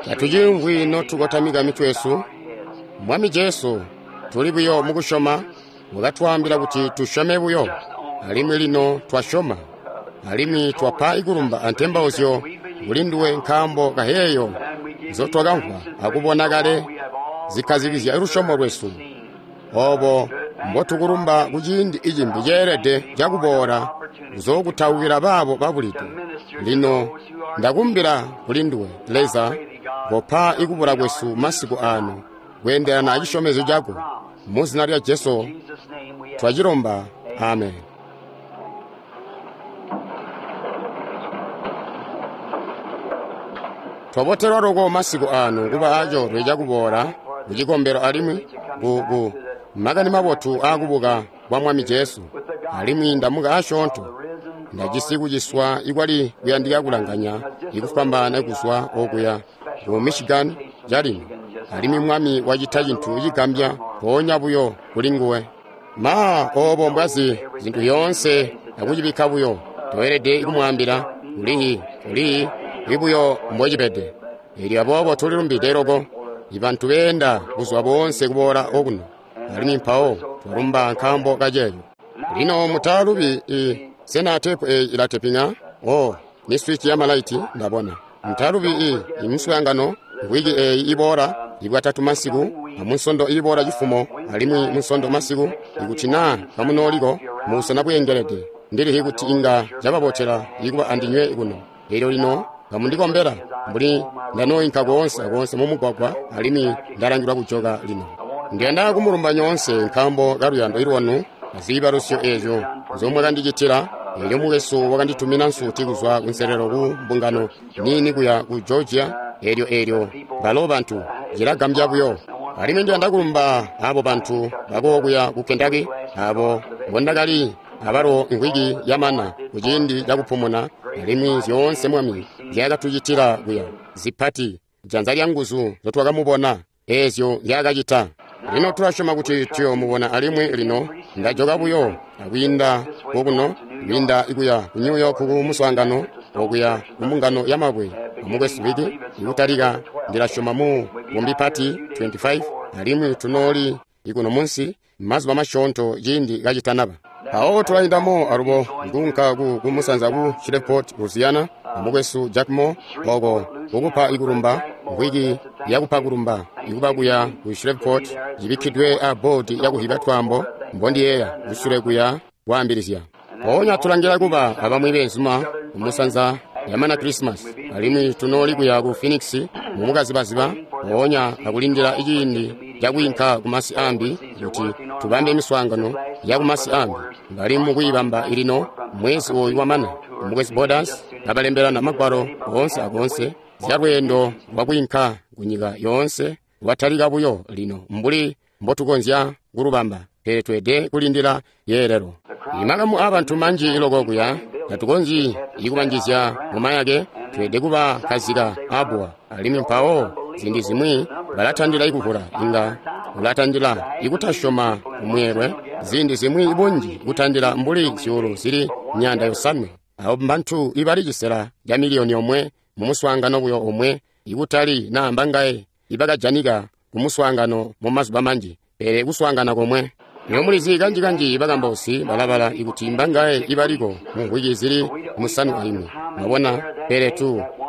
Tatuciimvwi notukotamika mitwe yesu. Mwami Jesu, tuli buyo mukusyoma. Wakatwaambila kuti tusyome buyo, alimwi lino twasyoma, alimwi twapa ikulumba antembauzyo kuli nduwe nkaambo kaheeyo nzotwakamvwa akubona kale zikkazikizya lusyomo lwesu. Obo mbotukulumba kuciindi icimbi ceelede cakuboola kuzookutaukila baabo babulide. Lino ndakumbila kuli nduwe, Leza, kopa ikubula kwesu masiku ano kweendelana acisyomezyo cako. Muzina lya Jesu twacilomba, amen. Twabotelwa loko masiku ano kuba acoolwe cakuboola kucikombelo alimwi ku makani mabotu aakubuka kwa Mwami Jesu. Alimwi ndamuka asyoonto, ndajisi kuciswa ikwali kuyandika kulanganya ikufwambaana kuzwa okuya ku Michigan calino, alimwi Mwami wacita cintu cigambya mpoonya buyo kuli nguwe. Ma obo mbwazi zintu zyoonse akucibikka buyo, toelede kumwaambila ulihi ulihi ibuyo mbocibede. Eelyo aboobo tulilumbide loko ibantu beenda kuzwa boonse kuboola okuno, alimwi mpawo twalumba nkaambo kaceeyo. Lino mutalubi sena tepu eyi ilateping'a? Oh, ni switch ya malaiti ndabona. Mutalubi imiswaangano wiki eyi iboola ibwatatu masiku, amunsondo iboola cifumo, alimwi munsondo masiku, ikuti naa kamunooliko mubusena bweengelede, ndilihi kuti inga cababotela ikuba andinywe kuno. Eelyo lino kamundikombela mbuli ndanooyinka koonse akoonse mumugwagwa, alimwi ndalangilwa kujoka lino. Ndiyanda kumulumba nyoonse nkaambo kaluyando lwanu aziibalusyo eezyo nzomwakandicitila. Eelyo mukwesu wakanditumina nsuti kuzwa kunselelo ku mbungano niini kuya ku Georgia. Eelyo balo bantu cilagambya buyo. Alimwi ndiyanda kulumba abo bantu bakokuya ku Kentucky, abo mbondakali abalo mvwiki yamana kuciindi cakupumuna, alimwi zyoonse Mwami nzyaakatucitila kuya zipati, janza lya nguzu nzotwakamubona, eezyo nzyaakacita. Lino tulasyoma kuti tuyomubona alimwi lino ndajoka buyo akwiinda kokuno, kwiinda kuya ku New York ku muswaangano okuya ku mbungano ya mabwe amukwesu Wiki ikutalika ndilasyoma mu Bombipati 25, alimwi tunooli ikuno munsi mazuba masyoonto ciindi kacitanaba. Mpawo tulayindamo alubo nkunka ku musanza ku Shreveport, Louisiana, amukwesu Jack Moore oko kukupa ikulumba mvwiki yakupa kulumba ikuba kuya ku Shreveport cibikkidwe a boodi yakuhiba twaambo mbondiyeeya kusule kuya kwaambilizya. Mpoonya tulangila kuba abamwi beenzuma kumusanza yamana Christmas, alimwi tunooli kuya ku Phoenix mumukazibaziba, mpoonya akulindila ciindi cakwiinka kumasi ambi kuti tubambe miswaangano ya kumasi ambi. Bali mukuyibamba ilino mwezi ooyu wamana. Mukwesu Borders abalembelana magwalo oonse akoonse zya lweendo lwakwiinka kunyika yoonse lwatalika buyo lino mbuli mbotukonzya kulubamba, pele tweede kulindila yeelelo. Imakamu aabantu manji iloko kuya tatukonzyi ikubanjizya mumayake, tweede kuba kazika abuwa, alimwi mpawo ziindi zimwi balatandila ikuvula, inga ulatandila ikutasyoma kumweelwe, ziindi zimwi bunji kutandila mbuli zyuulu zili 500. Abo mbantu ibali cisela ca miliyoni 1 mumuswaangano buyo omwe, ikutali naamba ngaye ibakajanika kumuswaangano mumazuba manji, pele kuswaangana komwe. Lino mulizi kanji-kanji bakambausi balabala ikuti mbangaye ibaliko mumvwiki zili 51. Mwabona, pele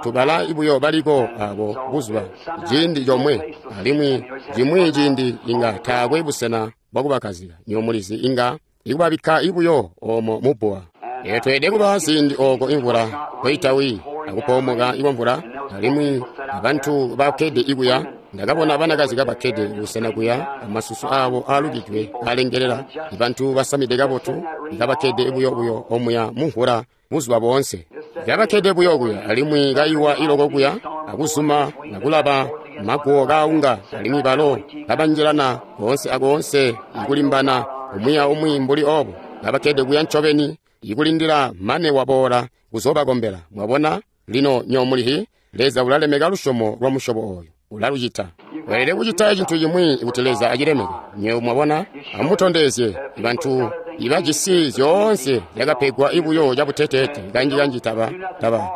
tubala buyo baliko abo buzuba ciindi comwe, alimwi cimwi ciindi inga taakwe busena bwakubakazika. Nyo mulizi inga ikubabikka ibuyo omo mubbuwa. Eelyo tweede kuba ziindi ooko imvula koitawi akupoomoka ikwamvula, alimwi abantu bakkede ikuya. Ndakabona banakazi kabakkede busena kuya amasusu aabo aalukidwe alengelela, ibantu basamide kabotu kabakkede buyo omuya mumvula buzuba boonse. Kabakkede buyo kuya, alimwi kaiwa iloko kuya akuzuma nakulaba maguwo kaunga, alimwi balo kabanjilana koonse akoonse ikulimbana umwi aumwi mbuli obo. Kabakkede kuya ncobeni ikulindila mane waboola kuzobakombela. Mwabona lino nyomulihi Leza ulalemeka lusyomo lwa musyobo oyo, ulalucita. Weelede kucita cintu cimwi kuti Leza acilemeke. Nyewe mwabona, amutondezye bantu ibajisi zyoonse zyakapegwa ibuyo cabuteteete kanji-kanji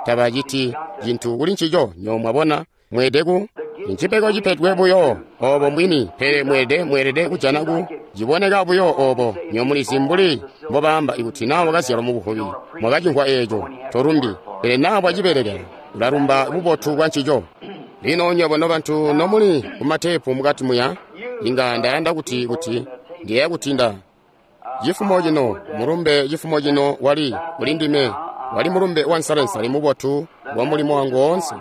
tabaciti cintu kuli ncico. Nyewe mwabona, Mweelede ku ncipego cipedwe buyo obo mbwini, pele mweelede kujana ku ciboneka buyo obo. Nyomulizi mbuli mbobaamba ikuti naa wakazyalwa mu buvubi, mwakacimvwa eeco, tolumbi, pele naa wacibelekela, ulalumba bubotu bwa ncico. Lino nywebo nobantu nomuli kumateepu mukati muya, inga ndayanda kuti ndiyeeya kuti nda cifumo cino mulumbe cifumo cino wali kuli ndime wali mulumbe wa nsalensale mubotu wa mulimo wangu woonse.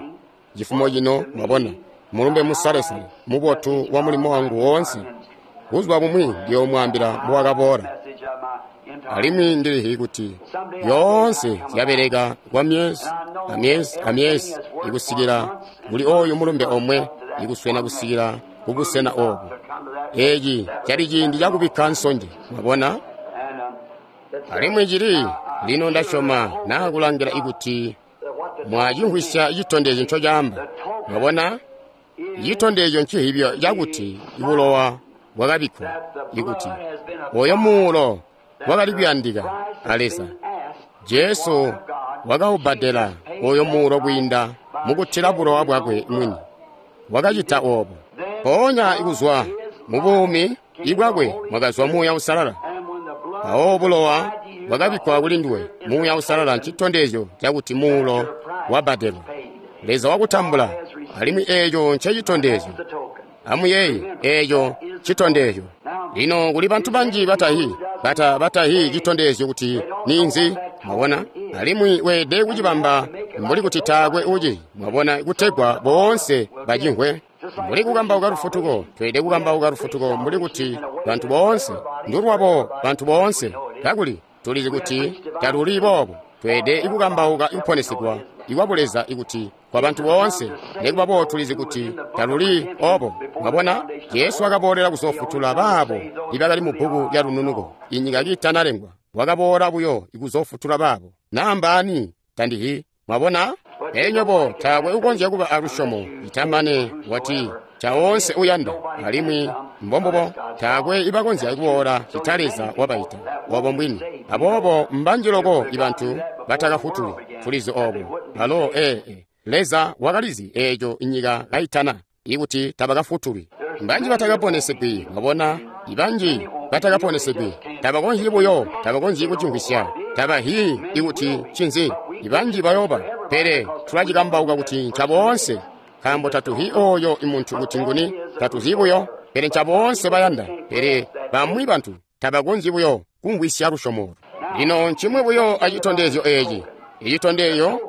Cifumo cino mwabona mulumbe musalesale mubotu wa mulimo wangu woonse. Buzuba bumwi ndiyoomwaambila mbowakaboola. Alimwi ndilihi kuti zyoonse zyabeleka kwa myezi amyezi amyezi ikusikila kuli oyu mulumbe omwe ikuswena kusikila kubusena obu. Eeci cali ciindi cakubikka nsonje, mwabona? Alimwi cili lino ndasyoma naa kulangila ikuti mwacimvwisya citondezyo ncocaamba. Mwabona? Citondezyo ncihibyo cakuti bulowa bwakabikkwa, ikuti oyo muulo wakali kuyandika a Leza. Jesu wakaubbadela oyo muulo kwiinda mukutila bulowa bwakwe mwini. Wakacita oobo. Mpoonya ikuzwa mu buumi ibwakwe mwakazwa Muuya Uusalala. Mpawo bulowa bwakabikkwa kuli nduwe. Muuya Uusalala ncitondezyo cakuti muulo wabbadelwa. Leza wakutambula, alimwi eeco ncecitondezyo. Amuyeeye, eeco ncitondezyo. Lino kuli bantu banji batahi citondezyo kuti ninzi, mwabona? Alimwi weelede kucibamba mbuli kuti taakwe uci, mwabona, kutegwa boonse bacimvwe. Mbuli kukambauka lufutuko, tweelede kukambauka lufutuko mbuli kuti bantu boonse, ndulwabo bantu boonse, kakuli tulizi kuti taluli boobo. Tweelede kukambauka kuponesedwa ikwa Buleza ikuti kwa bantu boonse, nekuba boobo tulizi kuti taluli obo. Mwabona, Jesu wakaboolera kuzofutula baabo ibakali mu bbuku lya lununuko inyika kiitanalengwa. Wakaboola buyo ikuzofutula baabo. Naa mbaani? Tandihi. Mwabona? Pele nywebo taakwe ukonzya kuba alusyomo itamane wati caonse uyanda, alimwi mbombubo taakwe ibakonzya kuboola cita Leza wabaita. Obo mbwini. Aboobo mbanji loko ibantu batakafutulwi. Tulizi obo. Alo Leza wakalizi eeco inyika kaitana ikuti tabakafutulwi. Mbanji batakaponesegwi, mwabona, ibanji batakaponesegwi tabakonzyi buyo, tabakonzyi kucimvwisya, tabahi ikuti ncinzi. Ibanji bayoba, pele tulacikambauka kuti ncaboonse, nkaambo tatuhi oyo imuntu kuti nguni, tatuzi buyo, pele ncaboonse bayanda. Pele bamwi bantu tabakonzyi buyo kumvwisya lusyomo. Lino ncimwi buyo acitondezyo eeci. Icitondezyo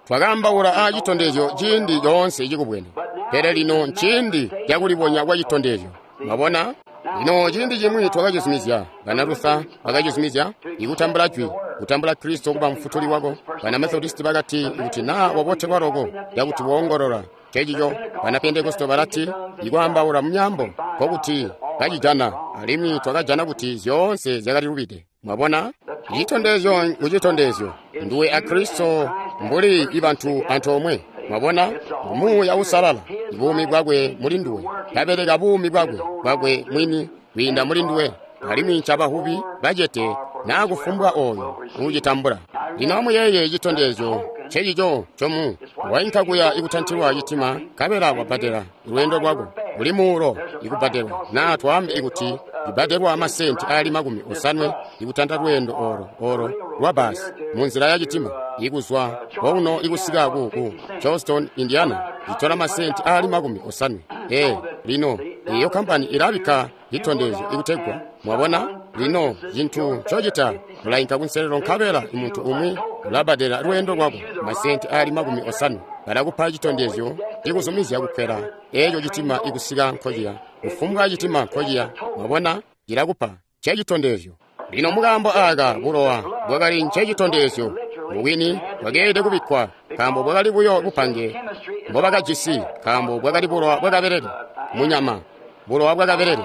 twakaambaula acitondezyo ciindi coonse cikubwene, pele lino nciindi cakulibonya kwa citondezyo. Mwabona? Lino ciindi cimwi twakacizumizya, bana Luther bakacizumizya ikutambula jwi, kutambula Kristo kuba mfutuli wako. Bana Methodist bakati ikuti naa wabotelwa loko yakuti woongolola cecico. Bana Pentekoste balati ikwaambaula mumyaambo nkokuti kacijana, alimwi twakajana kuti zyoonse zyakali lubide. Mwabona? Icitondezyo nkucitondezyo nduwe a Kristo mbuli ibantu antoomwe. Mwabona? Muuya Uusalala, buumi bwakwe muli nduwe, kabeleka buumi bwakwe mwini kwiinda muli nduwe, alimwi ncabahubi bacete naa kufumbwa oyo uucitambula. Lino amuyeeye citondezyo ncecico ncomu wainka kuya ikutantilwa citima, nkabela wabbadela lweendo lwako buli muulo ikubbadelwa, naa twaambe ikuti ibbadelwa amasenti aali 50 ikutanta lweendo olo lwa basi munzila ya citima ikuzwa kouno ikusika ku Charleston, Indiana, itola masenti aali 50. Lino iyo kampani ilabikka citondezyo ikutegwa mwabona. Lino cintu ncocita ulainka kunselelo, nkabela muntu umwi ulabbadela lweendo lwako masenti aali 50. Balakupa citondezyo cikuzumizya kukwela eeco citima ikusika nkociya, kufumbwa citima nkociya. Mwabona, cilakupa cecitondezyo. Lino mukaambo aaka bulowa bwakali ncecitondezyo mubwini bwakeelede kubikkwa, nkaambo bwakali buyo bupange mbobakajisi, nkaambo bwakali bulowa bwakabelele munyama, bulowa bwakabelele,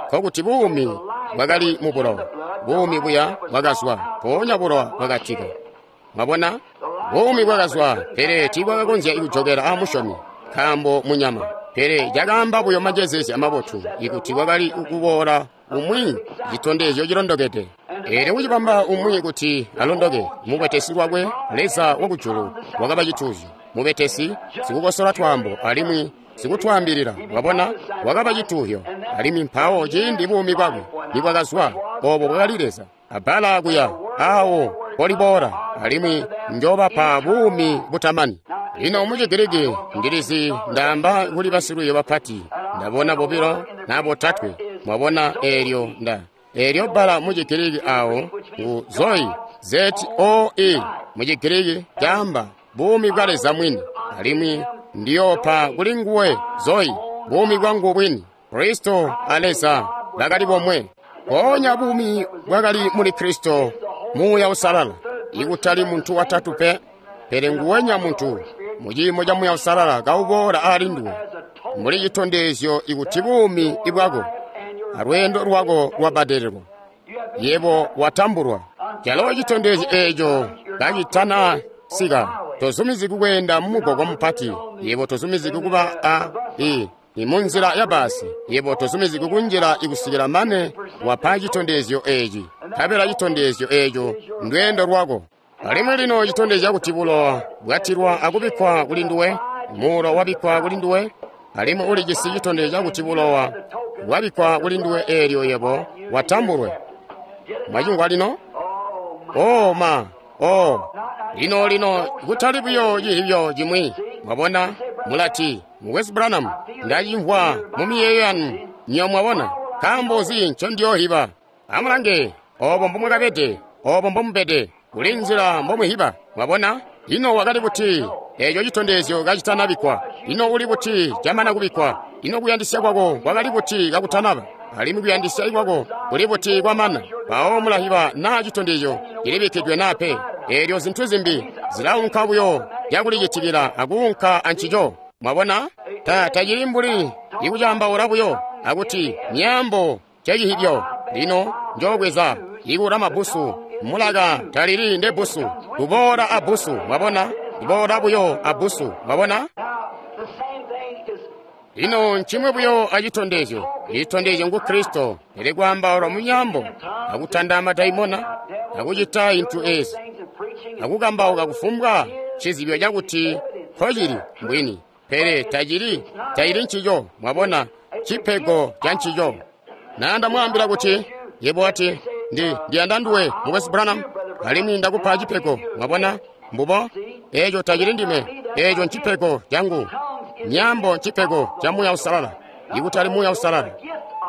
nkokuti buumi bwakali mu bulowa, buumi buya bwakazwa, mpoonya bulowa bwakatika. Mwabona, buumi bwakazwa, pele tiibwakakonzya kujokela aamusyomi, nkaambo munyama. Pele cakaamba buyo majezezya mabotu ikuti kwakali kuboola umwi citondezyo cilondokede. Eelyo kucibamba umwi kuti alondoke, mubetesi lwakwe Leza wakujulu wakaba cituuzyo. mubetesi, sikukosola twaambo, alimwi sikutwaambilila. Mwabona, wakaba cituhyo. Alimwi mpawo ciindi buumi bwakwe nibwakazwa, obo bwakali Leza. Abbala kuya awo poliboola, alimwi njobapa buumi butamani. Lino mu Chigiriki ndilizi ndaamba kuli basilwiiyo bapati, ndabona bobilo na botatwe. Mwabona eelyo nda eelyo bbala mu Chigiriki awo ngu zoi, Z-O-E mu Chigiriki caamba buumi bwa Leza mwini, alimwi ndiyoopa kuli nguwe zoi, buumi bwangu bwini. Kristo a Leza bakali bomwe. Mpoonya buumi bwakali muli Kristo, Muuya Uusalala, ikutali muntu watatu pe, pele nguwenya muntu muciimo ca Muuya Uusalala kauboola ali nduwe mbuli citondezyo ikuti buumi bwako alweendo lwako lwabadelelwa, yebo watambulwa. Calo citondezyo eeco kacitana sika, tozumiziki kweenda mumugwagwa mupati, yebo tozumiziki kuba a i munzila ya basi, yebo tozumiziki kunjila ikusikila mane wapa citondezyo eeci. Nkabela citondezyo eeco ndweendo lwako. Alimwi lino citondezya kuti bulowa bwatilwa akubikkwa kuli nduwe, muulo wabikkwa kuli nduwe, alimwi ulijisi citondezyo cakuti bulowa bwabikkwa kuli nduwe eelyo yebo watambulwe. Mwacingwa lino? Oh ma, oh. Lino lino kutali buyo cihibyo cimwi. Mwabona, mulati, Mukwesu Branham, ndacimvwa mu miyeeyo yanu. Nyo mwabona, nkaambo nzi ncondiyoohiba? Amulange, obo mbomwakabede, obo mbomubede, kuli nzila mbomwihiba. Mwabona, ino wakali buti eeco citondezyo kacitanabikkwa? Ino uli buti camana kubikkwa? Ino kuyandisya kwako kwakali buti kakutanaba? Alimwi kuyandisya kwako kuli buti kwamana? Mpawo mulahiba naa citondezyo cilibikkidwe naa pe. Eelyo zintu zimbi zilaunka buyo cakulicitikila akuunka ancico. Mwabona, tacili mbuli ikucaambaula buyo akuti myaambo cecihibyo. Lino njoobweza ikula mabbusu, mulaka talili ndebbusu, kuboola abbusu. Mwabona, kuboola buyo abbusu. Mwabona? Lino ncimwe buyo acitondezyo. Icitondezyo ngu Kristo, pele kwaambaula mu myaambo, akutanda madaimona, akucita intu ezi, akukambauka kufumbwa cizibyo cakuti nkocili mbwini, pele tacili ncico. Mwabona, cipego ca ncico. Na ndamwaambila kuti yebo ati ndiyanda nduwe Mukwesu Branham, alimwi ndakupa cipego. Mwabona, mbubo eeco tacili ndime, eeco ncipego cangu. Myaambo ncipego ca Muuya Uusalala, ikutali Muuya Uusalala,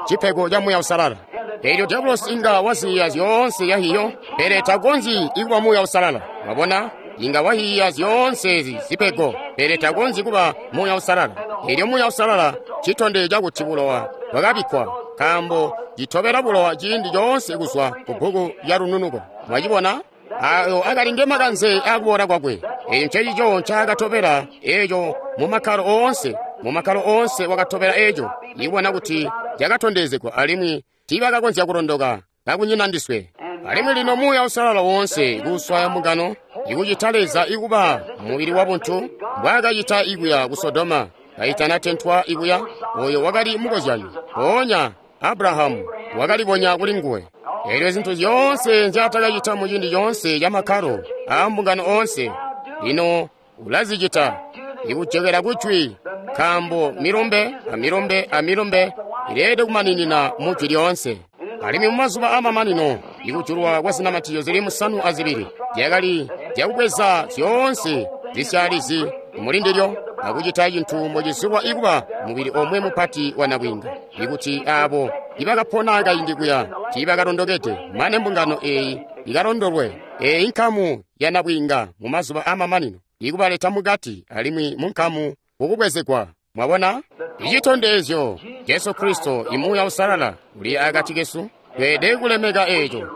cipego ca Muuya Uusalala. Eelyo diabolosi inga waziya zyoonse yahiyo, pele takonzyi ikuba Muuya Uusalala. Mwabona, inga wahiya zyoonse ezi zipego, pele takonzyi kuba Muuya Uusalala. Eelyo Muuya Uusalala citondezyo cakuti bulowa bwakabikkwa, nkaambo citobela bulowa ciindi coonse kuzwa ku bbuku lya lununuko. Mwacibona? Ayo akali nge makanze akuboola kwakwe. Eeco ncecico ncaakatobela eeco mu makkalo oonse. Mu makkalo oonse wakatobela eeco, ikubona kuti cakatondezegwa alimwi tiibakakonzya kulondoka kakunyina ndiswe. Alimwi lino Muuya Uusalala woonse kuuswaya mbungano, ikucita Leza ikuba mubili wabuntu mbwaakacita ikuya ku Sodoma kaitanatentwa ikuya, oyo wakali mukozyanyo. Mpoonya Abrahamu wakalibonya kuli nguwe. Eelyo zintu zyoonse nzyaatakacita muciindi coonse ca makkalo aambungano oonse, lino ulazicita ikujokela kujwi, nkaambo milumbe amilumbe amilumbe ileelede kumaninina mu jwi lyoonse. Alimwi mumazuba aamamanino ikujulwa kwa zinamatizyo zili 7 zyakali zyakubweza zyoonse zisyaalizi mulindilyo akucita cintu mbocizulwa ikuba mubili omwe mupati wa nabwiinga, ikuti aabo ibakapona kaindi kuya tiibakalondokede mane mbungano eeyi ikalondolwe. Eeyi nkamu ya nabwiinga mumazuba aamamanino ikubaleta mukati alimwi munkamu kukubwezegwa. Mwabona, icitondezyo Jesu Kristo, imuuya Uusalala uli akati kesu. Tweelede kulemeka eeco.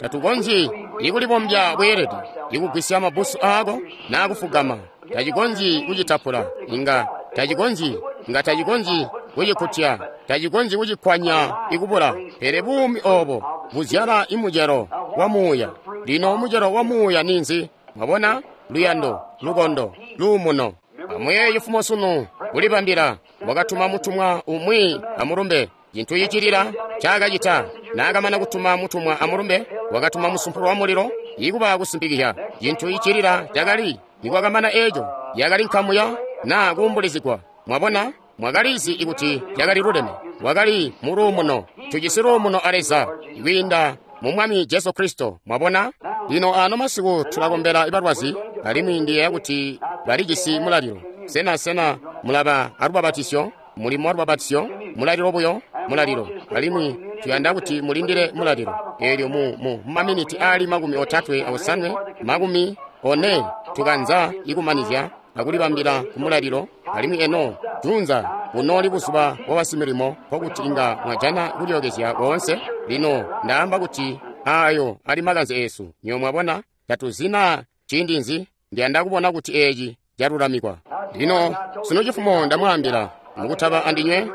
Tatukonzyi ikulibombya bweelede, ikugwisya mabbusu aako naa kufugama. Tacikonzyi kucitapula, inga tacikonzyi, inga tacikonzyi kucikutya, tacikonzyi kucikwanya ikubula. Pele buumi obo buzyala imucelo wa Muuya. Lino mucelo wa Muuya ninzi? Mwabona, luyando, lukondo, luumuno. Amuyeeye cifumo sunu kulibambila, wakatuma mutumwa umwi amulumbe. Cintu cicilila ncaakacita naakamana kutuma mutumwa amulumbe, wakatuma musumpulu wa mulilo ikuba kusimpikizya. Cintu cicilila cakali Nikwakamana eco, yakali nkamu ya na kuumbulizigwa. Mwabona? Mwakalizi ikuti yakali luleme. Wakali mu luumuno. Tujisi luumuno a Leza kwiinda mu Mwami Jesu Kristo. Mwabona? Lino ano masiku tulakombela balwazi, alimwi ndiyeeya kuti balijisi mulalilo. Sena mulaba alubabatisyo? Mulimo wa lubabatisyo? Mulalilo buyo? Mulalilo. Alimwi tuyanda kuti mulindile mulalilo. Eelyo mu maminiti aali 35, 40 tukanza ikumanizya akulibambila ku mulalilo. Alimwi eno junza bunooli buzuba bwa basimilimo, nkokuti inga mwajana kulyookezya koonse. Lino ndaamba kuti ayo ali makanze esu. Nyo mwabona, tatuzina ciindi nzi. Ndiyanda kubona kuti eci calulamikwa. Lino sino cifumo ndamwaambila mukutaba andinywe,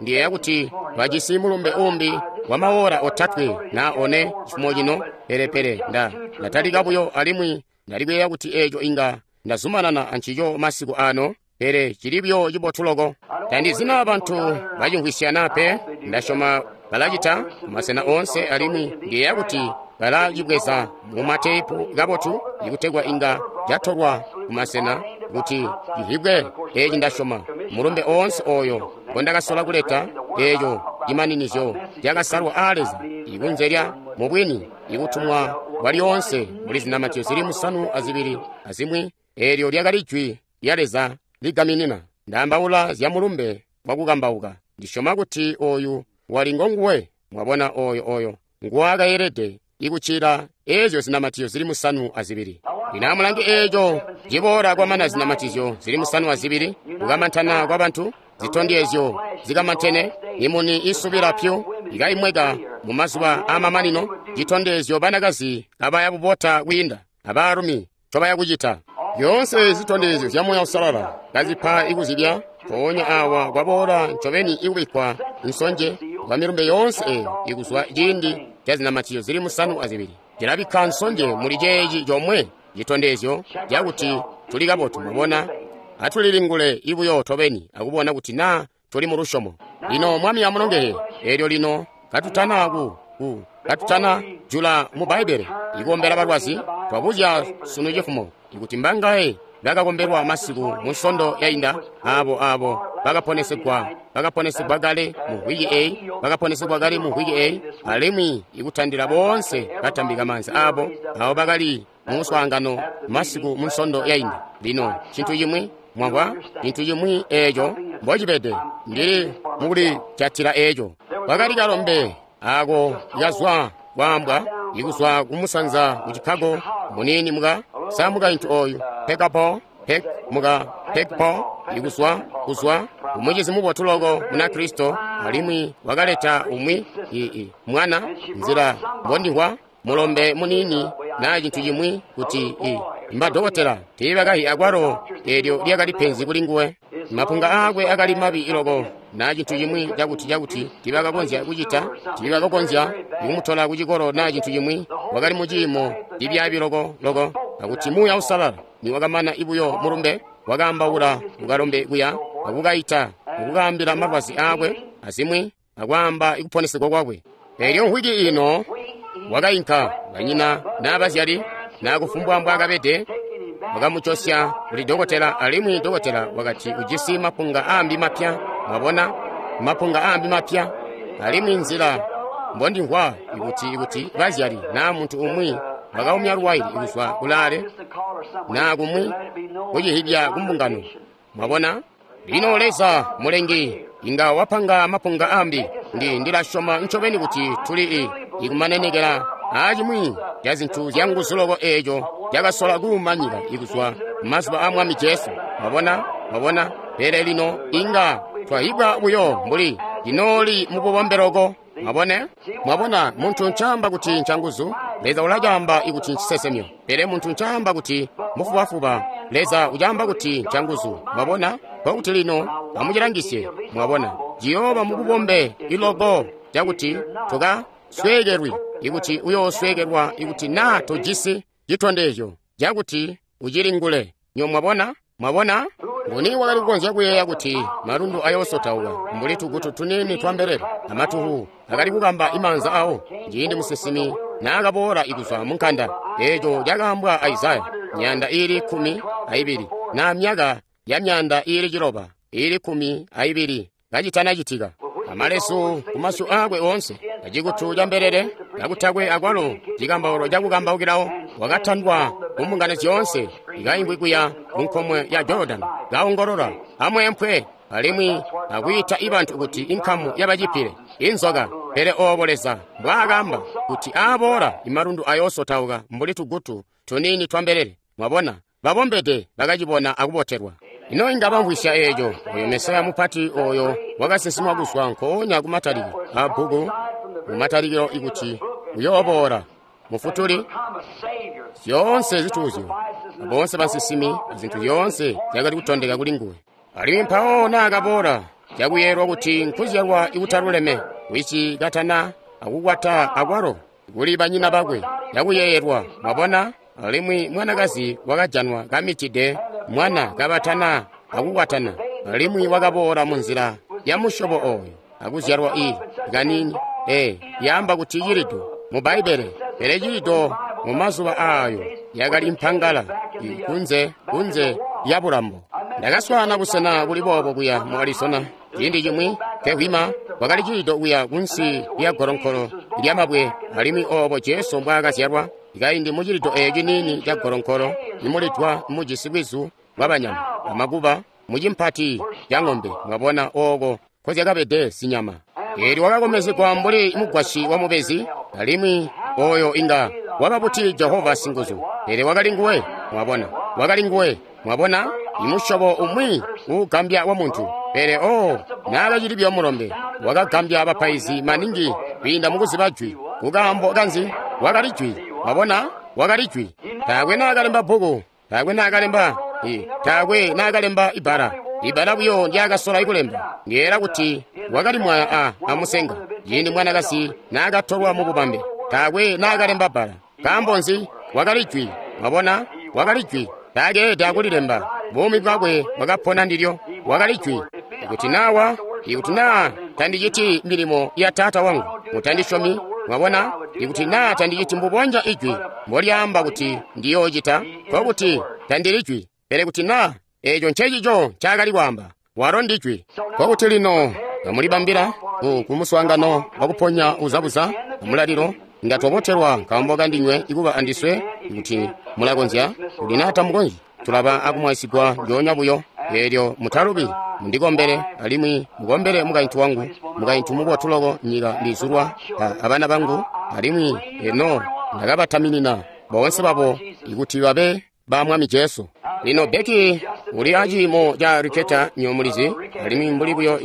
ndiyeeya kuti bajisi mulumbe umbi wa maora 3 na 4 cifumo cino, pelepele ndatalika buyo, alimwi ndali kuyeeya kuti eco inga ndazumanana ancico masiku ano, pele cili buyo cibotu loko. Tandizina bantu bacimvwisyana pe, ndasyoma balacita masena oonse, alimwi ndiyeeya kuti balacibweza mu mateepu kabotu ikutegwa inga catolwa kumasena kuti civwibwe. Eci ndasyoma mulumbe oonse oyo ngondakasola kuleta, eco cimaninizyo cakasalwa aa Leza ikunze lya mubwini ikutumwa kwa lyoonse muli zinamatizyo zili 7 azimwi. Eelyo lyakali jwi lya Leza ligaminina. Ndaambaula zya mulumbe wakukambauka. Ndisyoma kuti oyu wali ngonguwe. Mwabona, oyo nguwakayelede ikucila ezyo zinamatizyo zili 7. Lino amulange eco ciboola kwamana zinamatizyo zili 7, kukamantana kwa bantu, zitondezyo zikamantene, imuni isubila pyu ikaimweka mu mazuba amamanino, citondezyo banakazi abaya kubota kwiinda abaalumi ncobaya kucita. Yoonse zitondezyo zya Muuya Uusalala kazipa ikuzibya, mpoonya awa kwaboola ncobeni ikubikkwa nsonje kwa milumbe yoonse eyo ikuzwa ciindi ca zinamatizyo zili 7. Cilabikka nsonje muli ceeci comwe citondezyo cakuti tuli kabotu. Mwabona, atulilingule ibuyo tobeni akubona kuti naa tuli mu lusyomo. Lino Mwami amulongele. Eelyo lino katutana katutana jula mu Bbaibbele ikukombela balwazi, twabuzya sunu cifumo ikuti mbangaye bakakombelwa masiku mu nsondo yainda, abo bakaponesegwa kale mu wiki eyi, bakaponesegwa kale mu wiki eyi, alimwi ikutandila boonse batambika maanza abo bakali mu muswaangano masiku mu nsondo yainda. Lino cintu cimwi mwamvwa, cintu cimwi eeco mbocibede, ndili mukulijatila eeco. Kwakali kalombe ako kazwa kwaambwa ikuzwa kumusanza ku Chicago, munini muka samukaintu oyu pekapo pek muka pekpo ikuzwa kuzwa umucizi mubotu loko muna Kristo, alimwi wakaleta umwi mwana nzila mbondihwa mulombe munini na cintu cimwi kuti mbadokotela tiibakahi akwalo eelyo lyakali penzi kuli nguwe. Mapunga aakwe akali mabi iloko na cintu cimwi cakuti tiibakakonzya kucita, tiibakakonzya kumutola kucikolo na cintu cimwi. Wakali mu ciimo cibyaabi loko loko, akuti Muuya Uusalala niwakamana ibuyo mulumbe wakaambaula kukalombe kuya akukaita akukaambila malwazi aakwe azimwi akwaamba ikuponesegwa kwakwe. Eelyo nkwiki ino wakainka banyina n'abazyali nakufumbwa mbwaakabede, wakamucosya kuli dokotela, alimwi dokotela wakati ujisi mapunga aambi mapya. Mwabona, mapunga aambi mapya. Alimwi nzila mbondimvwa ikuti bazyali naa muntu umwi wakaumya luwaili kuzwa kulaale naa kumwi kucihibya kumbungano. Mwabona, lino Leza mulengi inga wapanga mapunga ambi. Ndilasyoma ncobeni kuti tuli ikumanenekela acimwi ca zintu zyanguzu loko eeco cakasola kuuma nyika ikuzwa mazuba a Mwami Jesu. Mwabona, mwabona. Pele lino inga twahibwa buyo mbuli cinooli mububombe loko. Mwabone, mwabona, muntu ncaamba kuti ncanguzu, Leza ulacaamba ikuti ncisesemyo. Pele muntu ncaamba kuti mufubafuba, Leza ucaamba kuti ncanguzu. Mwabona, nkokuti lino amucilangisye. Mwabona, ciyooba mububombe iloko cakuti tukasweekelwi ikuti uyoosweekelwa ikuti naa tojisi citondezyo cakuti ucilingule. Nyo mwabona, mwabona. Nguni wakali kukonzya kuyeeya kuti malundu ayoosotauka mbuli tugutu tuniini twa mbelele amatuhu akali kukamba imaanza awo ciindi musinsimi naakaboola ikuzwa munkanda? Eeco cakaambwa a Isaya. myaanda iili 12, na myaka ya myaanda iili 6, iili 12 kacitanacitika. Amalesu kumasyu aakwe oonse, acikutu ca mbelele, kakutakwe akwalo cikambauro cakukambaukirawo, wakatandwa ku mbungano zyoonse, ikaingwi kuya ku nkomwe ya Jordan, kaongolola, amweempwe, alimwi akwiita ibantu kuti inkamu yabacipile, inzoka. Pele oobo Leza mbwaakamba kuti aaboola imalundu ayoosotauka mbuli tugutu tuniini twa mbelele. Mwabona, babombede bakacibona akubotelwa. Ino inga bamvwisya eeco, oyo Mesaya mupati oyo wakasinsimwa kuzwa nkoonya kumatalikilo a bbuku, mumatalikilo ikuti uyooboola Mufutuli, zyoonse zituuzyo, boonse basinsimi, zintu zyoonse zyakali kutondeka kuli nguwe. Alimwi mpawo naakaboola, cakuyelwa kuti nkuzyalwa ikutaluleme, wici katana akukwata akwalo kuli banyina bakwe, cakuyeyelwa, mwabona, alimwi mwanakazi wakajanwa kamitide mwana kabatana akukwatana, alimwi wakaboola munzila ya musyobo oyo, akuzyalwa i kanini, yaamba kuti cilido mu Bbaibbele, pele cilido mu mazuba aayo yakali mpangala kunze kunze ya bulambo. Ndakaswaana busena kuli boobo kuya mu Arizona ciindi cimwi kehwima kwakali cilido kuya kunsi lya golonkolo lyamabwe, alimwi oobo Jesu mbwaakazyalwa kaindi mu cilido eeco ciniini ca golonkolo imulidwa mujisi bwizu bwabanyama amakuba mucimpati ca ng'ombe, mwabona ooko nkozyakabede zinyama. Eelyo wakakomezegwa mbuli mugwasyi wa mubezi, alimwi oyo inga waba buti Jehova singuzu, pele wakali nguwe, mwabona, wakali nguwe, mwabona, imusyobo umwi uugambya wa muntu. Pele o naakacili buyo mulombe, wakagambya bapaizi maningi kwiinda mukuziba jwi. Kukaambo kanzi? Wakali jwi, mwabona, wakali jwi. Taakwe naakalemba bbuku, taakwe naakalemba taakwe naakalemba ibbala. Ibbala buyo ndyaakasola ikulemba, ndiyeera kuti wakali mwaya amusenga ciindi mwanakazi naakatolwa mu bubambe. Taakwe naakalemba bbala. Nkaambo nzi? Wakali jwi, mwabona, wakali jwi. Taakeelede akulilemba, buumi bwakwe bwakapona ndilyo. Wakali jwi. Ikuti naa tandiciti milimo ya Taata wangu, mutandisyomi. Mwabona, ikuti naa tandiciti mbubonya ijwi mbolyaamba kuti ndiyoocita, nkokuti tandili jwi. Pele kuti naa eeco ncecico ncaakali kwaamba, walo ndi jwi. Nkokuti lino kamulibambila kumuswaangano wakuponya uzabuza amulalilo, inga twabotelwa nkaambo kandinywe ikuba andiswe. Ikuti mulakonzya, kuti naa tamukonzyi, tulaba akumwaisigwa ndyoonya buyo. Eelyo mutalubi, mundikombele, alimwi mukombele mukaintu wangu, mukaintu mubotu loko nyika ndizulwa abana bangu, alimwi eno ndakabataminina boonse babo ikuti babe ba Mwami Jesu. Lino Becky uli aciimo ca Riketa nyomulizi, alimwi mbuli buyo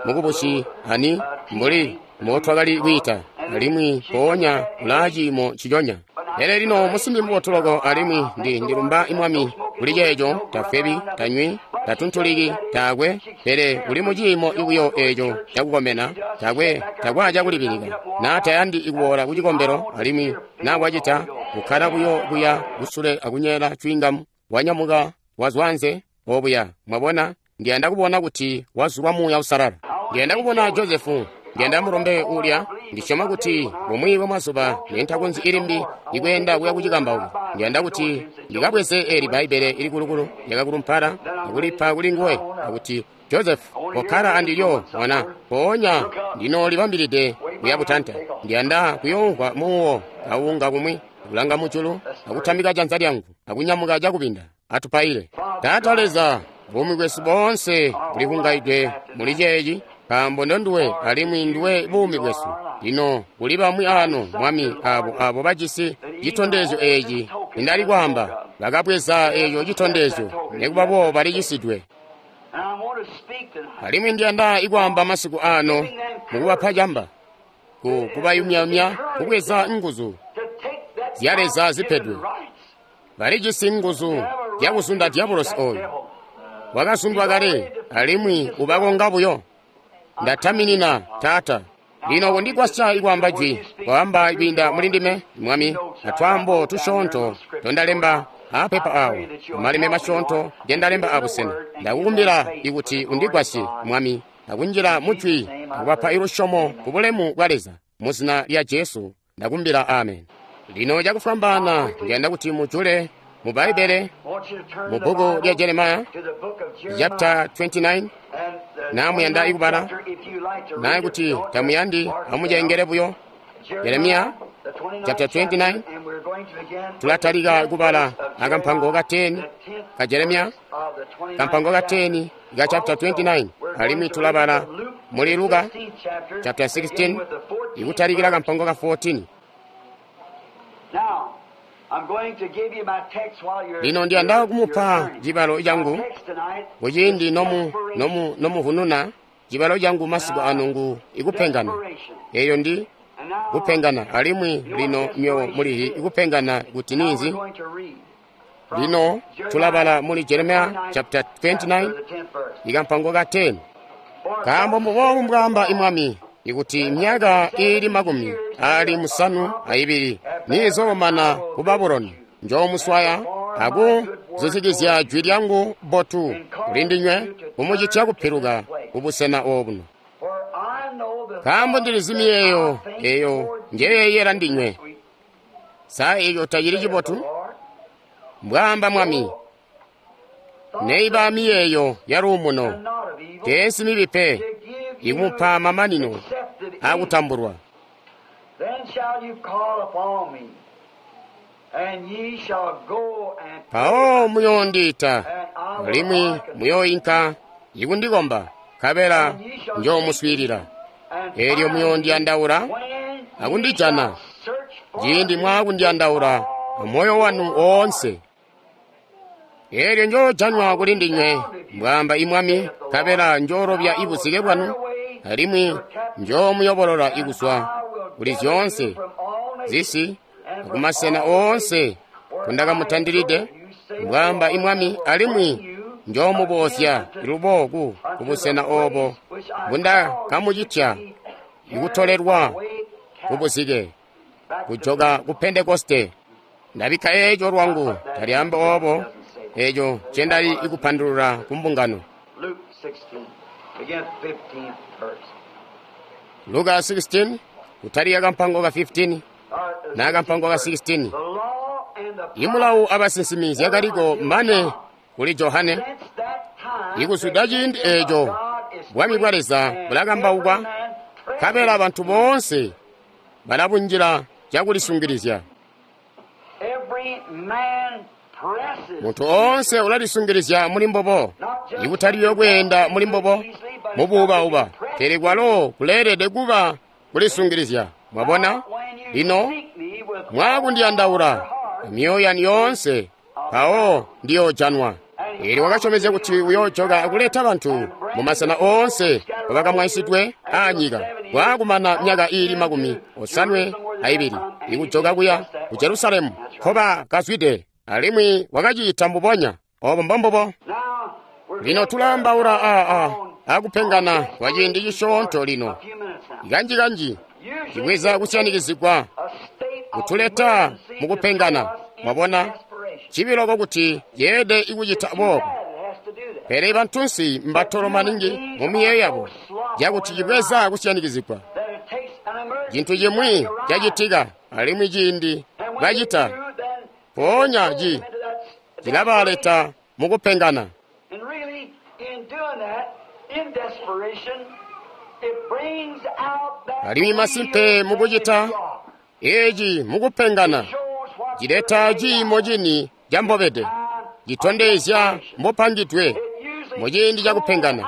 mukubusi ani mbuli mbotwakali kwiita, alimwi mpoonya ulaa ciimo ciconya. Pele lino musimbi mubotu loko, alimwi ndilumba Mwami kuli ceeco. Tafwebi, tanywi, tatuntuliki, taakwe, pele uli muciimo buyo eeco cakukomena, taakwe acakulibilika, naa tayandi ikuboola kucikombelo, alimwi naa wacita kukkala buyo kuya kusule akunyeela cwingamu, wanyamuka wazwanze obuya. Mwabona, ndiyanda kubona kuti wazulwa Muuya Uusalala. Ndiyanda kubona Josefu, ndiyanda mulombe ulya. Ndisyoma kuti bumwi bwa mazuba nentakonzyi ilimbi ikweenda kuya kucikambauko. Ndiyanda kuti ndikabweze eli Bbaibbele ilikulukulu lyakakulumpala akulipa kuli nguwe, akuti Joseph, kokkala andilyo mwana, mpoonya ndinoolibambilide kuya butanta. Ndiyanda kuyoomvwa muuwo kawunga kumwi, akulanga mujulu, akutambika janza lyangu, akunyamuka cakubinda. Atupaile. Taata Leza, buumi bwesu boonse bulihungaidwe muli ceeci, nkaambo ndonduwe alimwi nduwe buumi bwesu. Lino kuli bamwi ano, Mwami, abo bajisi citondezyo eeci nindali kwaamba, bakabweza eeco citondezyo, nikuba boobo balicisidwe. Alimwi ndiyanda ikwaamba masiku ano mukubapa camba, kubayumyayumya kubweza nguzu zya Leza zipedwe. Balijisi nguzu zyakuzunda diabolosi oyo wakazundwa kale, alimwi ubakonga buyo. Ndataminina, Taata, lino kundigwasya ikwaamba jwi, kwaamba kwiinda muli ndime, Mwami, atwaambo tusyoonto tondalemba apepa awo, amaleme masyoonto ngendalemba abusena. Ndakukumbila ikuti undigwasye, Mwami, akunjila mujwi akubapa ilusyomo ku bulemu bwa Leza. Muzina lya Jesu ndakumbila, amen. Lino cakufwambaana ndiyanda kuti mujule Mu Bbaibbele, mu bbuku lya Jeremiah, chapter 29, naa muyanda ikubala, naa kuti tamuyandi amucengele buyo. Jeremiah chapter 29, tulatalika kubala akampango ka 10 ka Jeremiah, kampango ka 10 ka chapter 29, alimwi tulabala muli Luka chapter 16 ikutalikira kampango ka 14. Lino ndiyanda kumupa cibalo cangu kuciindi nomuhununa cibalo cangu masiku ano ngu ikupengana. Eyo ndi kupengana, alimwi lino myo mulihi ikupengana kuti ninzi. Lino tulabala muli Jeremiah chapter 29 ikampango ka 10. Nkaambo mbubobu mbwaamba imwami, ikuti myaka iili 72 niizoomana ku Babuloni, njoomuswaya akuzuzikizya jwi lyangu bbotu kulindinywe kumucitya kupiluka kubusena obuno. Nkaambo ndilizi miyeeyo eyo njeyeeyela ndinywe. Sa eco tacili cibotu? Mbwaamba Mwami. Neiba miyeeyo ya luumuno, teensi mibi pe, ikumupa mamanino akutambulwa. Mpawo muyoondiita, alimwi muyooinka ikundikomba, nkabela njoomuswiilila. Eelyo muyoondiyandaula akundijana, ciindi mwaakundiyandaula amoyo wanu woonse. Eelyo njoojanwa kulindinywe, mbwaamba imwami, nkabela njoolobya ibuzike bwanu, alimwi njoomuyobolola ikuzwa kuli zyoonse zisi akumasena oonse kundakamutandilide, mbwaamba imwami, alimwi njoomuboozya lubo kubusena oobo mbundakamucitya ikutolelwa kubuzike, kujoka ku Pentekoste. Ndabikka eeco lwangu, talyaamba oobo eeco ncendali ikupandulula ku mbungano. Luka 16, kutalika kampango ka 15 na kampango ka 16. Imulawu abasinsimi zyakaliko mane kuli Johane. Ikuzwida ciindi eeco bwami bwa Leza bulakambaukwa, nkabela bantu boonse balabunjila cakulisungilizya. Muntu oonse ulalisungilizya muli mbobo, ikutaliyo kweenda muli mbobo mubuubauba, pele kwalo kuleelede kuba kulisungilizya. Mwabona? Lino mwaakundiyandaula amyoyo yanu yoonse, mpawo ndiyoojanwa. Eelyo wakasyomezya kuti uyoojoka akuleta bantu mumasena oonse bakamwaisidwe aanyika, kwaakumana myaka iili 72 ikujoka kuya ku Jerusalemu nkobakazwide, alimwi wakacita mbubonya. Obo mbombubo. Lino tulaambaula akupengana kwa ciindi cisyoonto lino. Kanji-kanji cibweza kusyanikizigwa kutuleta mukupengana. Mwabona? Cibi loko kuti yeede ikucita boobo. Pele bantunsi mbatolo maningi mu miyeeyo yabo cakuti cibweza kusyanikizigwa. Cintu cimwi cacitika, alimwi ciindi bacita, mpoonya cilabaleta mukupengana. Alimwi masimpe mukucita eeci mukupengana, cileta ciimo cini cambobede, citondezya mbopangidwe muciindi cakupengana.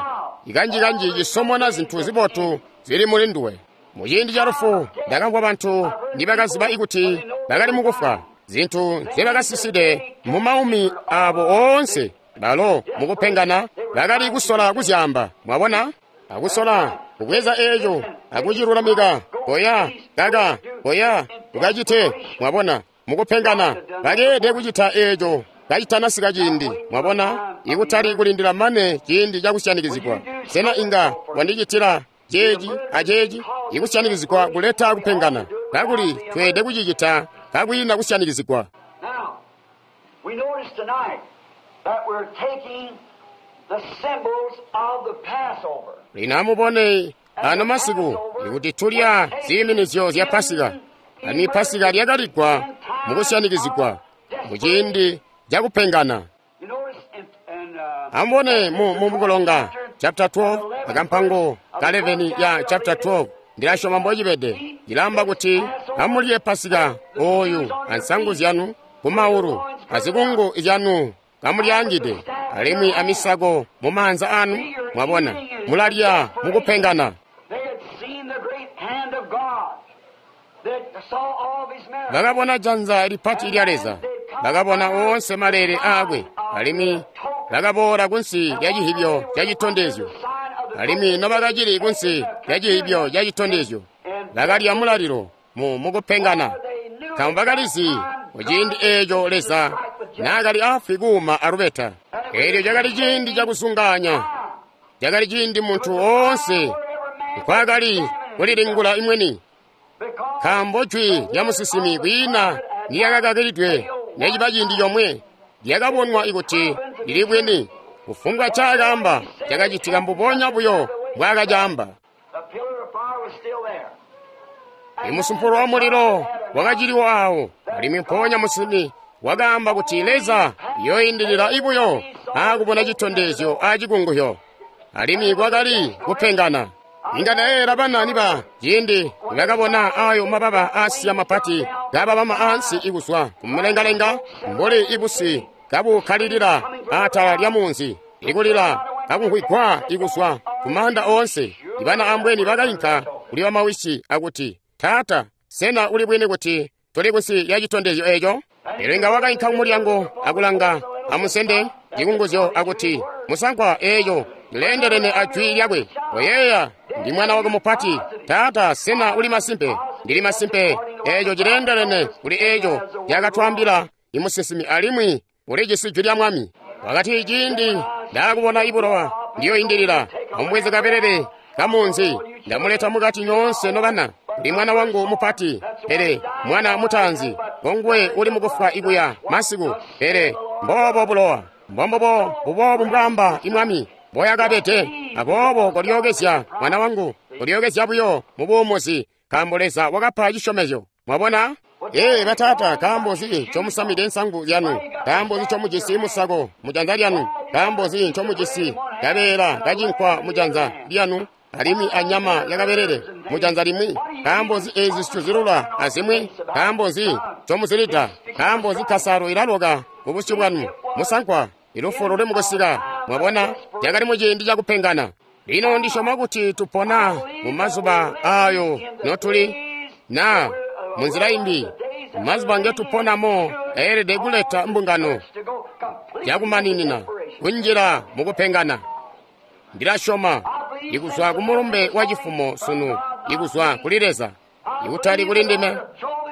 Ikanji-kanji cisomona zintu zibotu zili muli nduwe. Muciindi ca lufu ndakamvwa bantu nibakaziba ikuti bakali mukufwa, zintu nzebakasiside mumaumi abo oonse, balo mukupengana bakali kusola kuzyaamba. Mwabona? Akusola kubweza eeco akucilulamika, koya kaka, koya ukacite. Mwabona? Mukupengana bakeede kucita eeco kacitanasika ciindi. Mwabona? Ikutali kulindila mane ciindi cakusyanikizigwa. Sena inga wandicitila ceeci aceeci? Ikusyanikizigwa kuleta kupengana, kakuli tweede kucicita kakwiina kusyanikizigwa. Lino amubone ano masiku ikuti tulya ziiminizyo zya Pasika. Alimwi Pasika lyakaligwa mukusyanikizigwa muciindi cakupengana. Amubone mu Mukulonga chapter 12 akampango ka 11 ya chapter 12 ndilasyoma mbocibede ilamba kuti amulye pasika oyu ansangu zyanu kumaulu azikungu zyanu kamulyangide alimwi amisako mumaanza anu. Mwabona, mulalya mukupengana. Bakabona janza lipati lya Leza, bakabona oonse maleele aakwe, alimwi bakaboola kunsi lya cihibyo ca citondezyo. Alimwi nobakacili kunsi lya cihibyo ca citondezyo, bakalya mulalilo mukupengana, nkaambo bakalizi kuciindi eeco Leza naakali afwi kuuma alubeta. Eelyo cakali ciindi cakusunganya, cakali ciindi muntu oonse nkwaakali kulilingula imweni, nkaambo jwi lya musinsimi kwiina niyakakakilidwe neciba ciindi comwe lyakabonwa ikuti lili bwini. Kufumbwa ncaakaamba cakacitika mbubonya buyo mbwaakacaamba. Imusumpulo wa mulilo wakaciliwo aawo, alimwi mpoonya musinsimi wakaamba kuti Leza yooindilila ibuyo aakubona citondezyo acikunguhyo. Alimwi kwakali kupengana. Inga ndayeeyela bana niba ciindi nibakabona ayo mababa aasiya mapati kababama ansi ikuzwa kumulengalenga mbuli ibusi kabukkalilila atala lya munzi, ikulila kakumvwigwa ikuzwa kumaanda oonse. Ibana ambweni bakainka kuli bamawisi akuti, Taata, sena uli bwini kuti tuli kunsi ya citondezyo eeco? Elyo inga wakainka kumulyango akulanga amusende cikunguzyo akuti, Musankwa, eeco lileendelene ajwi lyakwe. Oyeeya, ndi mwana wako mupati. Taata, sena uli masimpe? Ndili masimpe. Eeco cileendelene kuli eeco lyakatwaambila imusinsimi, alimwi ulijisi jwi lya Mwami. Wakati, ciindi ndaakubona ibulowa ndiyoindilila, amubweze kabelele kamunzi, ndamuleta mukati nyoonse nobana. Ndi mwana wangu mupati, pele mwana mutaanzi ngonguwe uli mukufwa ikuya masiku. Pele mboobo bulowa, mbombobo buboobu mbwaamba imwami mboyakabede. Aboobo kolyookezya mwana wangu, kolyookezya buyo mubuumuzi, nkaambo Leza wakapa cisyomezyo. Mwabona? Ee bataata, nkaambo nzi ncomusamide nsangu zyanu? Nkaambo nzi ncomujisi musako mujanza lyanu? Nkaambo nzi ncomujisi kabeela kacinkwa mujanza lyanu, alimwi anyama yakabelele mujanza limwi? Nkaambo nzi eezi zicuzilula azimwi? Nkaambo nzi ncomuzilida? Nkaambo nzi kasalo ilaloka kubusyu bwanu? Musankwa, ilufu luli mukusika. Mwabona, cakali muciindi cakupengana. Lino ndisyoma kuti tupona mu mazuba ayo notuli, na munzila imbi, mazuba ngetuponamo ayelede kuleta mbungano yakumaninina kunjila mukupengana. Ndilasyoma ikuzwa kumulumbe wa cifumo sunu, ikuzwa kuli Leza, ikutali kuli ndime.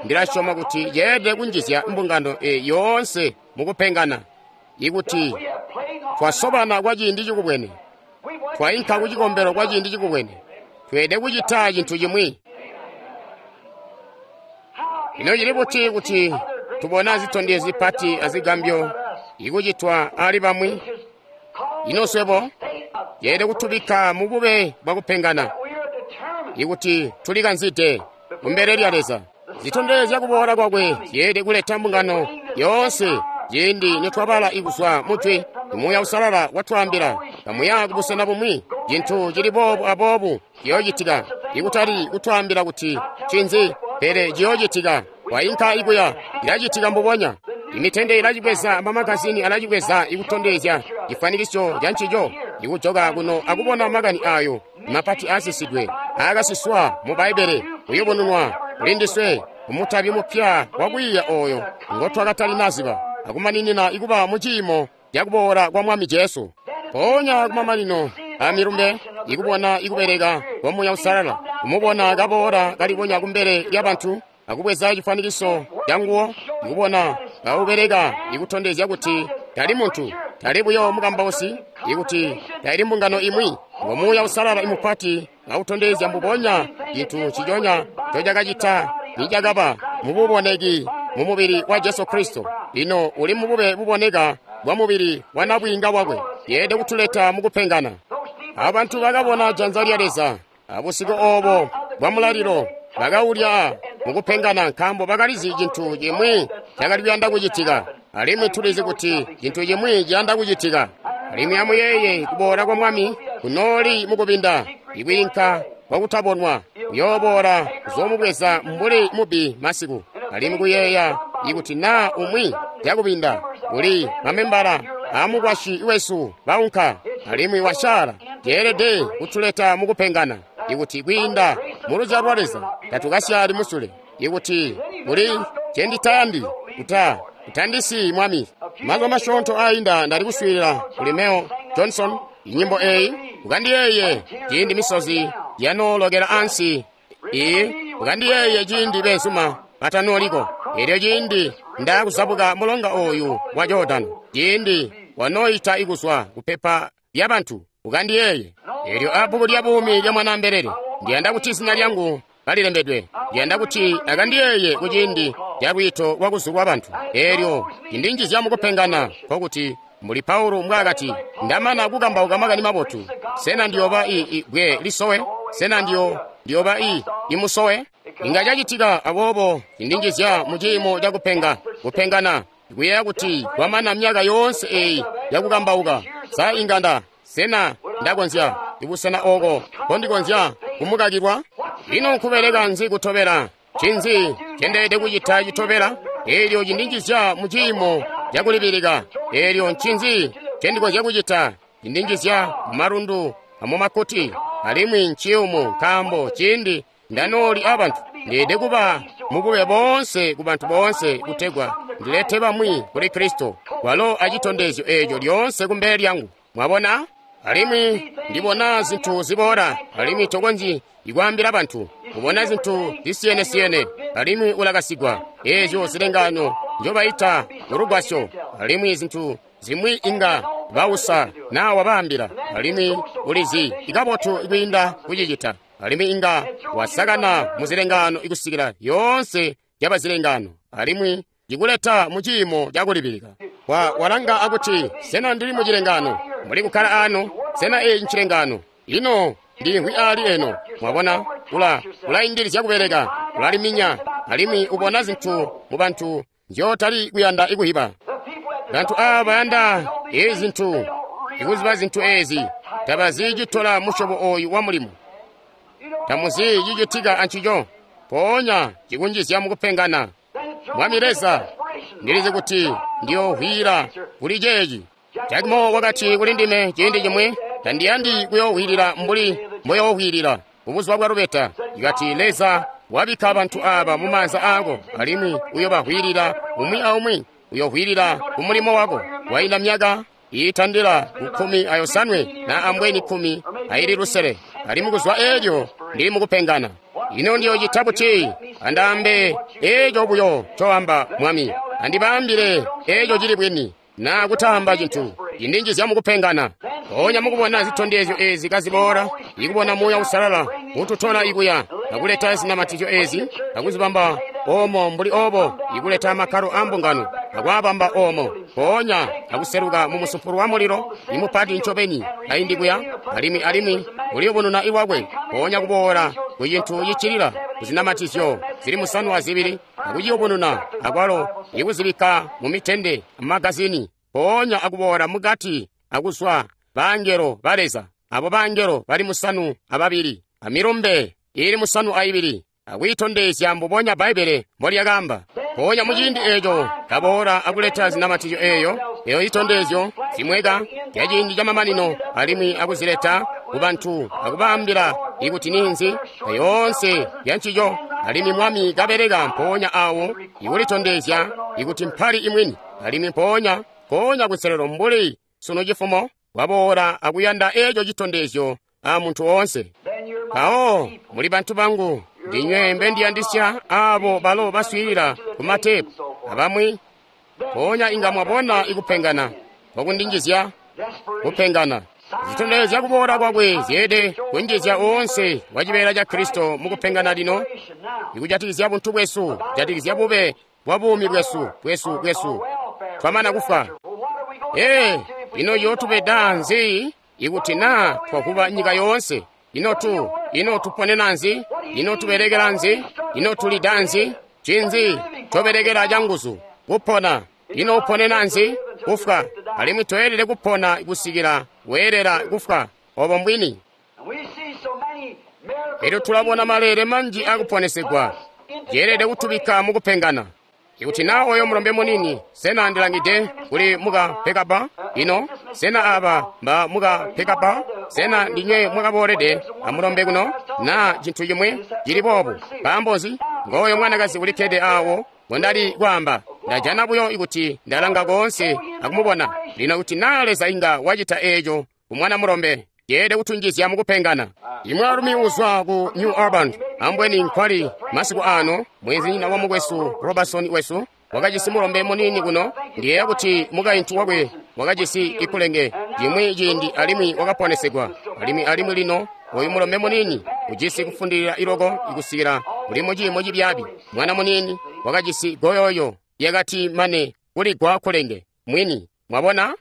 Ndilasyoma kuti yeelede kunjizya mbungano yoonse mukupengana, ikuti twasobana kwa ciindi cikubwene, twainka ku cikombelo kwa ciindi cikubwene, tweelede kucita cintu cimwi. Ino cili buti kuti tubona zitondezyo zipati azigambyo ikucitwa ali bamwi? Ino swebo yeelede kutubikka mubube bwakupengana, ikuti tulikanzide kumbele lya Leza. Zitondezya kuboola kwakwe zyeelede kuleta mbungano yoonse. Ciindi nitwabala ikuzwa mujwi, Muuya Uusalala watwaambila, kamuya kubusena bumwi, cintu cili boobu aboobu ciyoocitika, ikutali kutwaambila kuti cinzi, pele ciyoocitika. Wainka ikuya, ilacitika mbubonya. Imitende ilacibweza, amamagazini alacibweza ikutondezya cifwanikisyo ca ncico, ikujoka kuno akubona makani ayo mapati aasisidwe aakasiswa mu Bbaibbele kuyubununwa kuli ndiswe kumutabi mupya wakwiiya ooyo ngotwakatalinaziba, akumaninina ikuba muciimo cakuboola kwa Mwami Jesu. Mpoonya kumamanino amilumbe, ikubona ikubeleka kwa Muuya Uusalala, kumubona kaboola kalibonya kumbele lyabantu, akubweza cifwanikiso canguwo, ikubona kaubeleka ikutondezya kuti tali muntu, tali buyo mukambausi, ikuti taili mbungano imwi, ngo Muuya Uusalala imupati kautondezya mbubonya cintu ciconya ncocakacita nicakaba mububoneki mumubili wa Jesu Kristo. Lino uli mubube buboneka bwa mubili wa nabwiinga wakwe, yeelede kutuleta mukupengana. Abantu bakabona janza lya Leza abusiku oobo bwa mulalilo, bakaulya mukupengana, nkaambo bakalizi cintu cimwi cakali kuyanda kucitika. Alimwi tulizi kuti cintu cimwi ciyanda kucitika. Alimwi amuyeeye kuboola kwa Mwami kunooli mukubinda, ikwiinka kwakutabonwa, kuyooboola kuzoomubweza mbuli mubbi masiku. Alimwi kuyeeya ikuti naa umwi cakubinda kuli mamembala aamukwasyi wesu baunka, alimwi wasyaala, ceelede kutuleta mukupengana. Ikuti kwiinda muluzyalo lwa Leza tatukasyaali musule. Ikuti kuli cenditayandi kuta kutandisi Mwami. Mazuba masyoonto ainda ndali kuswiilila kuli Mel Johnson inyimbo eyi, ukandiyeeye ciindi misozi yanoolokela ansi. Iyi ukandiyeeye ciindi beenzuma batanooliko. Elyo ciindi ndakuzabuka mulonga oyu wa Jordano, ciindi wanooyita ikuzwa kupepa lyabantu, ukandiyeeye. Elyo abbuku lya buumi lya Mwanaambelele, ndiyanda kuti zina lyangu kalilembedwe. Ndiyanda kuti akandiyeeye kuciindi ca lwiito lwakuzulwa bantu. Elyo cindinjizya mukupengana nkokuti mbuli Paulo mbwaakati, ndamana kukambauka makani mabotu, sena ndiyoba i bwe lisowe? Sena ndiyoba imusowe? Inga cacitika. Aboobo cindinjizya mu ciimo ca kupengana, kuyeeya kuti kwamana myaka yoonse eyi yakukambauka, sa inga sena ndakonzya ibusena oko kondikonzya kumukakilwa? Ino nkubeleka nzi kutobela? Ncinzi cendeelede kucita citobela? Elyo cindinjizya mu ciimo cakulibilika. Elyo ncinzi cendikonzya kucita? Cindinjizya mumalundu amumakkuti, alimwi nciyumu nkaambo ciindi ndanooli abantu, ndeelede kuba mubube boonse ku bantu boonse kutegwa ndilete bamwi kuli Kristo, walo acitondezyo eeco lyoonse kumbele lyangu. Mwabona? Alimwi ndibona zintu ziboola, alimwi tokonzyi ikwaambila bantu. Ubona zintu zisiyene-siyene, alimwi ulakasigwa. Eezyo zilengano njobayita mulugwasyo, alimwi zintu zimwi inga bausa naa wabaambila, alimwi ulizi ikabotu kwiinda kucicita. Alimwi inga wasakana muzilengano ikusikila yoonse yabazilengano, alimwi cikuleta mu ciimo cakulibilika. Walanga akuti, sena ndili mu cilengano? Muli kukkala ano, sena eyi ncilengano? Ino ndimvwi ali eno. Mwabona, ulaindilizya kubeleka, ulaliminya, alimwi ubona zintu mu bantu nzyotali kuyanda ikuhiba. Bantu aaba bayanda ezi zintu, ikuziba zintu ezi, tabazi citola musyobo oyu wa mulimo. Tamuzi cicitika ancico, mpoonya cikunjizya mukupengana. Mwami Leza, ndilizi kuti ndiyohwila kuli ceeci. Jack Moore wakati kuli ndime ciindi cimwi, tandiyandi kuyohwilila mbuli mboyohwilila kubuzuba bwa lubeta. Ikati Leza wabikka bantu aaba mu maanza aako, alimwi uyobahwilila umwi aumwi, uyohwilila ku mulimo wako. Wainda myaka iitandila ku 17 na ambweni 16, alimwi kuzwa eelyo ndili mukupengana. Ino ndiyocita buti? Andaambe eeco buyo coamba Mwami, andibaambile eeco cili bwini, naa kutaamba cintu cindinjizya mukupengana. Mpoonya mukubona zitondezyo ezi kaziboola, ikubona Muuya Uusalala ututola ikuya akuleta zinamatizyo ezi akuzibamba omo mbuli obo, ikuleta makkalo a mbungano akwaabamba omo, mpoonya akuseluka mu musumpulo wa mulilo imupati ncobeni kaindi kuya, alimwi uliyubununa iwakwe, mpoonya kuboola ku cintu cicilila kuzinamatizyo zili 72 akuciyubununa akwalo ikuzibikka mu mitende amagazini, mpoonya akuboola mukati akuzwa bangelo ba Leza, abo bangelo bali 72 amilumbe ili 72, akuyitondezya mbubonya Bbaibbele mbolyakaamba. Mpoonya muciindi eeco kaboola akuleta zinamatizyo eeyo itondezyo zimweka ya ciindi camamanino, alimwi akuzileta ku bantu akubaambila ikuti ninzi yoonse yancico. Alimwi Mwami kabeleka mpoonya awo ikulitondezya ikuti mpali imwini, alimwi mpoonya kunselelo mbuli sunu cifumo waboola akuyanda eeco citondezyo a muntu woonse. Mpawo muli bantu bangu, ndinywe mbendiyandisya aabo balo baswiilila ku matepu abamwi. Mpoonya inga mwabona ikupengana kwakundinjizya kupengana. Zitondezya kuboola kwakwe zyeelede kunjizya oonse wa cibeela ca Kristo mukupengana lino, ikujatikizya buntu bwesu, kujatikizya bube bwa buumi bwesu twamana kufwa. Ino yootubeda nzi ikuti naa twakuba nyika yoonse? Ino tuponena nzi? Ino tubelekela nzi? Ino tulida nzi? Ncinzi tobelekela canguzu kupona? Ino uponena nzi? Kufwa. Alimwi toyelede kupona kusikila weelela kufwa. Obo mbwini. Elyo tulabona maleele manji akuponesegwa. Yeelede kutubikka mukupengana. Ikuti na oyo mulombe munini, sena ndilangide kuli muka pekapa? Ino, sena aba mba muka pekapa? Sena ndinywe mwakaboolede amulombe kuno? Na cintu cimwi cili boobu. Nkaambo nzi? Ngooyo mwanakazi ulikkede awo ngondali kwaamba. Ndajana buyo ikuti ndalanga koonse akumubona. Lino kuti na Leza inga wacita eeco ku mwana mulombe, yeelede kutunjizya mukupengana. Imwaalumi uzwa ku New Albany, ambweni nkwali masiku ano, mwenzinyina wa mukwesu Robertson wesu, wakajisi mulombe munini kuno. Ndiyeeya kuti mukaintu wakwe wakajisi ikulenge cimwi ciindi alimwi wakaponesegwa. Alimwi lino oyu mulombe munini ujisi kufundilila iloko ikusikila uli muciimo cibyaabi. Mwana munini wakajisi goyoyo yakati mane kuligwa kulenge mwini. Mwabona?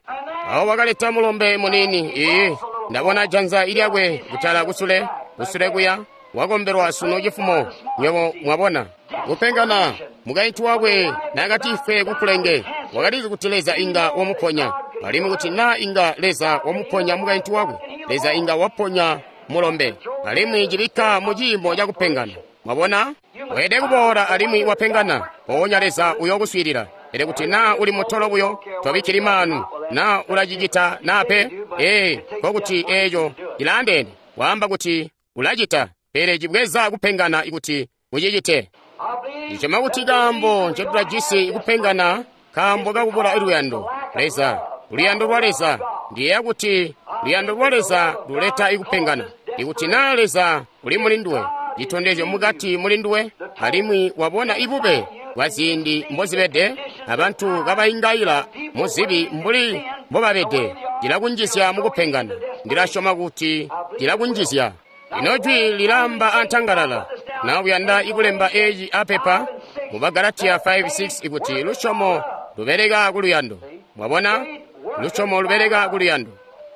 Awo wakaleta mulombe munini. Ee, ndabona janza ilyakwe kutala kusule, kusule kuya, wakombelwa sunu cifumo. Nywebo mwabona? Kupengana, mukaintu wakwe nakati ife kukulenge, wakalizi kuti Leza inga wamuponya. Alimwi kuti na inga Leza wamuponya mukaintu wakwe, Leza inga waponya mulombe. Alimwi cibikka mu ciimo cakupengana. Mwabona? Weelede kuboola alimwi wapengana, mpoonya Leza uyokuswiilila. Pele kuti na uli mutolo buyo, tobikkili maanu, na ulacicita na pe, ee, nkokuti eeco cilaandeene. Waamba kuti ulacita, pele cibweza kupengana ikuti ucicite. Ndisyoma kuti kaambo ncotulajisi kupengana nkaambo kakubula luyando. Leza, luyando lwa Leza. Ndiyeeya kuti luyando lwa Leza luleta ikupengana. Ikuti na Leza uli mulinduwe, citondezyo mukati mulinduwe, alimwi wabona ibube bwa ziindi mbozibede, abantu kabaingaila muzibi mbuli mbobabede, cilakunjizya mukupengana. Ndilasyoma kuti cilakunjizya. Ino jwi lilamba antangalala. Na uyanda ikulemba eeci apepa mu Bagalatiya 5:6 ikuti lusyomo lubeleka kuluyando. Mwabona? Lusyomo lubeleka kuluyando.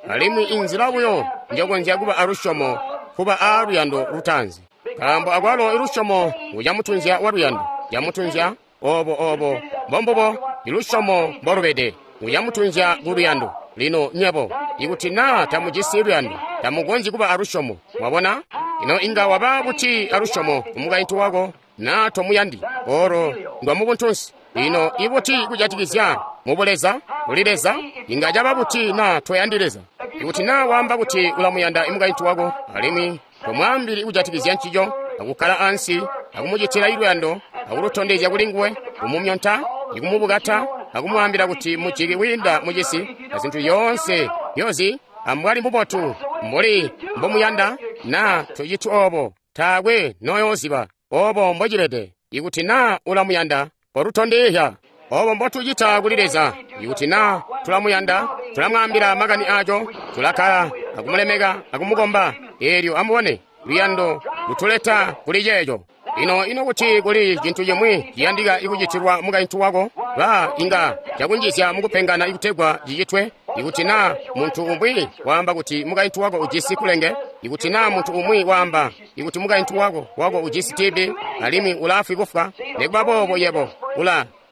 Alimwi inzila buyo njokonzya kuba alusyomo kuba a luyando lutaanzi. Nkaambo akwalo ilusyomo ngucamutunzya wa luyando. Camutunzya obo obo mbombubo ilusyomo mbolubede. Ngucamutunzya ku luyando. Lino nyebo, ikuti na tamujisi luyando, tamukonzyi kuba alusyomo. Mwabona? Ino inga waba buti alusyomo ku mukaintu wako na tomuyandi? Olo ndwa mubuntunsi. Ino ibuti kujatikizya mubuleza kuli Leza? Inga caba buti na toyandi Leza? Ikuti na waamba kuti ulamuyanda imukaintu wako alimwi tomwaambili kujatikizya ncico, akukkala ansi akumucitila iluyando, akulutondezya kuli nguwe, kumumyonta, ikumubukata, akumwaambila kuti mujiki wiinda mucisi, azintu yoonse yozi ambwali mubotu mbuli mbomuyanda, na tociti obo, taakwe noyooziba obo mbocibede. Ikuti na ulamuyanda, kolutondezya. Obo mbotucita kuli Leza. Ikuti na tulamuyanda, tulamwaambila makani aco, tulakkala akumulemeka akumukomba. Eelyo amubone luyando lutuleta kuli ceeco. Ino ino kuti kuli cintu cimwi ciyandika ikucitilwa mukaintu wako, ba inga cakunjizya mukupengana ikutegwa cicitwe. Ikuti na muntu umwi waamba kuti mukaintu wako ujisi kulenge, ikuti na muntu umwi waamba ikuti mukaintu wako ujisi TB alimwi ulaafwi kufwa, nikuba boobo yebo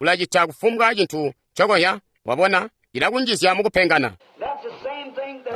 ulacita kufumbwa cintu cokoya. Wabona, cilakunjizya mukupengana.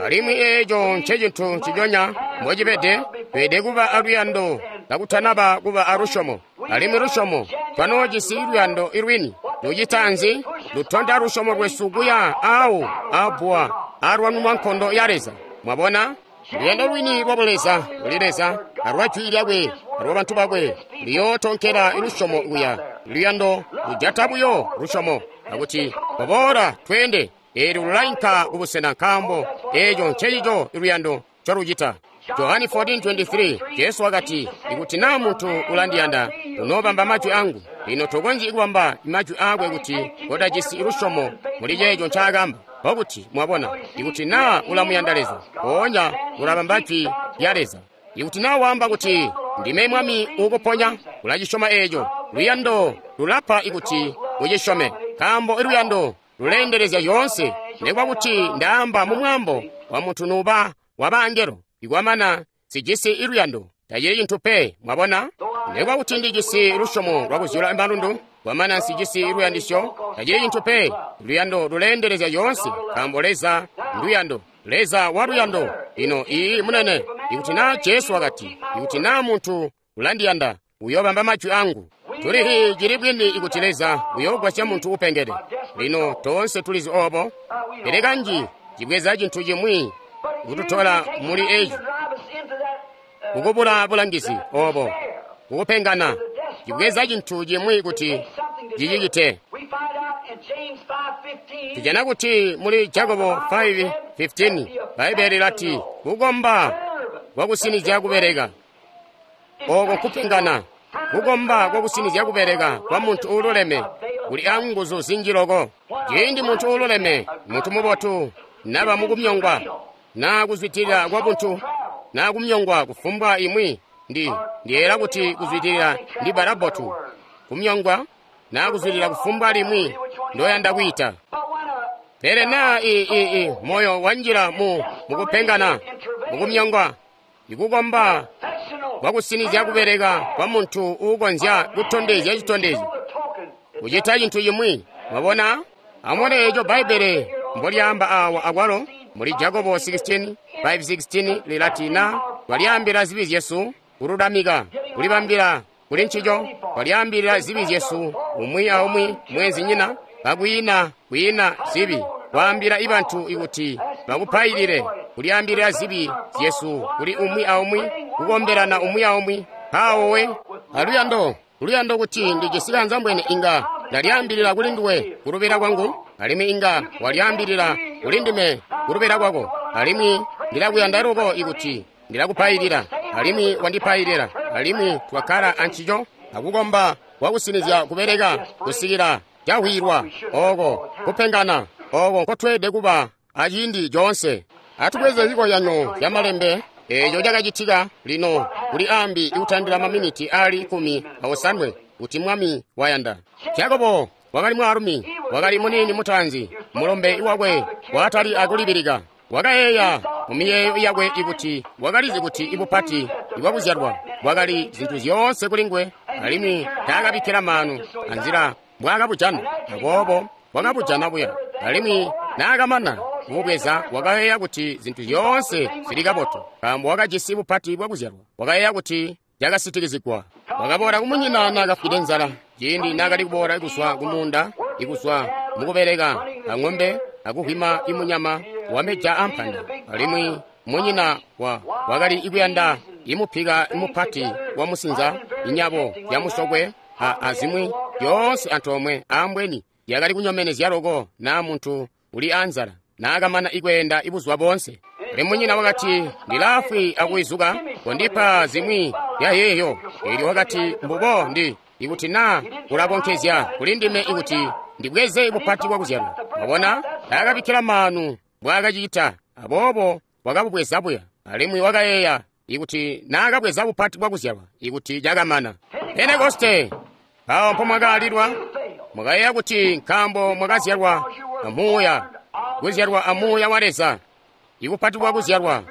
Alimwi eeco ncecintu nciconya mbocibede. Tweelede kuba aluyando kakutanaba kuba alusyomo. Alimwi lusyomo twanoojisi luyando ilwini. Lucita nzi? Lutonda lusyomo lwesu kuya awo abwa alwanunwa nkondo ya Leza. Mwabona? Luyando lwini lwa Buleza kuli Leza alwa jwi lyakwe alwa bantu bakwe luyootonkela lusyomo kuya. Luyando lujata buyo lusyomo akuti koboola tweende. Eelyo lulainka kubusena nkaambo eeco ncecico luyando ncolucita. Johani 14:23 Jesu wakati, ikuti na muntu ulandiyanda, unoobamba majwi angu. Lino tokonzyi kubamba majwi aakwe kuti kotajisi lusyomo muli ceeco ncaakamba. Nkokuti mwabona, ikuti na ulamuyanda Leza, mpoonya ulabamba jwi lya Leza. Ikuti na waamba kuti ndime Mwami uukuponya, ulacisyoma eeco. Luyando lulapa ikuti ucisyome, nkaambo luyando luleendelezya zyoonse. Nikuba kuti ndaamba mumwaambo wa muntu nuba wa bangelo, ikwamana sijisi iluyando, tacili cintu pe. Mwabona? Nekuba kuti ndijisi lusyomo lwakuzyula malundu, kwamana nsijisi luyandisyo, tacili cintu pe. Luyando luleendelezya zyoonse, nkaambo Leza nduyando. Leza wa luyando. Lino iyi munene, ikuti naa Jesu wakati, ikuti naa muntu ulandiyanda, uyoobamba majwi angu. Tulihi cili bwini ikuti Leza uyoogwasya muntu upengede. Lino toonse tulizi obo, pele kanji cibweza cintu chimwi kututola muli eci, kukubula bulangizi obo, kukupengana, cibweza cintu chimwi kuti cicicite. Tujana kuti muli Jakobo 5:15 Bbaibele lilati kukomba kwakusinizya kubeleka. Oko kupengana, kukomba kwakusinizya kubeleka kwa muntu uululeme kuli anguzu zinji loko. Ciindi muntu uululeme, muntu mubotu, naba mukumyongwa, naa kuzwidilila kwa buntu, naa kumyongwa kufumbwa imwi, ndiyeera kuti kuzwidilila ndi balabotu, kumyongwa naa kuzwidilila kufumbwa limwi ndoyanda kwiita. Pele naa moyo wanjila mukupengana, mukumyongwa, ikukomba kwakusinizya kubeleka kwa muntu uukonzya kutondezya citondezyo, kucita cintu chimwi. Mwabona? Amubone eco Bbaibele mbolyaamba awa akwalo muli Jakobo 16:5-16 lilati, na twalyaambila zibi zyesu, kululamika, kulibambila kuli ncico, twalyaambilila zibi zyesu umwi aumwi mwenzinyina, kakwiina kwiina zibi, kwaambila ibantu ikuti bakupailile, kulyaambilila zibi zyesu kuli umwi aumwi, kukombelana umwi aumwi. Mpawo we aluyando, luyando kuti ndijisi kanzambwene inga ndalyaambilila kuli nduwe kulubila kwangu, alimwi inga walyaambilila kuli ndime kulubila kwako, alimwi ndilakuyanda loko ikuti ndilakupailila, alimwi wandipailila, alimwi twakkala ancico akukomba kwakusinizya kubeleka kusikila cahwilwa. Oko kupengana oko nkotweelede kuba aciindi coonse. Atubweze zikozyanyo zya malembe eco cakacitika lino kuli ambi ikutandila maminiti ali 17 kuti Mwami wayanda. Jakobo wakali mwaalumi, wakali muniini mutaanzi, mulombe wakwe waatali akulibilika. Wakayeeya mumiyeeyo yakwe ikuti wakalizi kuti ibupati ibwakuzyalwa bwakali zintu zyoonse kuli nguwe, alimwi taakabikkila maanu anzila mbwaakabujana, aboobo wakabujana buya. Alimwi naakamana kububweza wakayeeya kuti zintu zyoonse zili kabotu, nkaambo wakajisi bupati bwakuzyalwa. Wakayeeya kuti cakasitikizigwa. Wakaboola kumunyina naakafwide nzala, ciindi naakali kuboola kuzwa kumuunda, ikuzwa mukubeleka ang'ombe akuhwima imunyama wameja ampanda. Alimwi munyina wakali ikuyanda imupika imupati wa musinza, inyabo yamusokwe azimwi yoonse antoomwe ambweni yakali kunyomenezya loko naa muntu uli anzala naakamana ikweenda ibuzuba boonse. Pele munyina wakati, ndilaafwi akuizuka, kondipa zimwi yayeeyo. Eelyo wakati, mbubo ndi ikuti naa ulakonkezya kuli ndime ikuti ndibweze bupati bwakuzyalwa. Mwabona, taakabikkila maanu mbwaakacita, aboobo wakabubweza buya. Alimwi wakayeeya ikuti naakabweza bupati bwakuzyalwa ikuti cakamana. Pentekoste, mpawo mpomwakaalilwa, mwakayeeya kuti nkaambo mwakazyalwa amuuya, kuzyalwa amuuya wa Leza, ibupati bwakuzyalwa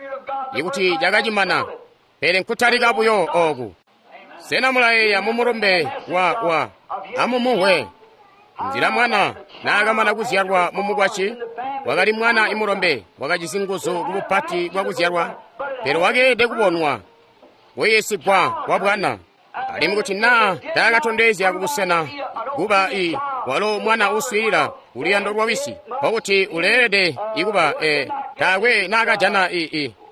ikuti cakacimana. Pele nkutalika buyo oku. Sena mulayeeya mumulumbe wa amumuhwe nzila mwana naakamana kuzyalwa mumukwasyi? Wakali mwana imulombe, wakajisi nguzu kubupati bwakuzyalwa, pele wakeelede kubonwa kuyiisigwa kwa bwana. Alimwi kuti naa taakatondezya kubusena kuba walo mwana uswiilila kuluyando lwa wisi, nkokuti uleelede ikuba taakwe naakajana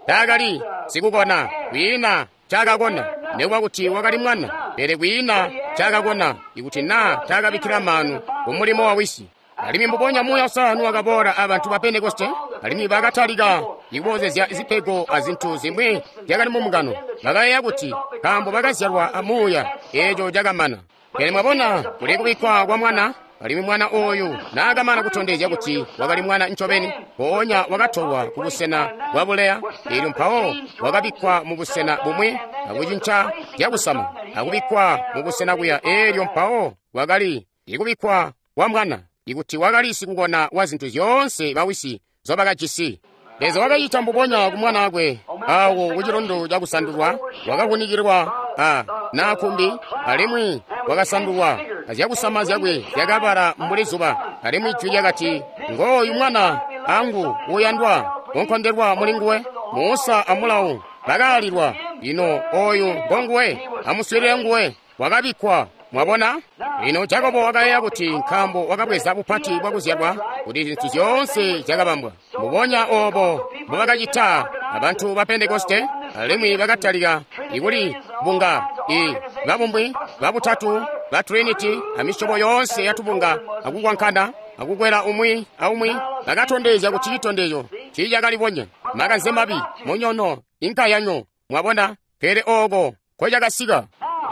taakali sikukona, kwiina cakakona, nekuba kuti wakali mwana, pele kwiina cakakona ikuti naa taakabikkila maanu kumulimo wa wisi. Alimwi mbubonya Muuya Uusalala wakaboola abantu ba Pentekoste, alimwi bakatalika ikuboozezya zipego azintu zimwi zyakali mumungano. Bakayeeya kuti nkaambo bakazyalwa amuuya, eeco cakamana. Pele mwabona, kuli kubikkwa kwa mwana, alimwi mwana ooyu naakamana kutondezya kuti wakali mwana ncobeni, mpoonya wakatolwa kubusena bwa buleya, eelyo mpawo wakabikkwa mubusena bumwi akucinca zyakusama, akubikkwa mubusena kuya, eelyo mpawo wakali ikubikkwa kwa mwana, ikuti wakali sikukona wa zintu zyoonse bawisi zobakajisi. Leza wakacita mbubonya ku mwanaakwe awo ku cilundu cakusandulwa, wakavunikilwa a na kumbi, alimwi wakasandulwa, azyakusama zyakwe zyakabala mbuli zuba. Alimwi jwi lyakati, ngooyu mwana angu uyandwa, unkondelwa muli nguwe. Musa amulawu bakaalilwa. Lino oyu ngonguwe, amuswiilile nguwe. Wakabikkwa. Mwabona? Lino Jakobo wakayeeya kuti nkaambo wakabweza bupati bwakuzyalwa kuti zintu zyoonse zyakabambwa. Mbubonya oobo mbubakacita abantu ba Pentekoste, alimwi bakatalika ikuli bunga i babumbwi babutatu ba Trinity amisyobo yoonse yatubunga akukwankana akukwela umwi aumwi. Bakatondezya kuti citondezyo tiicakalibonya, makanze mabi, munyono, inkayanyo. Mwabona? Pele ooko nkocakasika.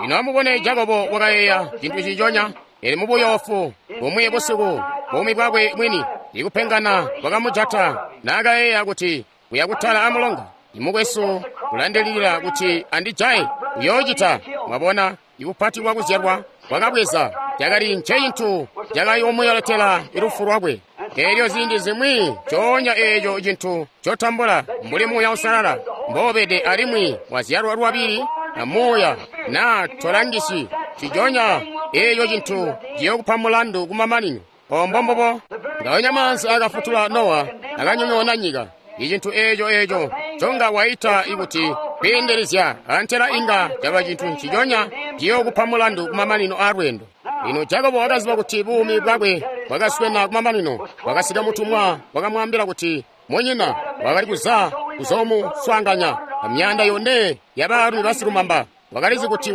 Lino amubone, Jakobo wakayeeya cintu ciconya, pele mubuyoofu bumwi busiku, buumi bwakwe mwini, ikupengana kwakamujata naakayeeya kuti uya kutala amulonga. Imukwesu ulandililila kuti andijaye, uyoocita. Mwabona, ibupati bwakuzyalwa bwakabweza cakali ncecintu cakayoomuyoletela lufu lwakwe. Elyo ziindi zimwi coonya eeco cintu cotambula mbuli Muuya Uusalala mboobede alimwi wazyalwa lwabili na Muuya, na tolangisi ciconya eeco cintu ciyokupa mulandu kumamanino. Ombo mbubo ngaonya maanzi akafutula Nowa akanyonyoona nyika. Icintu eeco eeco conga waita ikuti kwiindelezya antela inga caba cintu nciconya ciyokupa mulandu kumamanino a lweendo. Lino Jakobo wakaziba kuti buumi bwakwe bwakaswena kumamanino. Wakasika mutumwa wakamwaambila kuti munyina wakali kuza kuzomuswaanganya amyanda yone yabaalumi basikumamba. Wakalizi kuti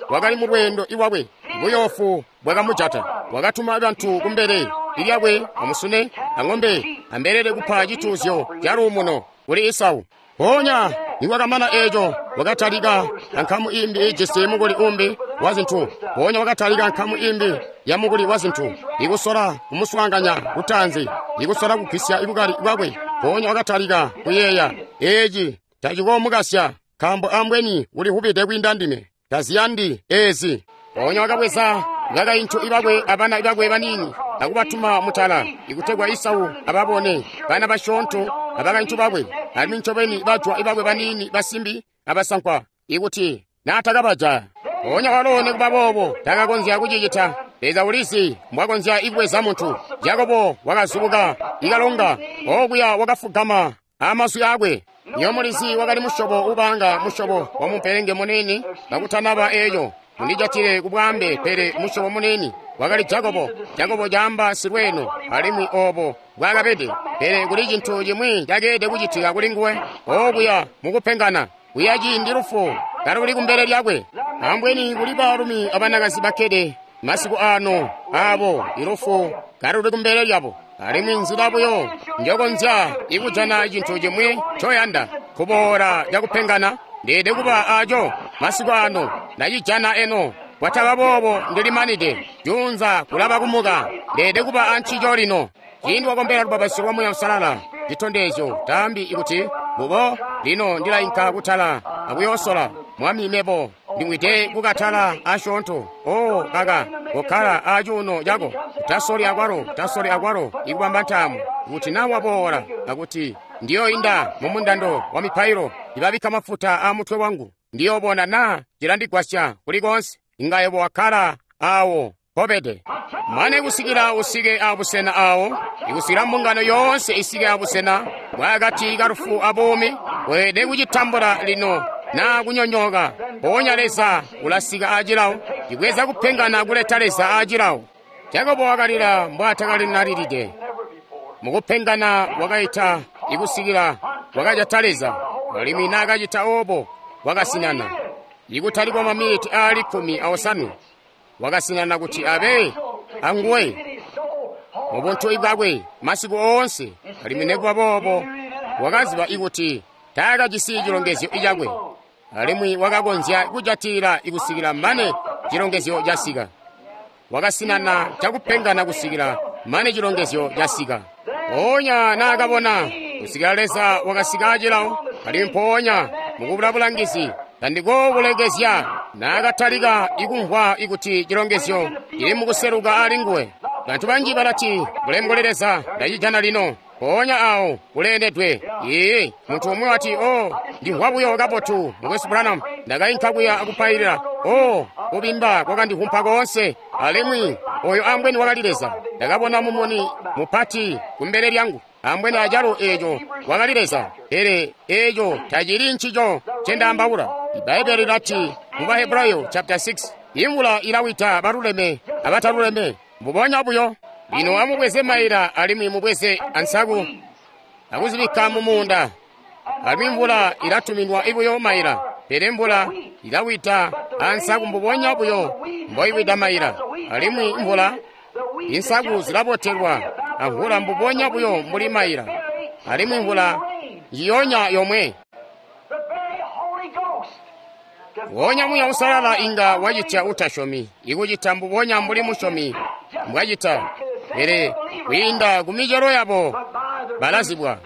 wakali mu lweendo iwakwe. Buyoofu bwakamujata. Wakatuma bantu kumbele ilyakwe amusune ang'ombe ambelele kupa cituuzyo ca luumuno kuli Esau. Mpoonya nikwakamana eeco, wakatalika ankamu imbi ijisi mukuli umbi wa zintu. Mpoonya wakatalika nkamu imbi ya mukuli wa zintu, ikusola kumuswaanganya kutaanzi, ikusola kugwisya ibukali bwakwe. Mpoonya wakatalika kuyeeya, eeci tacikoomukasya, nkaambo ambweni ulihubide kwiinda ndime, taziyandi eezi. Mpoonya wakabweza bakaintu ibakwe abana bakwe baniini akubatuma mutala, ikutegwa Esau ababone bana basyoonto abakaintu bakwe, alimwi ncobeni bajwa ibakwe baniini basimbi abasankwa, ikuti naatakabajaya. Mpoonya walo nikuba boobo takakonzya kucicita. Leza ulizi mbwakonzya ibweza muntu. Jakobo wakazubuka ikalonga okuya, wakafugama amazwi akwe. Iyo mulizi wakali musyobo ubanga musyobo wa mumpelenge munini kakutanaba eeco. Mundijatile kubwaambe, pele musyobo munini wakali Jakobo. Jakobo caamba silweeno, alimwi oobo bwakabede. Pele kuli cintu cimwi cakeelede kucitika kuli nguwe okuya mukupengana kuya ciindi lufu kaluli kumbele lyakwe. Ambweni kuli baalumi abanakazi bakkede masiku ano aabo ilufu kaluli kumbele lyabo, alimwi nzila buyo njokonzya ikujana cintu cimwi ncoyanda kuboola cakupengana. Ndeede kuba aco masiku ano, ndacijana eno. Kwataba boobo ndilimanide, junza kulaba kumuka. Ndeede kuba ancico lino. Ciindi wakombela lubapatizyo lwa Muuya Uusalala, citondezyo taambi ikuti mbubo lino ndilainka kutala akuyoosola. Mwami, mebo ndimwide kukatala asyoonto. O kaka, kokkala acuuno cako, utasoli akwalo, utasoli akwalo ikubamba ntaamu. Kuti na waboola akuti ndiyoinda mumundando wa mipailo, ibabikka mafuta a mutwe wangu, ndiyoobona naa cilandigwasya kuli koonse. Inga yebo wakkala awo mpobede mane kusikila usike abusena awo, ikusikila mbungano yoonse isike abusena bwakati kalufu abuumi. Weelede kucitambula lino naa kunyonyooka. Mpoonya Leza ulasika acilawo, cibweza kupengana kuleta Leza acilawo. Jakobo wakalila mbwaatakalinalilide mukupengana, wakaita ikusikila wakajata Leza, alimwi naakacita oobo wakasinana. Ikutali kwa maminiti aali 15 wakasinana kuti abe anguwe mubuntu bwakwe masiku oonse, alimwi nikuba boobo wakaziba ikuti taakajisi cilongezyo cakwe, alimwi wakakonzya kujatilila ikusikila mane cilongezyo casika. Wakasinana cakupengana kusikila mane cilongezyo casika. Mpoonya naakabona kusikila Leza wakasika acilawo, alimwi mpoonya mukubula bulangizi tandikookulekezya, naakatalika ikumvwa ikuti cilongezyo cili mukuseluka alinguwe. Bantu banji balati, bulemu kuli Leza, ndacijana lino. Mpoonya awo uleendedwe. Iiyi, muntu umwi wati, "Oh, ndimvwa buyo kabotu, Mukwesu Branham. Ndakainka kuya akupailila. Oh, kubimba kwakandivumpa koonse. Alimwi oyo ambweni wakali Leza. Ndakabona mumuni mupati kumbele lyangu. Ambweni acalo eeco wakali Leza." Pele eeco tacili ncico ncendaambaula. Ibbaibele lilati mu Bahebrayo chapter 6, imvula ilawida baluleme abataluleme. Mbubonya buyo. Lino amubweze maila alimwi mubweze ansaku akuzibikka mu muunda. Alimwi mvula ilatuminwa ibuyo maila, pele mvula ilawida ansaku mbubonya buyo mboiwida maila. Alimwi mvula, insaku zilabotelwa amvula mbubonya buyo mbuli maila. Alimwi mvula njiyonya yomwe. Wonya Muuya Uusalala inga wacitya utasyomi, ikucita mbubonya mbuli musyomi mbwacita, pele kwiinda ku micelo yabo balazibwa.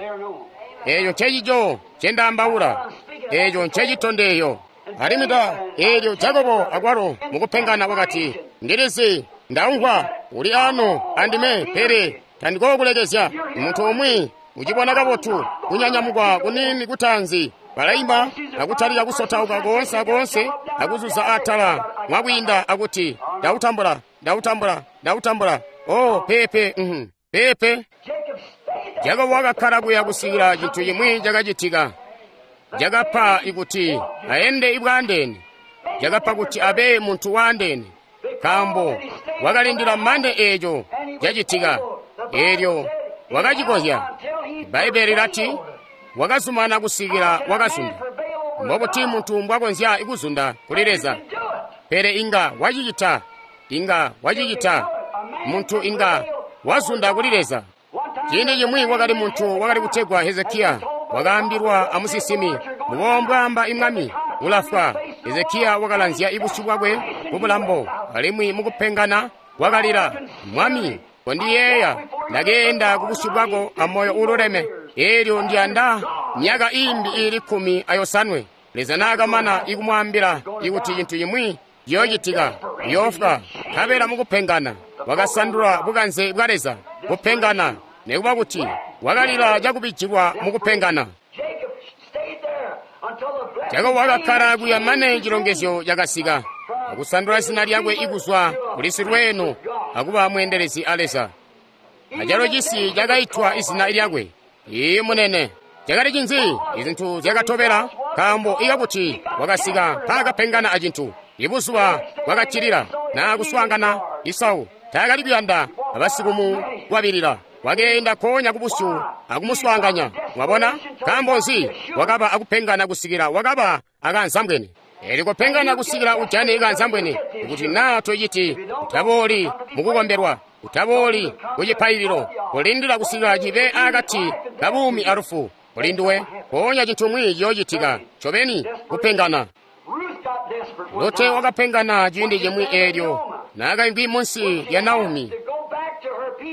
Eeco ncecico ncendaambaula, eeco ncecitondeyo. Alimwi ta eelyo Jakobo akwalo mukupengana wakati, "Ndilizi, ndaumvwa uli ano andime, pele tandikookulekezya." Muntu umwi ucibona kabotu kunyanyamukwa kuniini kutaanzi, balaimba akutalika kusotauka koonse akoonse akuzuza atala mwakwiinda akuti, "Ndautambula, ndautambula, ndautambula." Oh, pepe, pepe. Jakobo wakakkala kuya kusikila cintu cimwi cakacitika. Cakapa ikuti aende ibwaandeene. Cakapa kuti abe muntu waandeene, nkaambo wakalindila mande eeco cacitika. Eelyo wakacikozya. Bbaibbele lilati wakazumana kusikila wakazunda. Mbobuti muntu mbwakonzya kuzunda kuli Leza? Pele inga wacicita, inga wacicita. Muntu inga wazunda kuli Leza. Ciindi cimwi wakali muntu wakali kutegwa Hezekiya, wakaambilwa amusinsimi, "Mbubo mbwaamba imwami, ulafwa." Hezekiya wakalanzya ibusyu bwakwe kubulambo, alimwi mukupengana wakalila, "Mwami, kondiyeeya, ndakeenda kubusyu bwako amoyo uululeme. Eelyo ndiyanda myaka iimbi iili 17." Leza naakamana ikumwaambila ikuti cintu cimwi ciyoocitika, uyoofwa. Nkabela mukupengana wakasandula bukanze bwa Leza. Kupengana, nekuba kuti wakalila cakubijilwa mukupengana. Jakobo wakakkala kuya mane cilongezyo cakasika, akusandula zina lyakwe ikuzwa kuli silweeno akuba mweendelezi a Leza. Acalo cisi cakaitwa izina lyakwe. Ii munene. Cakali cinzi? Izintu zyakatobela, nkaambo ikakuti wakasika mpaakapengana acintu. Ibuzuba bwakaccilila naa kuswaangana Isau taakali kuyanda abasikumulwabilila. Wakeenda konya kubusyu akumuswaanganya. Mwabona? Nkaambo nzi? Wakaba akupengana kusikila wakaba akanzambwene. Eelyo kupengana kusikila ujane ikanzambwene, kuti naa toyiti utabooli mukukombelwa, utabooli kucipaililo, kulindila kusikila cibe akati kabuumi alufu. Kulinduwe, mpoonya cintu cimwi ciyoocitika. Ncobeni, kupengana. Lote wakapengana ciindi cimwi eelyo naakaimvwi munsi lya Naomi.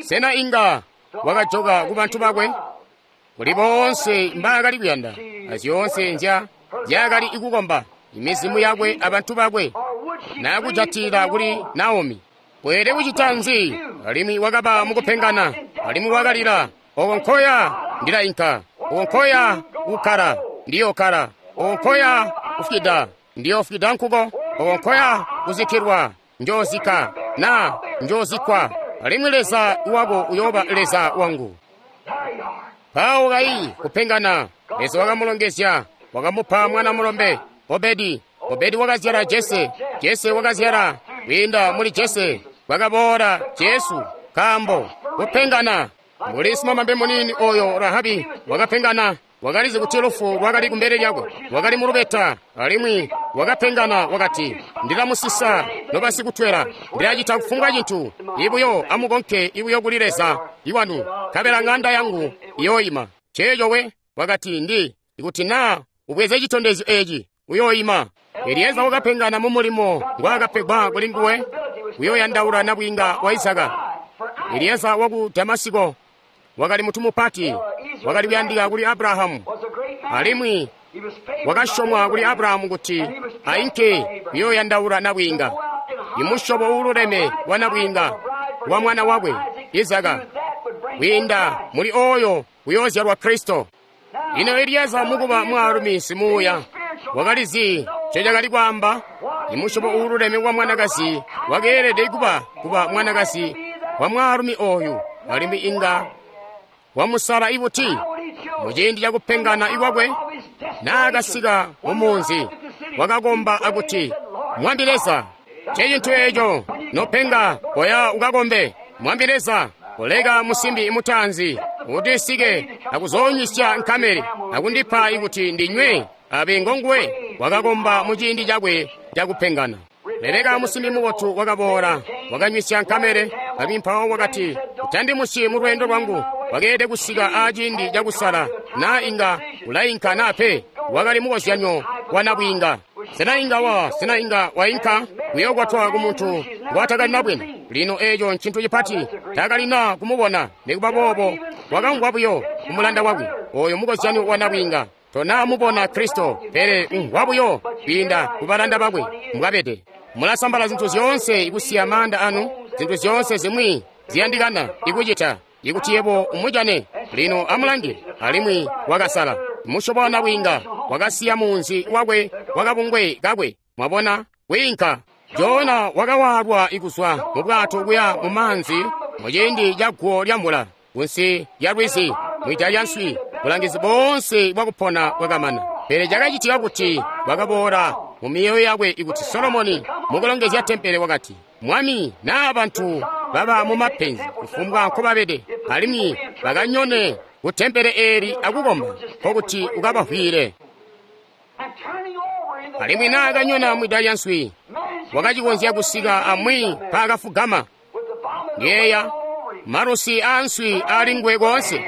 Sena inga wakajoka kubantu bakwe? Kuli boonse mbaakali kuyanda, azyoonse nzyaakali kukomba, imizimu yakwe abantu bakwe, naakujatila kuli Naomi. Weelede kucita nzi? Alimwi wakaba mukupengana, alimwi wakalila, "Oko nkoya ndilainka, oko nkoya kukkala ndiyokkala, oko nkoya kufwida ndiyofwida nkuko, oko nkoya kuzikkilwa njoozikka na njoozikkwa, alimwi Leza wako uyooba Leza wangu." Mpawo kayi kupengana, Leza wakamulongezya, wakamupa mwana mulombe Obedi. Obedi wakazyala Jese, Jese wakazyala, kwiinda muli Jese kwakaboola Jesu. Nkaambo kupengana, mbuli simamambe muniini oyo Rahabi wakapengana, wakalizi kuti lufu lwakali kumbele lyakwe, wakali mulubeta, alimwi wakapengana wakati, "Ndilamusisa nobasikutwela, ndilacita kufumbwa cintu, ibuyo amukonke ibuyo kuli Leza iwanu, nkabela ŋanda yangu iyooima." Ceeco we wakati, "Ndi ikuti naa ubweze citondezyo eeci uyooima." Elieza wakapengana mu mulimo ngwaakapegwa kuli nguwe, uyooyandaula nabwiinga wa Isaka. Elieza waku Damasiko wakali mutu mupati, wakali kuyandika kuli Abrahamu, alimwi wakasyomwa kuli Abrahamu kuti ainke kuyooyandaula nabwiinga, imusyobo uululeme wa nabwiinga wa mwana wakwe Isaka. Kwiinda muli oyo kuyoozyalwa Kristo. Lino Elieza mukuba mwaalumi simuuya wakalizi ncecakali kwaamba. Imusyobo uululeme wa mwanakazi wakeelede kuba mwanakazi wa mwaalumi oyu, alimwi inga wamusala ibuti muciindi cakupengana ikwakwe. Naakasika mumunzi wakakomba akuti, Mwami Leza, ncecintu eeco nopenga, koya ukakombe. Mwami Leza, koleka musimbi mutaanzi kuti sike akuzoonywisya nkamele akundipa ikuti ndinywe abe ngonguwe. Wakakomba muciindi cakwe cakupengana. Rebeka musimbi mubotu wakaboola, wakanywisya nkamele, alimwi mpawo wakati, utandimusyi mu lweendo lwangu. Wakeelede kusika aciindi cakusala naa inga ulainka naa pe. Wakali mukozyanyo wa nabwiinga. Sena inga wainka kuyokwatwa ku muntu ngwatakalina bwene? Lino eeco ncintu cipati, takalina kumubona. Nikuba boobo wakamvwa buyo kumulanda wakwe. Oyo mukozyanyo wa nabwiinga. Tonaamubona Kristo, pele umvwa buyo kwiinda kubalanda bakwe mbwabede. Mulasambala zintu zyoonse ikusiya maanda anu, zintu zyoonse zimwi ziyandikana ikucita ikuti yebo umujane. Lino amulange, alimwi wakasala musyobo wa nabwiinga, wakasiya munzi wakwe wakabungwe kakwe. Mwabona, kwiinka. Jona wakawaalwa ikuzwa mu bwato kuya mu maanzi muciindi ca guwo lya mvula, kunsi lya lwizi, mwida lya nswi. Bulangizi boonse bwakupona bwakamana. Pele cakacitika kuti bwakaboola mu myoyo yakwe ikuti Solomoni mukulongezya tempele wakati, Mwami naa bantu baba mu mapenzi kufumbwa nkobabede, alimwi bakanyone ku tempele eeli akukomba, nkokuti ukabavwiile. Alimwi naakanyona mwida lya nswi, wakacikonzya kusika amwi mpaakafugama. Yeeya malusi aanswi aali nguwe koonse.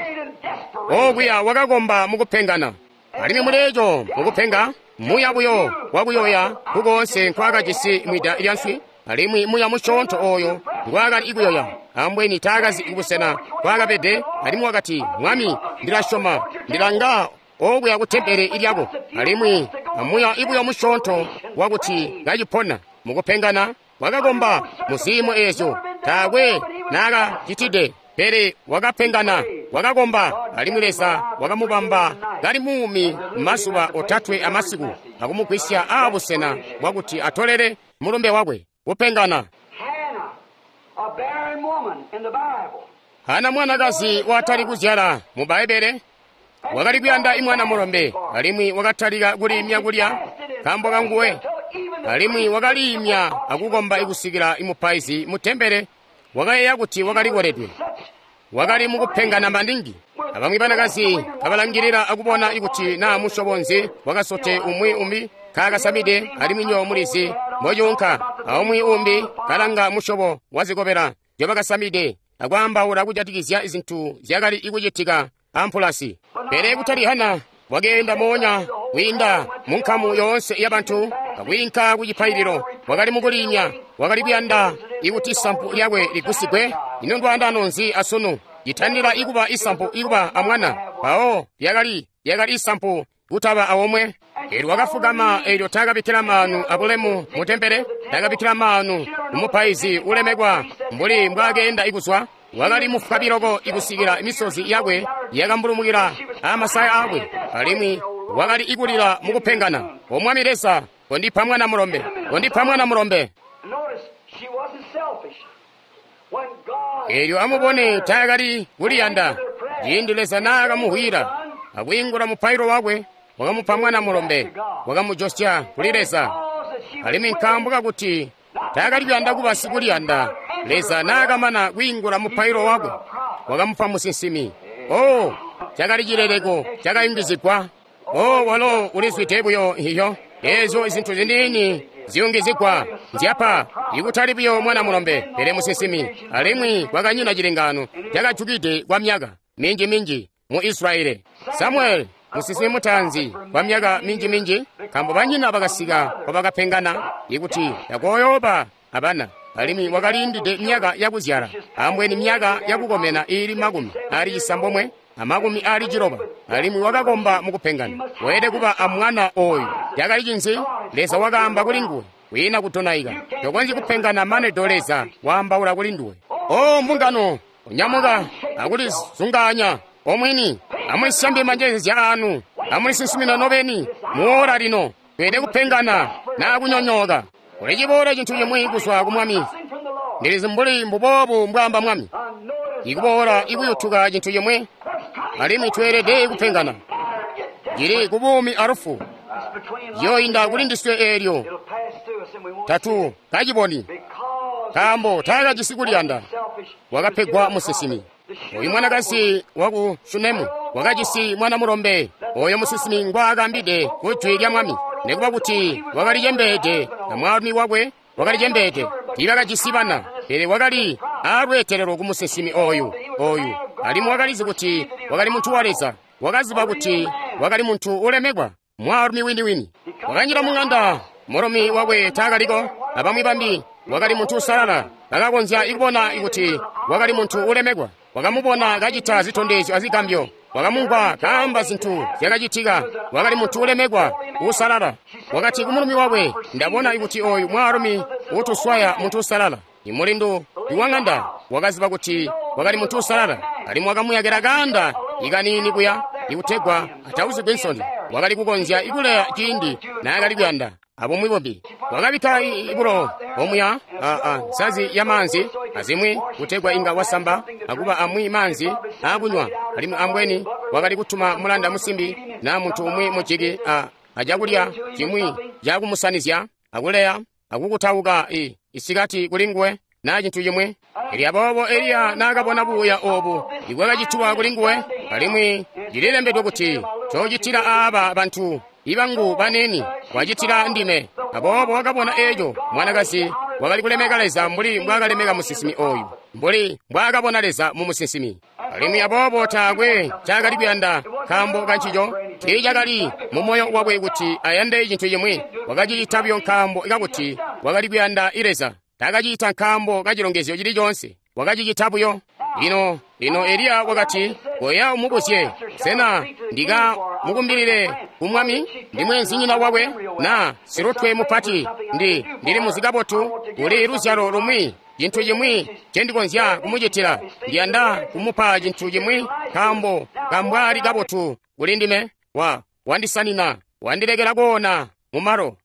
Okuya wakakomba mukupengana. Alimwi muleeco mukupenga, muya buyo wakuyoya kukoonse nkwaakajisi mwida lya nswi, alimwi muya musyoonto ooyo ngwaakali ikuyoya ambweni taakazi kubusena nkwaakabede. Alimwi wakati, Mwami, ndilasyoma, ndilanga okuya ku tempele lyako. Alimwi amuya ibuyo musyoonto wakuti kacipona mukupengana, wakakomba mu ziimo eezyo taakwe naakacitide, pele wakapengana, wakakomba, alimwi Leza wakamubamba kali muumi mazuba otatwe amasiku, akumugwisya aabusena bwakuti atolele mulumbe wakwe. Kupengana. Hana mwanakazi watali kuzyala mu Bbaibbele wakali kuyanda imwana mulombe, alimwi wakatalika kuliimya kulya nkaambo kanguwe, alimwi wakaliimya akukomba ikusikila imupaizi mu tempele wakayeeya kuti wakali koledwe. Wakali mukupengana maningi. Abamwi banakazi kabalangilila akubona ikuti naa musyobo nzi wakasote umwi umbi kaakasamide, alimwi nyo mulizi mbocuunka. Aumwi umbi kalanga musyobo wazikobela nzyobakasamide akwaambaula kujatikizya zintu zyakali ikucitika ampulasi. Pele kutali Hana, wakeenda moonya kwiinda munkamu yoonse yabantu akwiinka ku cipaililo. Wakali mukuliimya, wakali kuyanda ikuti isampu lyakwe ligusigwe. Ino ndwaandano nzi asunu? Citandila ikuba isampu ikuba amwana, mpawo lyakali isampu kutaba awomwe. Eelyo wakafugama, eelyo taakabikkila maanu abulemu mu tempele, taakabikkila maanu kumupaizi ulemekwa mbuli mbwaakeenda ikuzwa. Wakali mufwabiloko ikusikila misozi yakwe yakambulumukila amasaya aakwe, alimwi wakali ikulila mukupengana. O Mwami Leza, kondipa mwana mulombe, kondipa mwana mulombe. Eelyo amubone, taakali kuliyanda. Ciindi Leza naakamuhwila akwiingula mupailo wakwe, wakamupa mwana mulombe, wakamujosya kuli Leza. Alimwi nkaambo kakuti taakali kuyanda kuba sikuliyanda, Leza naakamana kwiingula mupailo wakwe, wakamupa musinsimi. Oh, cakali cileleko cakayungizigwa. Oh, walo ulizwide buyo iyo eezyo zintu ziniini ziyungizigwa nzyapa, ikutali buyo mwana mulombe, pele musinsimi. Alimwi kwakanyina cilengano cakajukide kwa myaka minji-minji mu Israeli. Samuel musinsimi mutaanzi kwa myaka minji-minji, nkaambo banyina bakasika kwabakapengana ikuti takooyooba abana, alimwi wakaliindide myaka yakuzyala, ambweni myaka yakukomena iili 96 na 90, alimwi wakakomba mukupengana. Weelede kuba amwana oyu. Cakali cinzi? Leza wakaamba kuli nguwe, kwiina kudonaika. Tokonzyi kupengana mane do Leza waambaula kuli nduwe. O mbungano, Nyamuka akulizungaanya omwini, amulisyambe manjezezya anu, amulisinsimina nobeni muora lino. Tweelede kupengana naa kunyonyooka. Kuli ciboola cintu cimwi kuzwa ku Mwami. Ndilizi mbuli mbuboobu mbwaamba Mwami. Ikuboola ikuyutuka cintu cimwi, alimwi tweelede kupengana. Cili ku buumi alufu. Yoinda kuli ndiswe eelyo tatu kaciboni, nkaambo taakajisi kuliyanda. Wakapegwa musinsimi. Oyu mwanakazi waku Shunemu wakajisi mwana mulombe oyo musinsimi ngwaakambide ku jwi lya Mwami. Nikuba kuti wakali cembeede na mwaalumi wakwe wakali cembeede, tiibakajisi bana, pele wakali aalweetelelo ku musinsimi oyu alimwi wakalizi kuti wakali muntu wa Leza. Wakaziba kuti wakali muntu ulemekwa, mwaalumi wini-wini. Wakanjila mung'anda, mulumi wakwe taakaliko, abamwi bambi. Wakali muntu usalala, bakakonzya kubona kuti wakali muntu ulemekwa. Wakamubona kacita zitondezyo azigambyo, wakamumvwa kaamba zintu zyakacitika. Wakali muntu ulemekwa usalala. Wakati kumulumi wakwe, ndabona kuti oyu mwaalumi utuswaya muntu usalala. Imulindu iwang'anda wakaziba kuti wakali muntu usalala, alimwi wakamuyakila kaanda ikaniini kuya ikutegwa atauzigwi nsoni. Wakali kukonzya ikuleya ciindi naakali kuyanda abumwi bumbi. Wakabikka ibulo omuya nsazi ya maanzi azimwi kutegwa inga wasamba akuba amwi maanzi aakunywa. Alimwi ambweni wakali kutuma mulanda musimbi na muntu umwi mujiki acakulya cimwi cakumusanizya akuleya akukutauka isikati kulinguwe na cintu cimwi. Elyo aboobo Eliya naakabona buuya obu ibwakacitwa kulinguwe, alimwi cililembedwe kuti cocitila aaba bantu ibangu banini wacitila ndime. Aboobo wakabona eeco mwanakazi wakali kulemeka Leza mbuli mbwaakalemeka musinsimi oyu, mbuli mbwaakabona Leza mu musinsimi. Alimwi aboobo taakwe ncaakali kuyanda nkaambo kancico, tiicakali mu moyo wakwe kuti ayande cintu cimwi. Wakacicita buyo nkaambo kakuti wakali kuyanda Leza. Taakacicita nkaambo kacilongezyo cili coonse, wakacicita buyo. Lino Eliya wakati, koya umubuzye, sena ndikamukumbilile ku Mwami? Ndi mweenzinyina wakwe na silutwe mupati? Ndili muzi kabotu, kuli luzyalo lumwi, cintu cimwi ncendikonzya kumucitila. Ndiyanda kumupa cintu cimwi nkaambo kambwali kabotu kuli ndime. Wandisanina, wandilekela koona mumalo,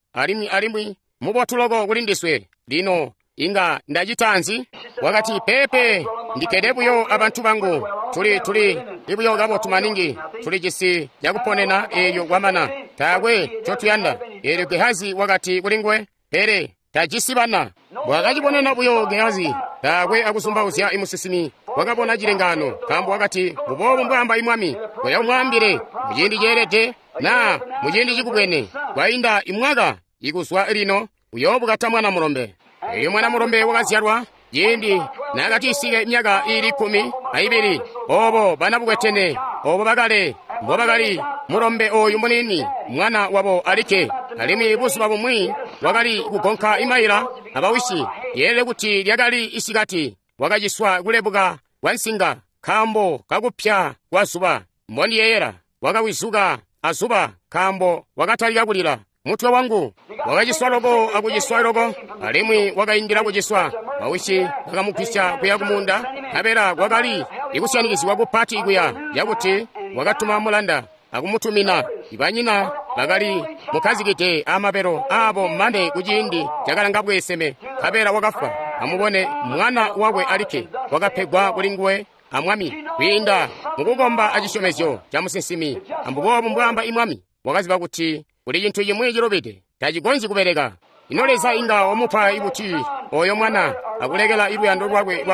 alimwi mubotu loko kuli ndiswe. Lino inga ndacita nzi? Wakati, pepe, ndikkede buyo abantu bangu. Tuli buyo kabotu maningi. Tuli cisi cakuponena eelyo kwamana. Taakwe ncotuyanda. Eelyo Gehazi wakati kulinguwe, pele tajisi bana. Wakacibonena buyo Gehazi, taakwe akuzumbauzya imusinsimi. Wakabona cilengaano, nkaambo wakati, mbuboobu mbwaamba imwami, koya umwaambile muciindi ceelede na muciindi cikubwene. Kwainda imwaka ikuzwa lino uyoobukata mwana mulombe. Elyo mwana mulombe wakazyalwa ciindi naakatisike myaka iili 12. Obo banabukwetene obo bakale mbobakali mulombe oyu muniini, mwana wabo alikke. Alimwi buzuba bumwi wakali kugonka imaila abawisi. Yeelede kuti lyakali isikati. Wakaciswa kulebuka kwa nsinga nkaambo kakupya kwa zuba. Mbondiyeyela wakawizuka azuba nkaambo wakatalika kulila. Mutwe wangu wakaciswa loko akuciswa loko, alimwi wakaindila kuciswa. Bawisi bakamugwisya kuya kumunda, nkabela kwakali ikusyanikizigwa kupati kuya yakuti wakatuma mulanda akumutumina. Ibanyina bakali mukkazikide amabelo aabo mane kuciindi cakalanga bweeseme, nkabela wakafwa. Amubone, mwana wakwe alikke wakapegwa kulinguwe amwami kwiinda mukukomba acisyomezyo ca musinsimi. Ambuboobu mbwaamba imwami. Wakaziba kuti kuli cintu cimwi cilubide, tacikonzyi kubeleka. Ino Leza inga wamupa ibuti oyo mwana akulekela iluyando lwakwe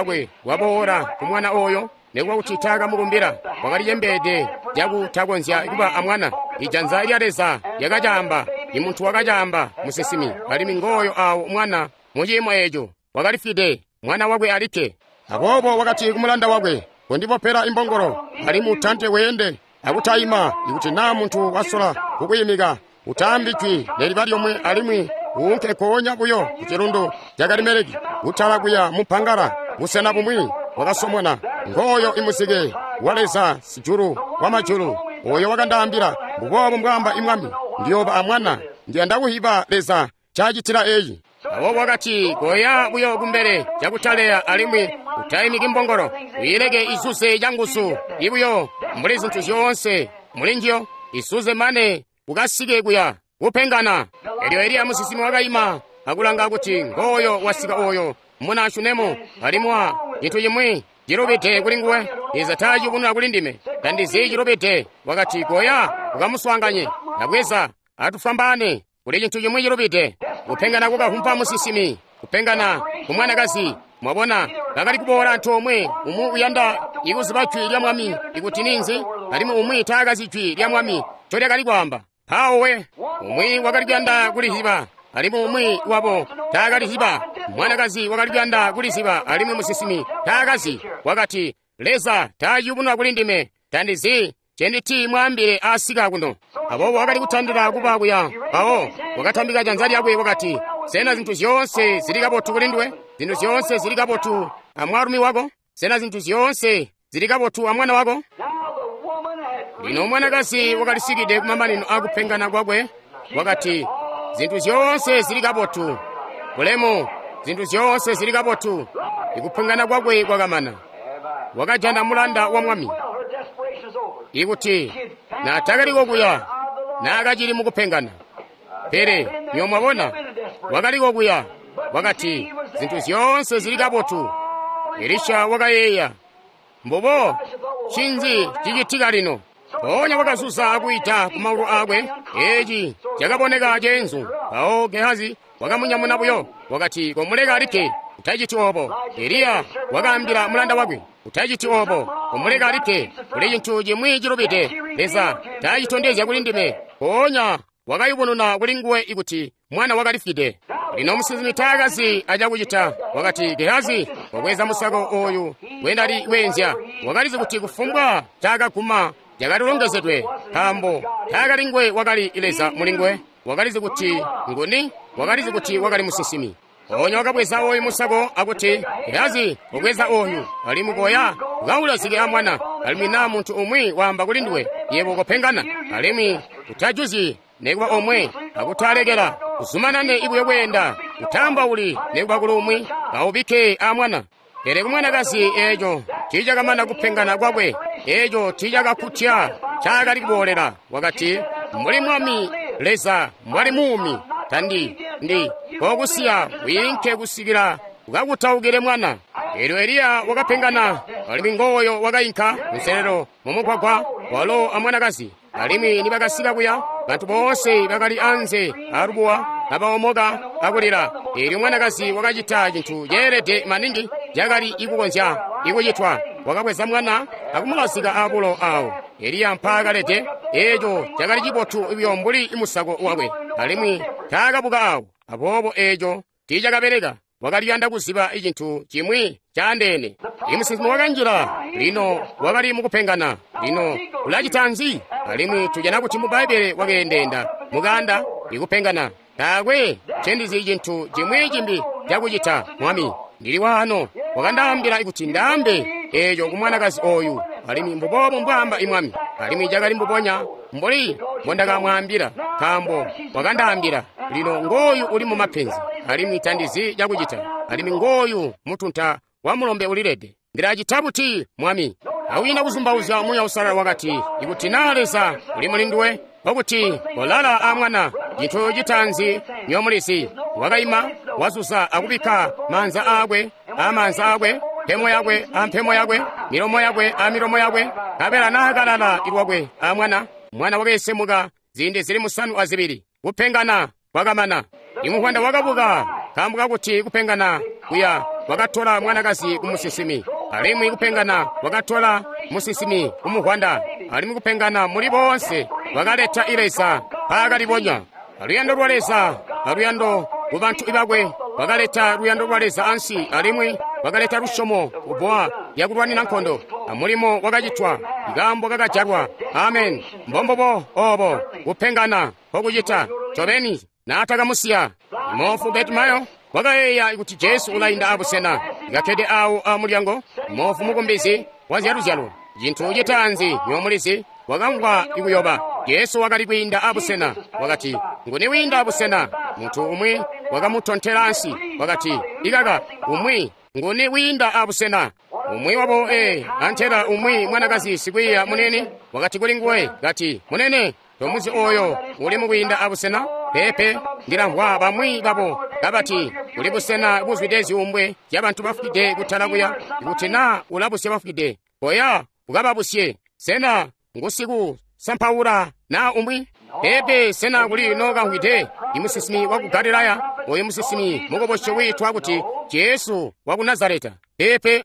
lwaboola ku mwana oyo? Nikuba kuti taakamukumbila, wakali cembeede cakutakonzya kuba amwana. Ijanza lya Leza lyakacaamba, imuntu wakacaamba, musinsimi. Alimwi ngooyo awo mwana muciimo eeco wakalifwide, mwana wakwe alikke. Aboobo wakati kumulanda wakwe, kondipopela imbongolo, alimwi utante weende akutaima. Ikuti naa muntu wasola kukwiimika, utaambi jwi neliba lyomwe, alimwi uunke koonya buyo ku cilundu ca Karimeleki, kutala kuya mumpangala, busena bumwi wakasomona. Ngooyo imuzike wa Leza sijulu wamajulu, oyo wakandaambila, mbuboobu mbwaamba imwami, ndiyooba amwana. Ndiyanda kuhiba Leza ncaacitila eyi. Aboobo wakati, koya buyo kumbele cakutaleya alimwi utaimiki mbongolo, uyileke izuze canguzu ibuyo mbuli zintu zyoonse mulinjiyo, isuze mane ukasike kuya kupengana. Elyo Eliya musinsimi wakaima akulanga kuti ngooyo wasika oyo muna Shunemu, alimwi cintu cimwi cilubide kuli nguwe. Leza taaciyubununa kuli ndime, tandizi cilubide. Wakati, koya ukamuswaanganye, nabweza atufwambaane, kuli cintu cimwi cilubide. Kupengana kukavumpa musinsimi, kupengana kumwanakazi. Mwabona, bakali kuboola antoomwe, umwi uyanda ikuziba jwi lya Mwami ikuti ninzi, alimwi umwi taakazi jwi lya Mwami ncolyakali kwaamba. Mpawo we, umwi wakali kuyanda kuliziba, alimwi umwi wabo taakaliziba. Mwanakazi wakali kuyanda kuliziba, alimwi musinsimi taakazi. Wakati, Leza taaciyubununa kuli ndime, tandizi cenditi mwaambile asika kuno. Aboobo wakali kutandila kuba kuya. Mpawo wakatambika janza lyakwe wakati, sena zintu zyoonse zili kabotu kuli nduwe? Zintu zyoonse zili kabotu amwaalumi wako? Sena zintu zyoonse zili kabotu amwana wako? Lino mwanakazi wakalisikide kumamanino akupengana kwakwe. Wakati, zintu zyoonse zili kabotu. Bulemu, zintu zyoonse zili kabotu. Ikupengana kwakwe kwakamana. Wakajana mulanda wa Mwami. Ikuti naatakaliko kuya, naakacili mukupengana. Pele niyo mwabona, wakaliko kuya. Wakati, zintu zyoonse zili kabotu. Elisha wakayeeya, mbubo ncinzi cicitika lino? Mpoonya wakazuza akwiita ku maulu aakwe. Eeci cakaboneka ceenzu. Mpawo Gehazi wakamunyamuna buyo, wakati, komuleka alikke, utaciti oobo. Eliya wakaambila mulanda wakwe, utaciti oobo, komuleka alikke, kuli cintu cimwi cilubide. Leza taacitondezya kuli ndime. Mpoonya wakayubununa kuli nguwe ikuti mwana wakalifwide. Lino musinsimi taakazi acakucita. Wakati, Gehazi, wabweza musako oyu wendali weenzya. Wakalizi kuti kufumbwa caakaguma cakalilongezedwe, nkaambo taakali nguwe wakali Leza mulinguwe. Wakalizi kuti nguni, wakalizi kuti wakali musinsimi. Mpoonya wakabweza oyu musako akuti, Gehazi, wabweza oyu, alimwi koya ukaulazike amwana. Alimwi naa muntu umwi waamba kuli nduwe, yebo kopengana, alimwi utajuzyi nekuba omwe, akutalekela uzumanane ibuyo kweenda, utambauli nekuba kuli umwi, kaubike amwana. Pele kumwanakazi eeco tiicakamana kupengana kwakwe, eeco tiicakakutya ncaakali kuboolela. Wakati, mbuli Mwami Leza mbwali muumi, tandi ndi kokusiya wiinke kusikila ukakutaukile mwana. Elyo Eliya wakapengana, alimwi ngooyo wakainka kunselelo mumugwagwa walo amwanakazi. Alimwi nibakasika kuya, bantu boonse bakali anze alubuwa kabaomoka akulila. Elyo mwanakazi wakacita cintu ceelede maningi cakali ikukonzya ikucitwa. Wakabweza mwana akumulazika abulo awo Eliya mpaakalede. Eeco cakali cibotu buyo mbuli musako wakwe, alimwi taakabuka awo. Aboobo eeco tiicakabeleka. Wakaliyanda kuziba cintu cimwi caandeene. Imusinsimi wakanjila, lino wakali mukupengana. Lino ulacita nzi? Alimwi tujana kuti mu Bbaibbele wakeendeenda mukanda ikupengana. Taakwe ncendizi cintu cimwi cimbi cakucita, Mwami. Ndili waano. Wakandaambila kuti ndaambe eeco kumwanakazi oyu, alimwi mbuboobo mbwaamba Mwami. Alimwi cakali mbubonya mbuli mbondakamwaambila, nkaambo wakandaambila. Lino ngooyu uli mumapenzi, alimwi tandizi cakucita. Alimwi ngooyu mutunta wa mulombe ulilede. Ndilacita buti, Mwami? Awina kuzumbauzya Muuya Uusalala wakati, ikuti naa Leza uli mulinduwe, okuti kolala amwana. Cintu citaanzi nyomulizi, wakaima wazuza akubikka maanza aakwe amaanza aakwe, mpemo yakwe ampemo yakwe, milomo yakwe amilomo yakwe. Nkabela naakalala ilwakwe amwana, mwana wakeesemuka ziindi zili 7. Kupengana kwakamana. Imuhwanda wakabuka, nkaambo kakuti kupengana kuya wakatola mwanakazi kumusinsimi, alimwi kupengana wakatola musinsimi kumuhwanda, alimwi kupengana muli boonse wakaleta Leza mpaakalibonya. Aluyando lwa Leza, aluyando ku bantu bakwe, wakaleta luyando lwa Leza ansi, alimwi wakaleta lusyomo kubbowa lyakulwanina nkondo. Amulimo wakacitwa, ikaambo kakajalwa. Amen. Mbombubo oobo kupengana nkokucita ncobeni. Naatakamusiya moofu Betimayo wakayeeya kuti Jesu ulainda abusena, kakkede awo amulyango. Moofu mukumbizi wazyaluzyalo Cintu citaanzi nyomulizi, wakamvwa ikuyoba. Jesu wakali kwiinda abusena. Wakati, nguni wiinda abusena? Muntu umwi wakamutontela ansi. Wakati, ikaka, umwi, nguni wiinda abusena? Umwi wabo antela umwi mwanakazi sikwiiya munene wakati kuli nguwe, kati, munene, tomuzi oyo uli mukwiinda abusena? Pepe, ndilamvwa bamwi babo kabati kuli busena buzwide zyuumbwe zyabantu bafwide kutala kuya. Ikuti na ulabusya bafwide, koya ukababusye. Sena ngusiku sampaula na umwi? Pepe, sena kuli nokamvwide imusisimi waku Galilaya, oyu musisimi mukobosyo wiitwa kuti Jesu waku Nazareta? Pepe.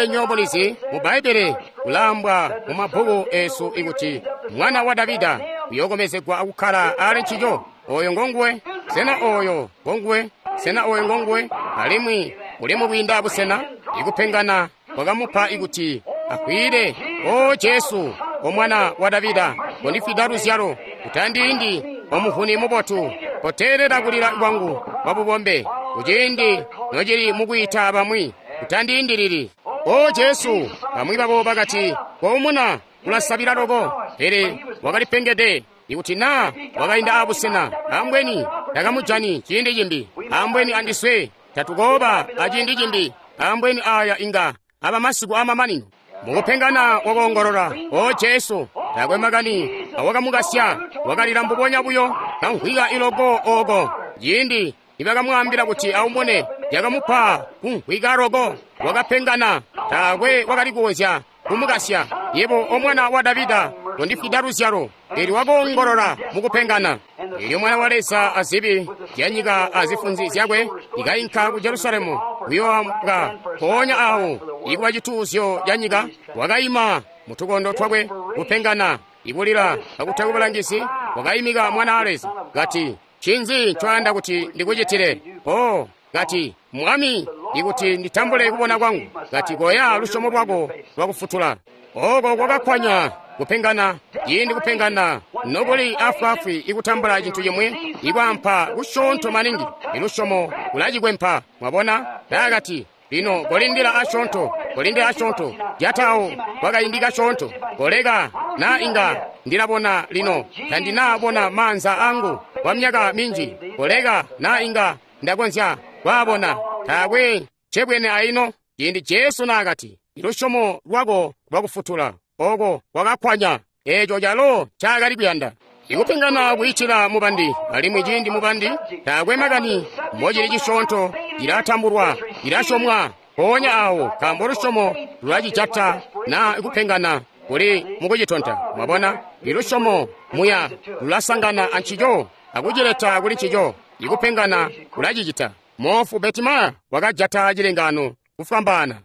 Nyomulizi mu Bbaibbele kulambwa mu mabbuku esu ikuti mwana wa Davida uyokomezegwa akukkala ali ncico. Oyo ngonguwe. Sena oyo ngonguwe? Sena oyo ngonguwe? Alimwi uli mukwiinda busena, ikupengana kwakamupa ikuti akwile. O Jesu, o mwana wa Davida, kondifwida luzyalo, utandiindi omuvuni mubotu, koteelela kulila kwangu kwa bubombe kuciindi nocili mukwiita bamwi, utandiindilili. O Jesu, bamwi babo bakati, koumuna, ulasabila loko. Pele wakalipengede. Ikuti na wakainda abusena, ambweni takamujani ciindi cimbi, ambweni andiswe tatukooba aciindi cimbi, ambweni aya inga aba masiku amamanino. Mukupengana wakoongolola, o Jesu, taakwe makani awakamukasya, wakalila mbubonya buyo, kamvwika iloko oko. Ciindi nibakamwaambila kuti aumune, yakamupa kumvwika loko, wakapengana, taakwe wakali kukonzya kumukasya. Yebo o mwana wa Davida, kondifwida luzyalo. Eelyo wakoongolola mukupengana. Eelyo mwana wa Leza azibi zyanyika azifunzi zyakwe ikainka ku Jerusalemu kuyoambwa mpoonya awo ikuba cituuzyo ca nyika. Wakaima mutukondo twakwe kupengana, ikulila akuteka bulangizi. Wakaimika mwana wa Leza kati, ncinzi ncoyanda kuti ndikucitile? O kati, Mwami, ikuti nditambule kubona kwangu. Kati, koya, lusyomo lwako lwakufutula. Oko kwakakkwanya kupengana. Ciindi kupengana nokuli afwaafwi ikutambula cintu cimwi, ikwampa kusyoonto maningi, ilusyomo kulacikwempa. Mwabona? Nakati, lino kolindila asyoonto, kolindila asyoonto, jatawo kwakaindi kasyoonto, koleka na inga ndilabona lino, tandinaabona maanza angu kwa myaka minji, koleka na inga ndakonzya kwaabona, taakwe cebwene aino. Ciindi Jesu naakati, ilusyomo lwako lwakufutula, oko kwakakkwanya eeco calo ncaakali kuyanda. Ikupengana kwiitila mubandi, alimwi ciindi mubandi taakwe makani mocili cisyoonto, cilatambulwa, cilasyomwa mpoonya awo, nkaambo lusyomo lulacijata na kupengana kuli mukucitonta. Mwabona, ilusyomo muya lulasangana ancico akucileta kuli ncico. Ikupengana kulacicita. Moofu Betimaya wakajata cilengano kufwambaana.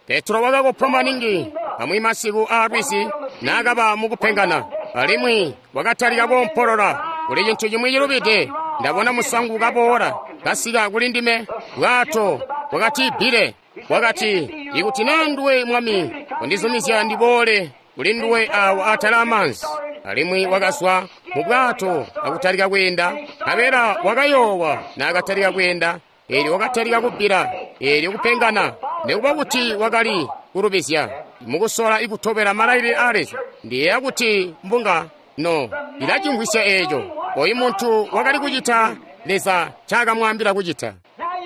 Petro wakakopwa maningi amwi masiku a lwizi naakaba mukupengana, alimwi wakatalika koompolola, kuli cintu cimwi cilubide, ndabona musangu kaboola kasika kuli ndime, bwato bwakatibbile. Wakati, ikuti na nduwe Mwami, kondizumizya ndiboole kuli nduwe awo atala amaanzi. Alimwi wakazwa mu bwato akutalika kweenda, nkabela wakayoowa naakatalika kweenda. Eelyo wakatalika kubbila, eelyo kupengana, nikuba kuti wakali kulubizya mukusola ikutobela malailile a Leza. Ndiyeeya kuti mbunga no ilacimvwisya eeco. Oyu muntu wakali kucita Leza ncakamwaambila kucita.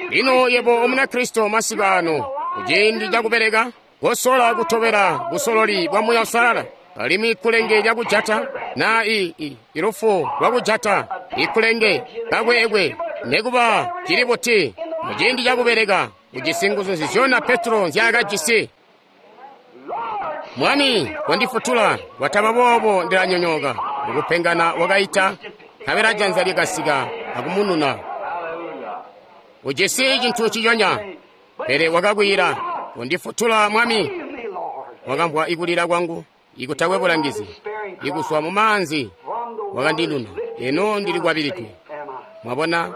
Lino yebo Omunakristo masiku ano, kuciindi cakubeleka, kosola kutobela busololi bwa Muuya Uusalala. Alimwi ikulenge lyakujata na ilufu lwakujata ikulenge kakweekwe, nekuba cili buti, muciindi cakubeleka ujisi nguzu nzizyona Petro nzyaakajisi. Mwami, kondifutula, wataba boobo ndilanyonyooka. Mukupengana wakaita, nkabela janza lyakasika akumununa. Ujisi cintu ciyonya, pele wakakwiila, kondifutula Mwami. Wakamvwa ikulila kwangu ikutakwe bulangizi, ikuswa mu maanzi wakandinuna. Eno ndili kwabilidwe. Mwabona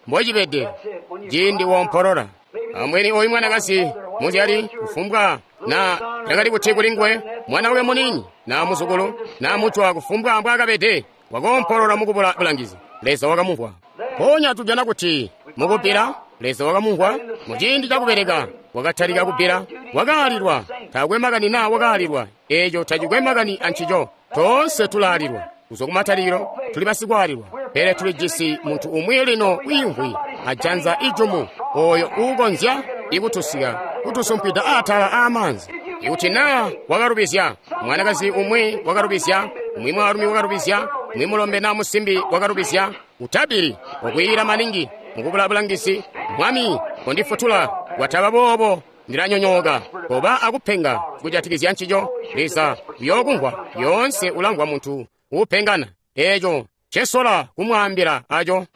mbocibede ciindi woompolola. Ambweni oyu mwanakazi muzyali kufumbwa na yakali kuti kuli nguwe mwana wakwe muniini na muzukulu na mutwa kufumbwa mbwaakabede, wakoompolola mukubula bulangizi. Leza wakamumvwa. Mpoonya tujana kuti mukubbila Leza wakamumvwa muciindi cakubeleka. Wakatalika kubbila. Wakaalilwa. Taakwe makani naa wakaalilwa. Eeco tacikwe makani ancico. Toonse tulaalilwa. Kuzwa kumatalikilo tuli basikwaalilwa, pele tulijisi muntu umwi lino wiimvwi ajanza ijumu oyo uukonzya ikutusika kutusumpwida atala aamaanzi. Ikuti naa wakalubizya, mwanakazi umwi wakalubizya, umwi mwaalumi wakalubizya, umwi mulombe naa musimbi wakalubizya, utabili okwiila maningi mukubula bulangizi, Mwami kondifutula, kwataba boobo ndilanyonyooka. Koba akupenga kujatikizya ncico. Leza uyookumvwa. Yoonse ulamvwa muntu uupengana. Eeco ncesola kumwaambila aco.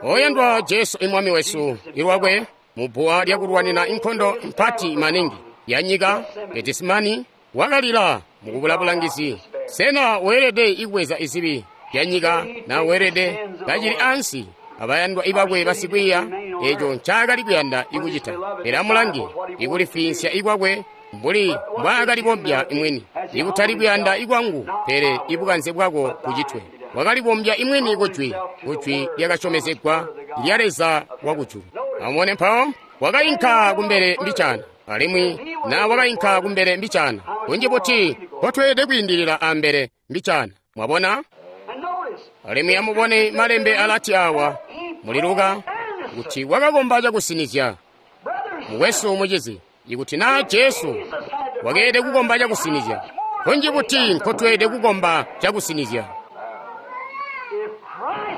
Oyandwa Jesu imwami wesu ilwakwe mubbuwa lyakulwanina inkondo mpati maningi ya nyika Getisemani wakalila mukubula bulangizi. Sena weelede ikubweza izibi bya nyika na weelede kacili ansi abayandwa ibakwe basikwiiya? Eeco ncaakali kuyanda ikucita. Pele amulange ikulifinsya ikwakwe mbuli mbwaakalibombya imwini, ikutali kuyanda ikwangu pele ibukanze bwako bucitwe. Wakalibombya imwini kujwi, kujwi lyakasyomezegwa lya Leza wakujulu. Amubone mpawo wakainka kumbele mbicaana, alimwi na wakainka kumbele mbicaana kunji buti nkotweelede kwiindilila ambele mbicaana. Mwabona? Alimwi amubone malembe alati awa muli Luka kuti wakakomba cakusinizya. Mukwesu mucizi, ikuti naa Jesu wakeelede kukomba cakusinizya, kunji buti nkotweelede kukomba cakusinizya.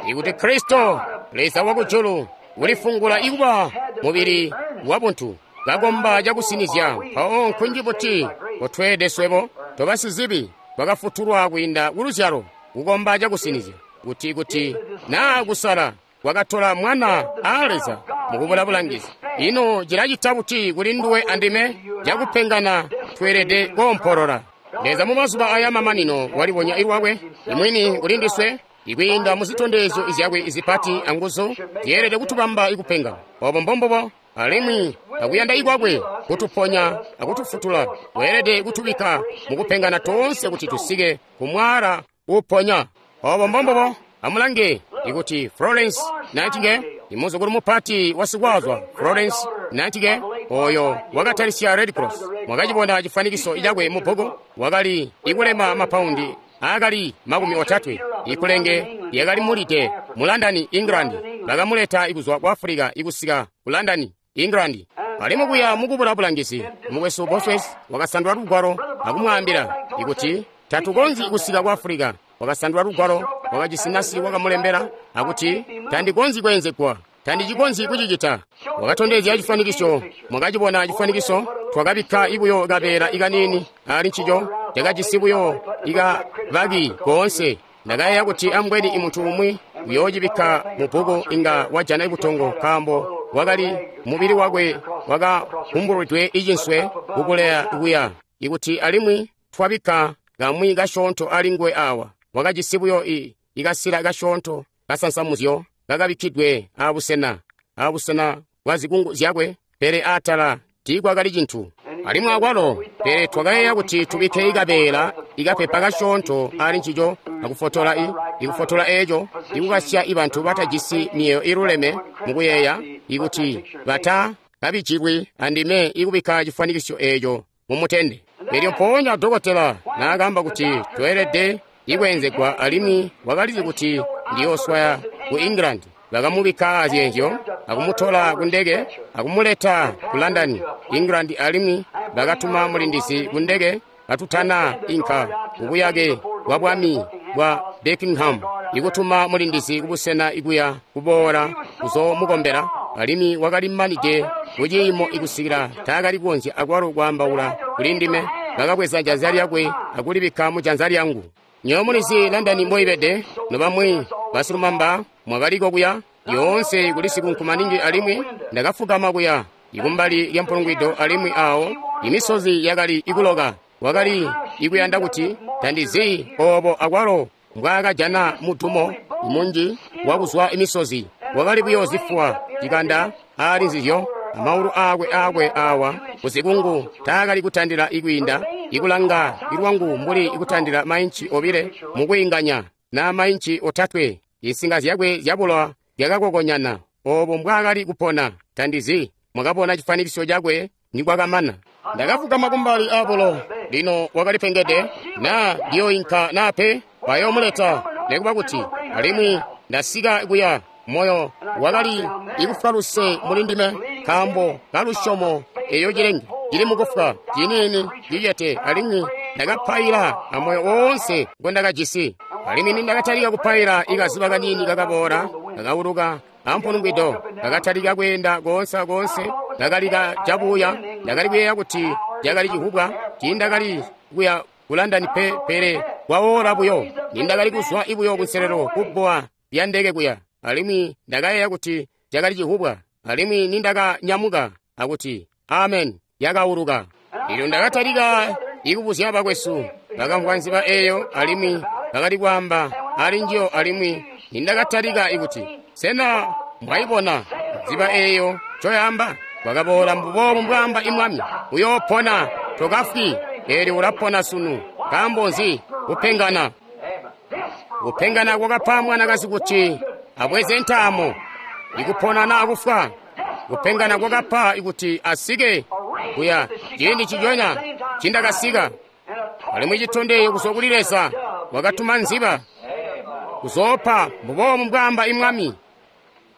Ikuti Kristo, Leza wakujulu, ulifungula ikuba mubili wabuntu, kakomba cakusinizya, mpawo nkunji buti nkotweelede swebo tobasizibi twakafutulwa kwiinda kuluzyalo kukomba cakusinizya, kuti kuti naa kusala kwakatola mwana aa Leza mukubula bulangizi. Ino cilacita buti kuli nduwe andime? Cakupengana tweelede koompolola. Leza mu mazuba aya mamanino walibonya ilwakwe imwini kuli ndiswe ikwiinda mu zitondezyo zyakwe izipati anguzu zyeelede kutubamba ikupenga. Obo mbombubo. Alimwi akuyanda ikwakwe kutuponya akutufutula, weelede kutubikka mukupengana toonse kuti tusike kumwaala uponya. Obo mbombubo. Amulange ikuti Florence Nightingale, imuzukulu mupati wa sikwazwa Florence Nightingale, oyo wakatalisya Red Cross. Mwakacibona cifanikiso cakwe mu bbuku. Wakali ikulema mapaundi aakali 30. Ikulenge yakali mulide mu London, England. Bakamuleta ikuzwa ku Africa ikusika ku London, England. Alimwi kuya mukubula bulangizi, mukwesu Bosworth wakasandula lugwalo akumwaambila ikuti tatukonzyi kusika ku Africa. Wakasandula lugwalo, wakajisi nasi wakamulembela akuti tandikonzyi kweenzegwa, tandicikonzyi kucicita. Wakatondezya cifanikiso. Mwakacibona cifanikiso. Twakabikka ibuyo kabeela ikaniini ali ncico, cakajisi buyo ikabaki koonse. Ndakayeeya kuti ambweni imuntu umwi uyoocibikka mu bbuku inga wajana ibutongo, nkaambo wakali mubili wakwe wakahumbulwidwe icinswe kukuleya kuya. Ikuti alimwi twabikka kamwi kasyoonto ali nguwe awa, wakajisi buyo ikasila kasyoonto kasansamuzyo kakabikkidwe abusena bwa zikungu zyakwe, pele atala tiikwakali cintu. Alimwi akwalo, pele twakayeeya kuti tubikke ikabeela ikapepa kasyoonto ali ncico akufotola ikufotola eeco, ikukasya ibantu batajisi miyeeyo iluleme mukuyeeya ikuti bata kabijilwi andime ikubikka cifwanikisyo eeco mumutende. Elyo mpoonya dokotela naakamba kuti tweelede ikweenzegwa, alimwi wakalizi kuti ndiyooswaya ku England, bakamubikka azyeenzyo akumutola ku ndeke akumuleta ku London, England, alimwi bakatuma mulindizi ku ndeke katutana inka kubuyake bwa bwami bwa Buckingham, ikutuma mulindizi kubusena ikuya kuboola kuzoomukombela. Alimwi wakali manide kuciimo ikusikila taakali kukonzya akwalo kwaambaula kuli ndime. Bakabweza janza lyakwe akulibikka mu janza lyangu. Nywebo mulizi London mboibede, nobamwi basilumamba mwakaliko kuya yoonse kuli sikunku maningi, alimwi ndakafugama kuya ikumbali lya mpulungwido, alimwi awo imisozi yakali ikuloka. Wakali ikuyanda kuti tandizi obo akwalo mbwaakajana mudumo munji wakuzwa imisozi. Wakali buyo zifuwa cikanda ali nzizyo, amaulu aakwe awa kuzikungu taakali kutandila ikwiinda ikulanga ilwangu mbuli ikutandila mainci 2 mukwiinganya na mainci 3. Insinga zyakwe zyabulowa zyakakokonyana. Obo mbwaakali kupona tandizi. mwakabona chifanikisyo chakwe nikwakamana. Ndakafugama kumbali abulo. Lino wakalipengede na ndiyoinka nape bayoomuleta nekuba kuti alimwi ndasika kuya moyo wakali ikufwa luse muli ndime nkaambo kalusyomo eyo cilenge cili mukufwa ciniini cicete alimwi ndakapaila amoyo woonse ngondakajisi. Alimwi nindakatalika kupaila ikaziba kaniini kakaboola kakawuluka ampunungwido kakatalika kweenda koonse akoonse kakalika cabuya. Ndakali kuyeeya kuti cakali cihubwa tiindakali kuya ku London pe, pele kwawoola buyo nindakali kuzwa ibuyo kunselelo kubbowa lya ndeke kuya, alimwi ndakayeeya kuti cakali cihubwa. Alimwi nindakanyamuka akuti amen, yakawuluka. Elyo ndakatalika ikubuzya bakwesu bakamvwa nziba eyo alimwi bakali kwaamba ali njiyo. Alimwi nindakatalika ikuti sena mwayibona nziba eyo ncoyaamba, kwakaboola mbuboobu mbwaamba imwami, uyoopona tokafwi. Eelyo ulapona sunu. Nkaambo nzi? Kupengana. Kupengana kwakapa mwanakazi kuti abweze ntaamo ikupona naa kufwa. Kupengana kwakapa ikuti asike kuya ciindi ciconya cindakasika. Alimwi citondezyo kuzwa kuli Leza wakatuma nziba kuzoopa mbuboobu mbwaamba imwami.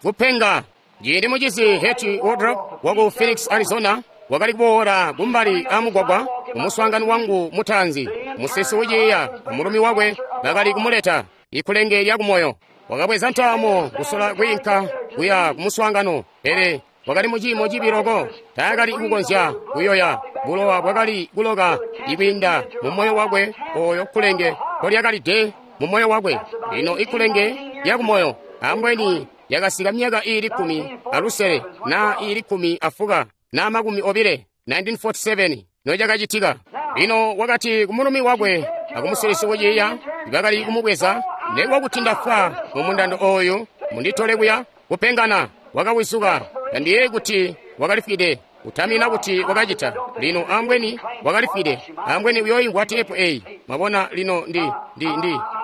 Kupenga. Ciindi mucizi Hetty Wardrop waku Phoenix, Arizona wakali kuboola kumbali amugwagwa kumuswaangano wangu mutaanzi. Musesi wiciiya amulumi wakwe bakali kumuleta ikulenge lyakumoyo. Wakabweza ntaamo kusola kwiinka kuya kumuswaangano, pele wakali muciimo cibi loko taakali kukonzya kuyoya. Bulowa bwakali kuloka ikwiinda mumoyo wakwe oyo kulenge kolyakalide mumoyo wakwe. Lino ikulenge lyakumoyo ambweni yakasika myaka iili 16 na iili 14 na 20, 1947 nocakacitika. Lino wakati kumulumi wakwe akumusilisi wiciiya bakali kumubweza, nekuba kuti ndafwa mumundando oyu munditole kuya. Kupengana wakawizuka. Tandiyeeyi kuti wakalifwide, kutamina kuti wakacita. Lino ambweni wakalifwide, ambweni uyoimvwa teepu eyi. Mwabona, lino ndi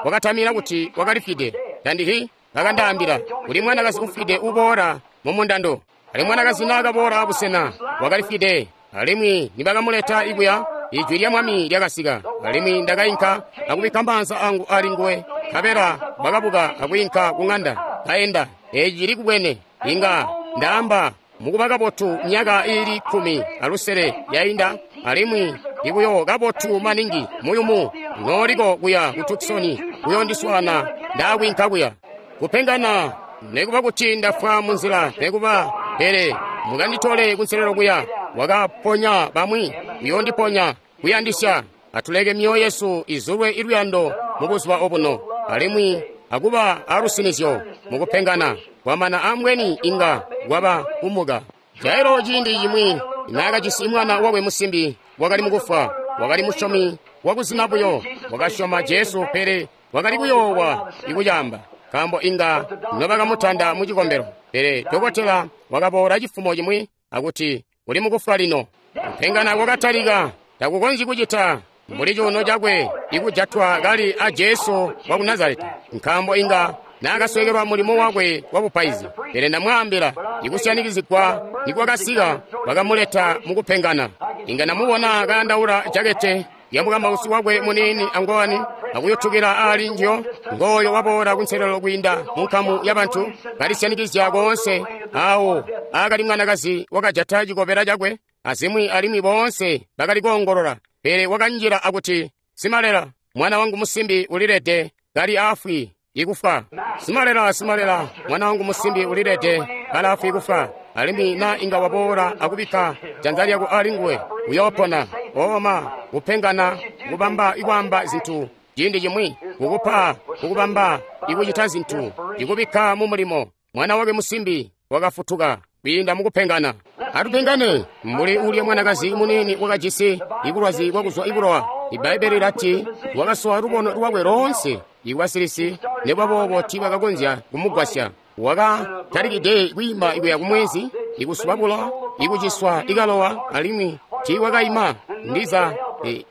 wakatamina kuti wakalifwide. Tandihi bakandaambila kuli mwanakazi ufwide uboola mumundando. Alimwi mwanakazi naakaboola abusena wakalifwide, alimwi nibakamuleta ikuya, ijwi lya mwami lyakasika. Alimwi ndakainka akubikka maanza angu ali nguwe, nkabela bakabuka akwiinka ku ŋanda. Kaenda eeci cili kubwene, inga ndaamba mukuba kabotu myaka iili 16 yainda, alimwi ibuyo kabotu maningi muyumu nooliko kuya ku Tucson kuyondiswaana ndaakwiinka kuya. Kupengana nekuba kuti ndafwa munzila nekuba, pele mukanditole kunselelo kuya. Wakaponya bamwi, uyondiponya. Kuyandisya atuleke myoyo yesu izulwe iluyando mubuzuba obuno, alimwi akuba alusinizyo mukupengana kwamana ambweni inga kwaba kumuka. Jairo ciindi cimwi naakajisi mwana wakwe musimbi wakali mukufwa, wakali musyomi wakuzina buyo, wakasyoma Jesu, pele wakali kuyoowa ikucaamba nkaambo inga nobakamutanda mucikombelo. Pele dokotela wakaboola cifumo cimwi akuti uli mukufwa lino. Kupengana kwakatalika. Takukonzyi kucita mbuli cuuno cakwe ikujatwa kali a Jesu waku Nazareta, nkaambo inga naakaswekelwa mulimo wakwe wa bupaizi. Pele ndamwaambila, ikusyanikizigwa nikwakasika bakamuleta mukupengana. Inga namubona kayandaula jakete ya mukambausi wakwe muniini angowani akuyutukila ali njiyo. Ngooyo waboola kunselelo kwiinda munkamu yabantu kalisyanikizya koonse awo akali mwanakazi wakajata cikobela cakwe azimwi, alimwi boonse bakali koongolola. Pele wakanjila akuti, simalela, mwana wangu musimbi ulilede kali afwi ikufwa. Simalela, simalela, mwana wangu musimbi ulilede kali afwi ikufwa. Alimwi na inga waboola akubikka janza lyako ali nguwe, uyoopona. Oma kupengana kubamba ikwaamba zintu ciindi cimwi, kukupa kukubamba ikucita zintu, ikubikka mu mulimo. Mwana wake musimbi wakafutuka kwiinda mukupengana. Atupengane mbuli ulya mwanakazi muniini wakajisi ibulwazi bwakuzwa ibulowa. Ibbaibbele lilati wakasowa lubono lwakwe loonse ikwasilisi, nekubaboobo tiibakakonzya kumugwasya. Wakatalikide kwiima ikuya kumwezi, ikusuba bulowa, ikuciswa ikalowa, alimwi tiiwakaima. Ndiza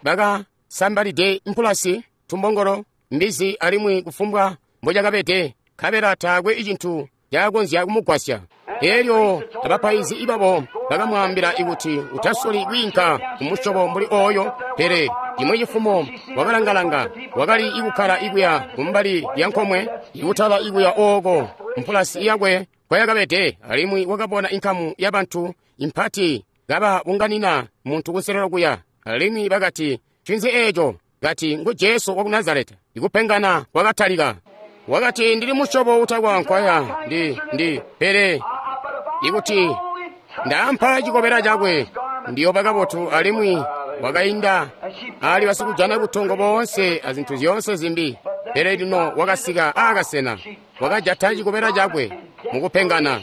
bakasambalide mpulasi, tumbongolo, mbizi, alimwi kufumbwa mbocakabede, nkabela taakwe cintu cakakonzya kumugwasya. Elyo abapaizi babo bakamwaambila kuti utasoli kwiinka kumusyobo mbuli oyo. Pele cimwi cifumo wakalangalanga, wakali ikukkala ikuya kumbali lya nkomwe, ikutala ikuya ooko mpulasi yakwe kwayakabede, alimwi wakabona inkamu ya bantu impati kababunganina muntu kunselelo kuya. Alimwi bakati, "Ncinzi eeco?" Kati, "Ngu Jesu waku Nazareta." Ikupengana kwakatalika. Wakati, "Ndili musyobo utakwankwaya ndi pele ikuti ndaampa cikobela cakwe ndiyoba kabotu." Alimwi wakainda ali basikujana butongo boonse azintu zyoonse zimbi, pele lino wakasika aakasena, wakajata cikobela cakwe mukupengana.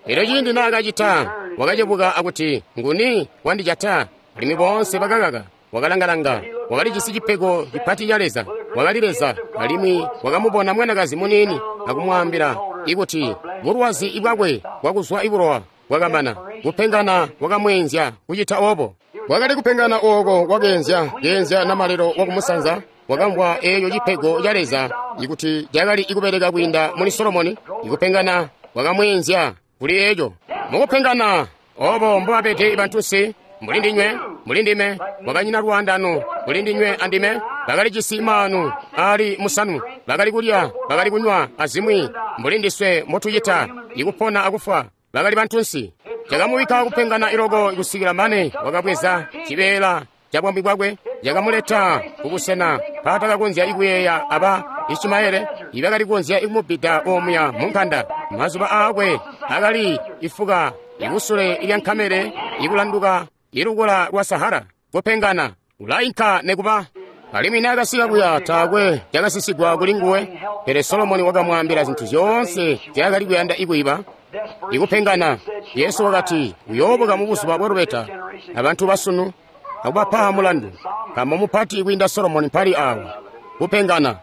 Elyo ciindi naakacita, wakacebuka akuti, "Nguni wandijata?" Alimwi boonse bakakaka. Wakalangalanga, wakalijisi cipego cipati ca Leza, wakali Leza. Alimwi wakamubona mwanakazi muniini akumwaambila ikuti bulwazi bwakwe bwakuzwa ibulowa bwakamana. Kupengana kwakamweenzya kucita obo. Wakali kupengana ooko kwakeenzya keenzya namalelo wakumusanza. Wakamvwa eeyo cipego ca Leza ikuti cakali ikubeleka kwiinda muli Solomoni. Ikupengana kwakamweenzya kuli eeco. Mukupengana obo mbobabede bantunsi, mbuli ndinywe, mbuli ndime, wakanyina lwaandano mbuli ndinywe andime. Bakalijisi maanu ali musanu, bakali kulya, bakali kunywa azimwi mbuli ndiswe mbotucita, ikupona akufwa. Bakali bantunsi. Cakamubikka kupengana iloko kusikila mane wakabweza cibeela ca bwami bwakwe, cakamuleta kubusena mpaatakakonzya ikuyeeya aba Ishimaele ibakali kukonzya ikumubida omuya munkanda. Mazuba aakwe akali ifuka ikusule lya nkamele ikulanduka ilukula lwa Sahara. Kupengana ulainka nekuba. Alimwi naakasika kuya taakwe cakasisigwa kuli nguwe, pele Solomoni wakamwaambila zintu zyoonse nzyaakali kuyanda ikuiba. Ikupengana. Yesu wakati uyoobuka mubuzuba bwa lubeta abantu basunu akubapa mulandu, nkaambo mupati kwiinda Solomoni mpali awa. Kupengana.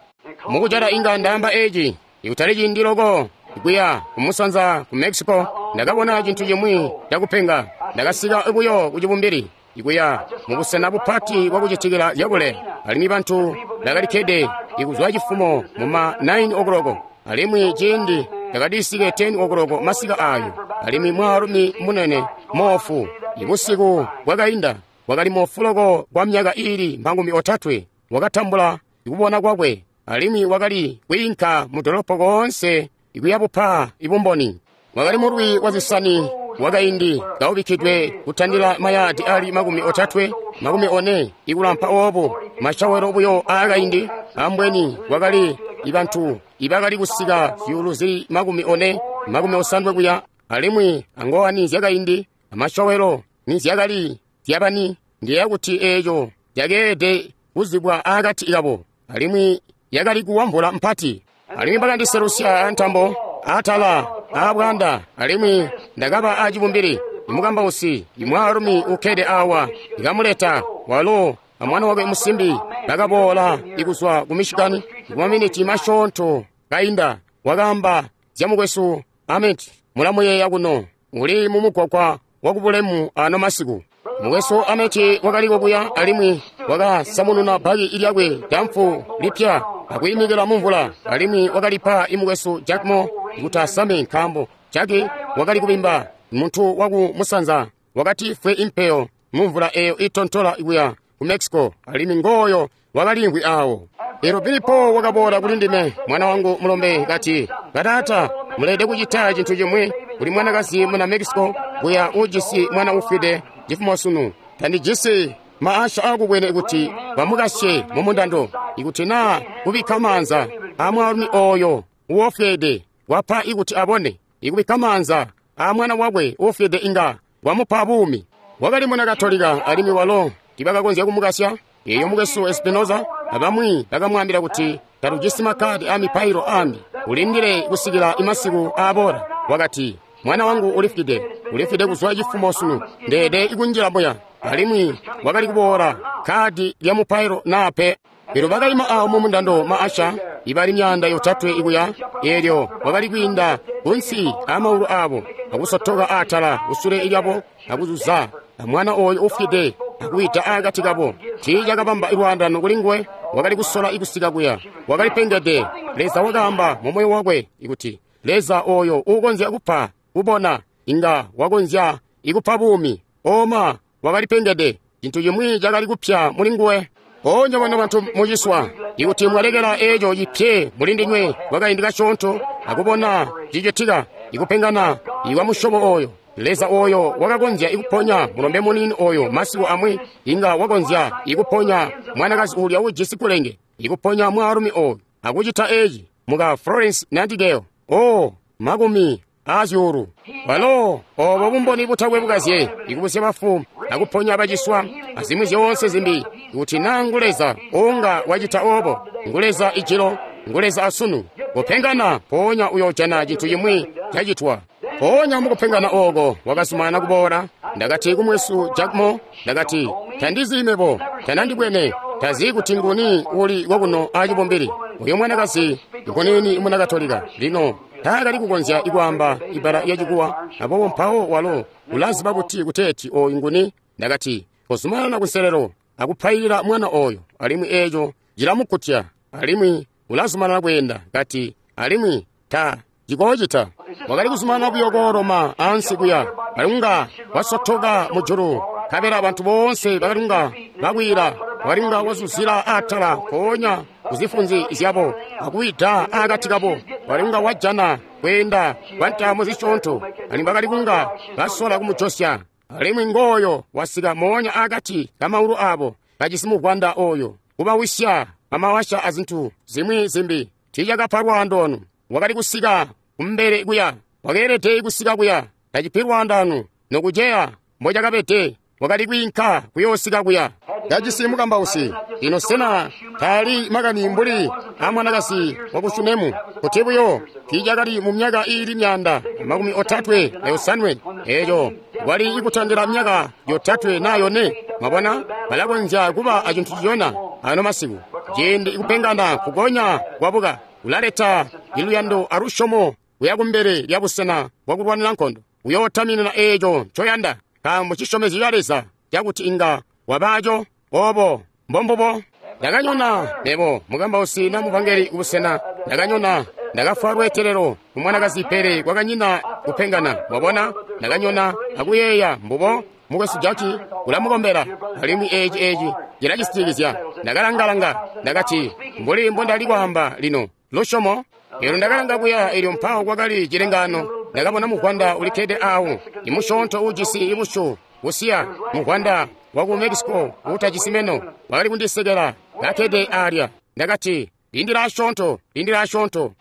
Mukujala inga ndaamba eci, ikutali ciindi loko kuya kumusanza ku Mexico, ndakabona cintu cimwi cakupenga. Ndakasika buyo kucibumbili ikuya mubusena bupati bwakucitikila zyakule, alimwi bantu bakalikkede ikuzwa cifumo muma 9 o'clock, alimwi ciindi ndakadisike 10 o'clock masika ayo. Alimwi mwaalumi munene moofu, ibusiku bwakainda wakali moofu loko kwa myaka iili 30, wakatambula ikubona kwakwe, alimwi wakali kwiinka mu dolopo koonse ikuyabupa ibumboni. Wakali mulwi wa zisani wakaindi kaubikkidwe kutandila mayaadi ali 30, 40 ikulampa oobo, mashawelo buyo aakaindi. Ambweni wakali ibantu ibakali kusika zyuulu zili 40, 50 kuya, alimwi angowani zyakaindi amashawelo nizyakali zyabani. Ndiyeeya kuti eeco yakeelede kuzibwa aakati kabo, alimwi yakali kuwa mvula mpati. Alimwi bakandiselusya antambo atala aabwanda, alimwi ndakaba acibumbili. Imukambausi imwaalumi ukkede awa ikamuleta, walo amwana wakwe musimbi bakaboola ikuzwa ku Michigan kumaminiti masyoonto kainda. Wakaamba zya mukwesu Amit, mulamuyeeya kuno, uli mumugwagwa wakubulemu ano masiku. Mukwesu Amit wakaliko kuya, alimwi wakasamununa baki lyakwe damfu lipya akuyimikila mumvula, alimwi wakalipa imukwesu Jack Moore kuti asame, nkaambo Jack wakali kubimba muntu waku musanza wakati fwe impeyo mumvula eyo itontola kuya ku Mexico, alimwi ngooyo wakalimvwi awo. Elo Pilipo wakaboola kuli ndime, mwana wangu mulombe, kati, "Bataata, mulede kucita cintu cimwi kuli mwanakazi muna Mexico kuya ujisi mwana ufwide cifumo sunu. Tandijisi maasha akubwene kuti bamukasye mumundando, ikuti naa kubikka maanza amwaalumi oyo uwofwede wapa ikuti abone, ikubikka maanza amwana wakwe uufwide inga wamupa buumi." Wakali muna Katolika, alimwi walo tibakakonzya kumukasya. Eyo mukwesu Espinoza abamwi bakamwaambila kuti, "Tatujisi makadi a mipailo ambi, ulindile kusikila imasiku aaboola." Wakati, "Mwana wangu ulifwide, ulifwide kuzwa cifumo sunu, ndeede ikunjila muya." Alimwi wakali kuboola kadi lya mupailo naape. Elyo bakaima awo mumundando maasha ibali 300 ikuya, elyo wakali kwiinda kunsi amaulu abo akusotoka atala kusule lyabo akuzuza amwana oyo ufwide akuwida akati kabo. Tiicakabamba lwaandano kuli nguwe, wakali kusola ikusika kuya, wakali pengede. Leza wakaamba mu moyo wakwe ikuti, Leza oyo uukonzya kupa kubona inga wakonzya ikupa buumi. Oma wakali pengede, cintu cimwi cakali kupya muli nguwe. Onye bano bantu muciswa, ikuti mwalekela eco cipye muli ndinywe kwakaindi kasyoonto akubona cicitika, ikupengana ikwa musyobo oyo. Leza oyo wakakonzya ikuponya mulombe muniini oyo masiku amwi, inga wakonzya ikuponya mwanakazi ulya ujisi kulenge, ikuponya mwaalumi oyo akucita eci muka Florence Nightingale. O makumi azyuulu walo obo bumboni butakwe bukazye, ikubusya bafu akuponya baciswa azimwi zyoonse zimbi. Kuti naa ngu Leza unga wacita obo, ngu Leza ijilo, ngu Leza asunu. Kupengana mpoonya uyojana cintu cimwi cacitwa. Mpoonya mukupengana oko wakazumana kuboola. Ndakati kumwesu Jack Moore, ndakati, tandizi mebo, tanandibwene, tazi kuti nguni uli kokuno acibumbili. Uyo mwanakazi ngunini muna Katolika. Lino taakali kukonzya ikwaamba ibala yacikuwa, abobo mpawo walo ulaziba kuti kuteeti oyu nguni. Ndakati, kozumanana kunselelo akupailila mwana oyo, alimwi eco cilamukutya, alimwi ulazumanana kweenda. Kati, alimwi ta cikoocita. Wakali kuzumanana buyo kooloma ansi kuya, kalunga wasotoka mujulu, nkabela bantu boonse bakalunga bakwila, wakalunga wazuzila atala mpoonya kuzifunzi zyabo akuwida akati kabo. Wakalunga wajana kweenda kwa ntaamo zisyoonto, alimwi bakali kunga basola kumujosya. Alimwi ngooyo wasika moonya akati kamaulu abo, kajisi muvwanda oyo, kubawisya amawasha azintu zimwi zimbi. Tiicakapa lwaandono. Wakali kusika kumbele kuya, wakeelede kusika kuya, tacipi lwaandano nokuceya mbocakabede. Wakali kwiinka kuyoosika kuya, kajisi mukambausi. Lino sena taali makani mbuli amwanakazi waku Shunemu, kuti buyo tiicakali mu myaka iili 337 eeco wali ikutandila myaka 3 na 4. Mwabona, balakonzya kuba acintu ciyona ano masiku. Ciindi ikupengana kugonya kwabuka ulaleta iluyando alusyomo kuya kumbele lya busena bwakulwanira nkondo. Uyootaminina eeco ncoyanda, nkaambo cisyomezyo ca Leza cakuti inga wabaco. Obo mbombubo. Ndakanyona mebo mukambausi na muvangeli kubusena. Ndakanyona, ndakafwa lweetelelo kumwanakazi, pele kwakanyina kupengana. Mwabona, ndakanyona akuyeeya mbubo mukwesu Jaki ulamukombela, alimwi eci cilacisitikizya. Ndakalangalanga, ndakati, mbuli mbondali kwaamba lino lusyomo. Eelyo ndakalanga kuya, eelyo mpawo kwakali cilengano. Ndakabona muvwanda ulikkede awo, imusyoonto uujisi ibusyu busiya, muvwanda waku Mexico uutajisi meno, wakali kundisekela kakkede alya. Ndakati, lindila asyoonto, lindila asyoonto.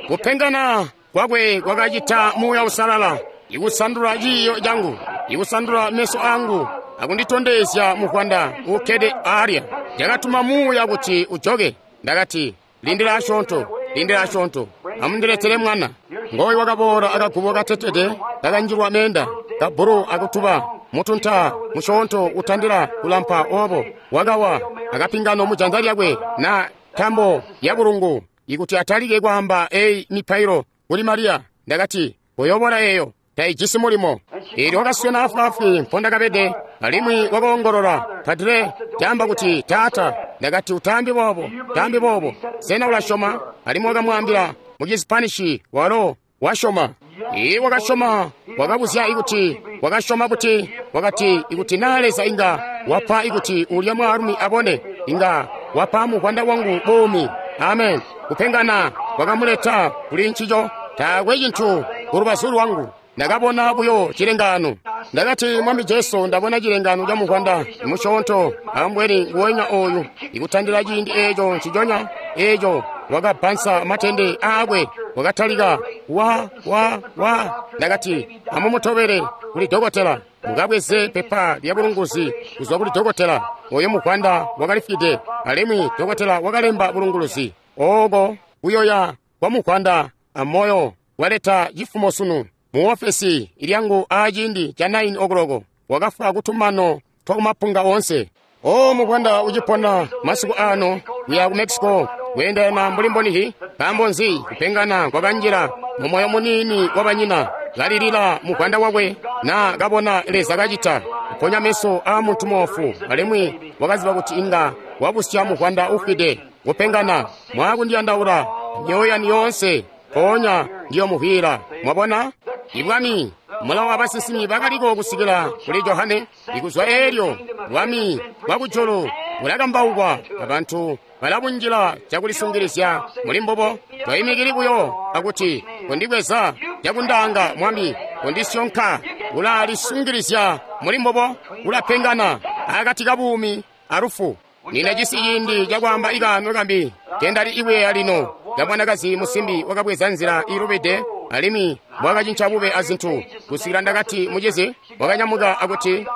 Kupengana kwakwe kwakacita Muuya Uusalala ikusandula ciiyo cangu, ikusandula meso angu, akunditondezya muvwanda uukkede alya. Ndakatuma Muuya kuti ujoke. Ndakati, lindila asyoonto, lindila asyoonto, amundiletele mwana. Ngoyu wakaboola akagubo katetete kakanjilwa meenda, kabbulu akutuba, mutunta musyoonto utandila kulampa obo, wakawa akapingano mujanza lyakwe na ntambo ya bulungu, ikuti atalike kwaamba eyi mipailo kuli Mariya. Ndakati, koyobola eyo, taijisi mulimo. Eelyo wakaswena afwaafwi mpondakabede, alimwi wakoongolola, Padre, caamba kuti taata. Ndakati, utaambi boobo, taambi boobo. Sena ulasyoma? Alimwi wakamwaambila mu Chispanishi, walo wasyoma. Iye wakasyoma, wakabuzya ikuti wakasyoma kuti, wakati ikuti naa Leza inga wapa ikuti ulya mwaalumi abone, inga wapa muvwanda wangu buumi. Amen. Kupengana kwakamuleta kuli ncico. Taakwe cintu kulubazu lwangu. Ndakabona buyo cilengano. Ndakati, Mwami Jesu, ndabona cilengano ca muvwanda musyoonto, ambweni nguwenya oyu, ikutandila ciindi eeco nciconya eeco wakabbansa matende aakwe, wakatalika wa wa wa. Ndakati, amumutobele kuli dokotela, mukabweze pepa lya bulunguzi kuzwa kuli dokotela. Oyo muvwanda wakalifwide, alimwi dokotela wakalemba bulunguluzi oko kuyoya kwa muvwanda amoyo waleta cifumo sunu mu ofesi ilyangu aciindi ca 9 o'clock. Wakafwa kutumano twakumapunga onse. O muvwanda ucipona masiku ano kuya ku Mexico kweendelana mbuli mbonihi. Nkaambo nzi kupengana kwakanjila mu moyo muniini wa banyina, kalilila muvwanda wakwe, na kabona Leza kacita kuponya meso a muntu moofu, alimwi wakaziba kuti inga wabusya muvwanda ufwide. Kupengana mwakundiyandaula myoyo yanu yoonse, mpoonya ndiyomuvwiila. Mwabona? Ibwami, mulawo wabasinsimi bakaliko kusikila kuli Johane. Ikuzwa eelyo bwami bwakujulu bulakambaukwa, abantu balabunjila cakulisungilizya muli mbubo. Toimikili buyo akuti kundibweza cakundaanga Mwami, kundisyonka. Ulalisungilizya muli mbubo, ulapengana akati kabuumi alufu. Nina cisi ciindi cakwaamba ikaano kambi kendali iweya lino kamwanakazi musimbi wakabweza nzila ilubide alimwi bwakacinca bube azintu kusikila ndakati mucizi wakanyamuka akuti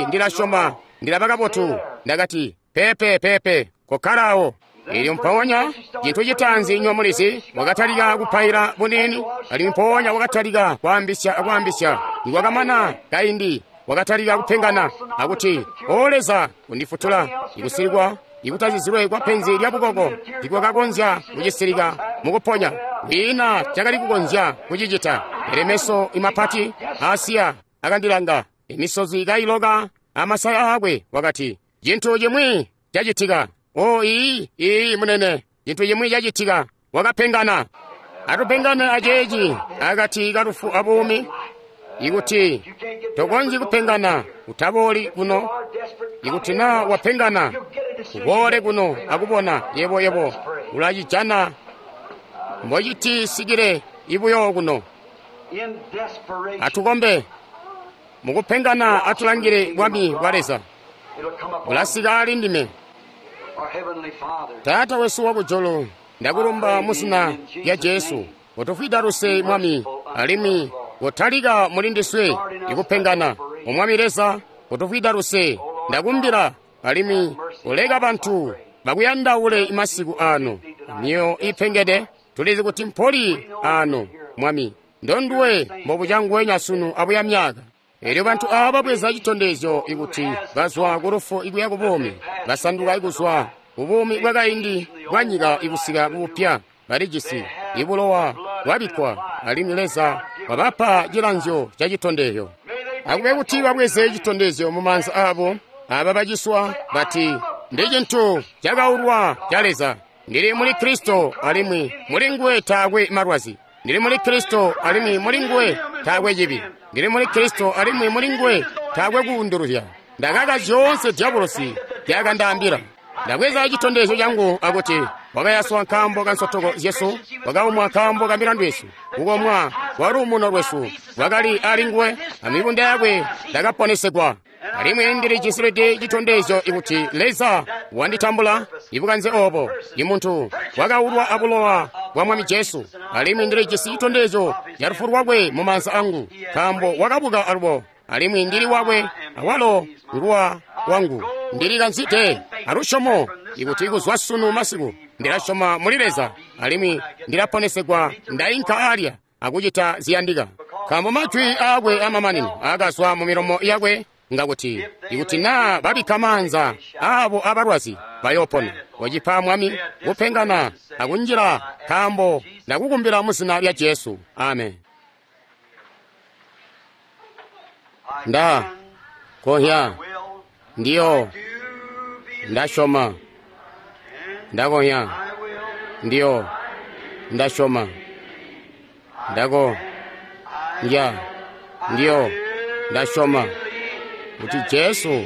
ndilasyoma ndilaba kabotu. Ndakati pepe pepe kokkalawo. Elyo mpoonya cintu citaanzi nywa mulizi wakatalika kupaila buniini, alimwi mpoonya wakatalika kwaambisya akwaambisya. Nikwakamana kaindi wakatalika kupengana akuti, O Leza, kundifutula. Ikusilikwa ikutazizilwe kwa penzi lya bukoko tikwakakonzya kucisilika mukuponya. Kwiina cakali kukonzya kucicita. Pele meso imapati aasiya akandilanga, emisozi kailoka amasaya aakwe. Wakati, cintu cimwi cacitika. O iyi munene, cintu cimwi cacitika. Wakapengana. Atupengane aceeci akati kalufu abuumi. Ikuti tokonzyi kupengana, utabooli kuno. Ikuti naa wapengana, uboole kuno akubona yebo ulacijana mbocitisikile ibuyo kuno. Atukombe mukupengana, atulangile bwami bwa Leza bulasika ali ndime. Taata wesu wakujulu, ndakulumba muzina lya Jesu, kutufwida luse Mwami, alimwi kutalika muli ndiswe ikupengana. Omwami Leza, kutufwida luse, ndakumbila, alimwi uleka bantu bakuyandaule masiku ano. Myoyo ipengede, tulizi kuti mpoli ano, Mwami, ndonduwe mbobucangwenya sunu abuya myaka. Elyo bantu aaba babweza citondezyo ikuti bazwa ku lufu ikuya ku buumi, basanduka ikuzwa kubuumi bwakaindi bwa nyika ikusika kubupya. Balijisi ibulowa bwabikkwa, alimwi Leza wabapa cilanzyo ca citondezyo. Akube kuti babweze citondezyo mu maanza aabo aba baciswa bati, ndi cintu cakaulwa ca Leza. Ndili muli Kristo, alimwi muli nguwe taakwe malwazi. Ndili muli Kristo, alimwi muli nguwe taakwe cibi. Ndili muli Kristo, alimwi muli nguwe taakwe kuunduluzya. Ndakaka zyoonse dyabulosi zyakandaambila. Ndabweza citondezyo cangu akuti wakayaswa nkaambo ka nsotoko zyesu, wakaumwa nkaambo ka milandu yesu. Kukomwa kwa luumuno lwesu lwakali ali nguwe, amibunda yakwe ndakaponesegwa. Alimwi ndilijisilidi citondezyo ikuti Leza wanditambula ibukanze obo, imuntu wakaulwa abulowa bwa Mwami Jesu. Alimwi ndilijisi citondezyo ca lufu lwakwe mu maanza angu, nkaambo wakabuka alubo, alimwi ndili wakwe, awalo nguwa wangu. Ndilikanzide alusyomo ikuti kuzwa sunu masiku ndilasyoma muli Leza, alimwi ndilaponesegwa. Ndainka alya akucita ziyandika, nkaambo majwi aakwe amamanino akazwa mu milomo yakwe ngakuti, ikuti naa babikka maanza aabo abalwazi bayoopona. Wacipa Mwami kupengana akunjila, nkaambo ndakukumbila mu zina lya Jesu. Amen. Nda kohya ndiyo ndasyoma. Ndakohya ndiyo ndasyoma. Ndako ndya ndiyo ndasyoma kuti Jesu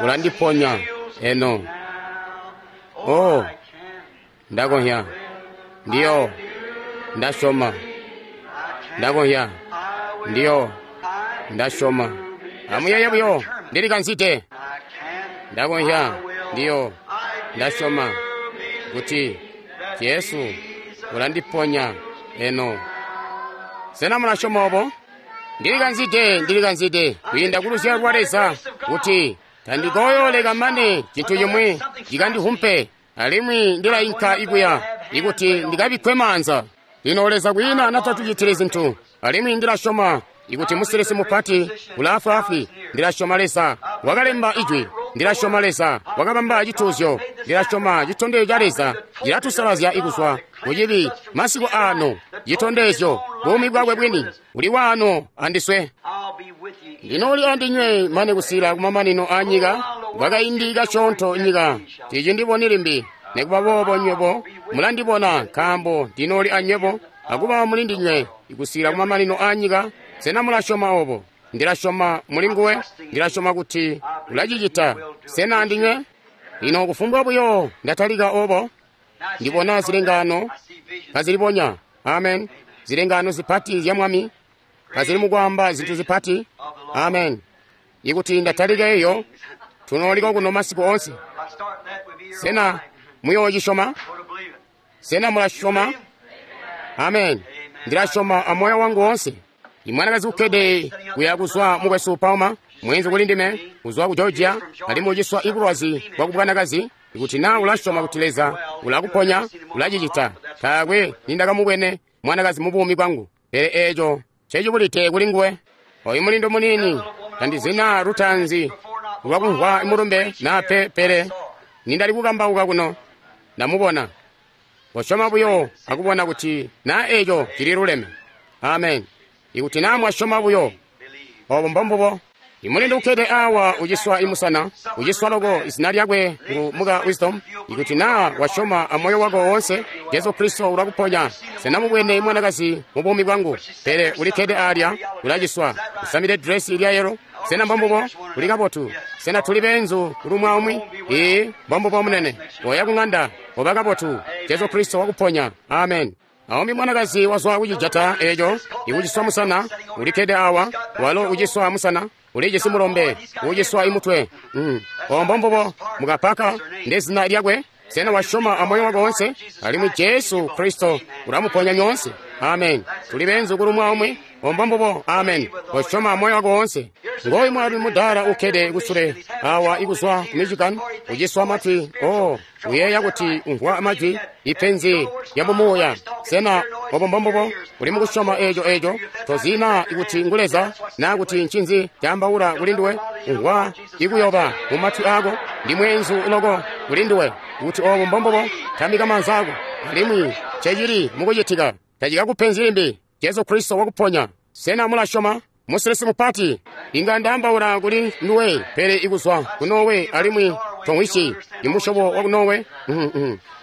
ulandiponya eno. Oh, ndakohya ndiyo ndasyoma. Ndakohya ndiyo ndasyoma. Amuyeeye buyo, ndilikanzide. Ndakohya ndiyo ndasyoma kuti Jesu ulandiponya eno. Sena mulasyoma obo? Ndilikanzide, ndilikanzide kwiinda ku luzyalo lwa Leza kuti tandikoyooleka mane cintu cimwi cikandihumpe, alimwi ndilainka ikuya ikuti ndikabikkwe maanza. Lino Leza kwiina natatucitile zintu, alimwi ndilasyoma ikuti musilisi mupati ulaafwaafwi. Ndilasyoma Leza wakalemba ijwi. Ndilasyoma Leza wakabamba cituuzyo. Ndilasyoma citondezyo ca Leza cilatusalazya ikuzwa kucibi masiku ano. Citondezyo buumi bwakwe bwini buli waano andiswe. Ndinooli andinywe mane kusila kumamanino a nyika. Kwakaindi kasyoonto nyika ticindiboni limbi, nikuba boobo nywebo mulandibona, nkaambo ndinooli anywebo akuba mulindinywe ikusila kumamanino a nyika. Sena mulasyoma obo? Ndila syoma muli nguwe. Ndila syoma kuti ulacicita. Sena andinywe? Lino kufumbwa buyo ndatalika obo, ndibona zilengaano kazilibonya. Amen. Zilengaano zipati zya Mwami kazili mukwaamba zintu zipati. Amen. Ikuti ndatalika eyo, tunooliko kuno masiku onse. Sena muyoocisyoma? Sena mulasyoma? Amen. Ndilasyoma amoyo wangu wonse. Imwanakazi ukkede kuya kuzwa mukwesu Palmer, mwenzi kuli ndime, kuzwa ku Georgia, alimwi uciswa ibulwazi bwa kubwanakazi. Ikuti naa ulasyoma kuti Leza ulakuponya, ulacicita. Taakwe nindakamubwene mwanakazi mu buumi bwangu, pele eeco ncecibulide kuli nguwe. Oyu mulindu muniini, tandizina lutaanzi lwakumvwa mulumbe naa pe, pele nindali kukambauka kuno, ndamubona. Kosyoma buyo akubona kuti naa eeco cililuleme. Amen. Ikuti naa mwasyoma buyo, obo mbombubo. Imulindu ukkede awa uciswa imusana, uciswa loko, izina lyakwe ngu muka Wisdom. Ikuti naa wasyoma amoyo wako woonse, Jesu Kristo ulakuponya. Sena mubwene mwanakazi mu buumi bwangu, pele ulikkede alya, ulaciswa. Usamide dresi lya yelo. Sena mbombubo? Uli kabotu. Sena tuli beenzu kuli umwi? Ee, mbombubo munene. Oya kung'anda, oba kabotu. Jesu Kristo wakuponya. Amen. Aumbi mwanakazi wazwa kucijata eeco, ikuciswa musana, ulikkede awa, walo uciswa musana, ulijisi mulombe, uciswa imutwe. Obo mbombubo, mukapaka ndezina lyakwe. Sena wasyoma amoyo wako wonse? Alimwi Jesu Kristo ulamuponya nyoonse. Amen. Tuli beenzu kuli umwi. Obo mbombubo. Amen. Wasyoma amoyo wako wonse. Ngoyu mwaalumi mudaala ukkede kusule awa ikuzwa ku Michigan, uciswa matwi. Oh, uyeeya kuti umvwa majwi, ipenzi lya mumuuya. Sena obo mbombubo? Uli mukusyoma eeco eeco? Tozina ikuti ngu Leza naa kuti ncinzi caambaula kuli nduwe? Umvwa ikuyoba mu matwi aako, ndi mweenzu loko kuli nduwe. Kuti obo mbombubo, tambika maanza ako. Alimwi cecili mukucitika, tacikakupenzi limbi. Jesu Kristo wakuponya. Sena mulasyoma? Musilisi mupati, inga ndaambaula kuli nduwe, pele ikuzwa ku Norway alimwi tomwishi imusyobo wa ku Norway.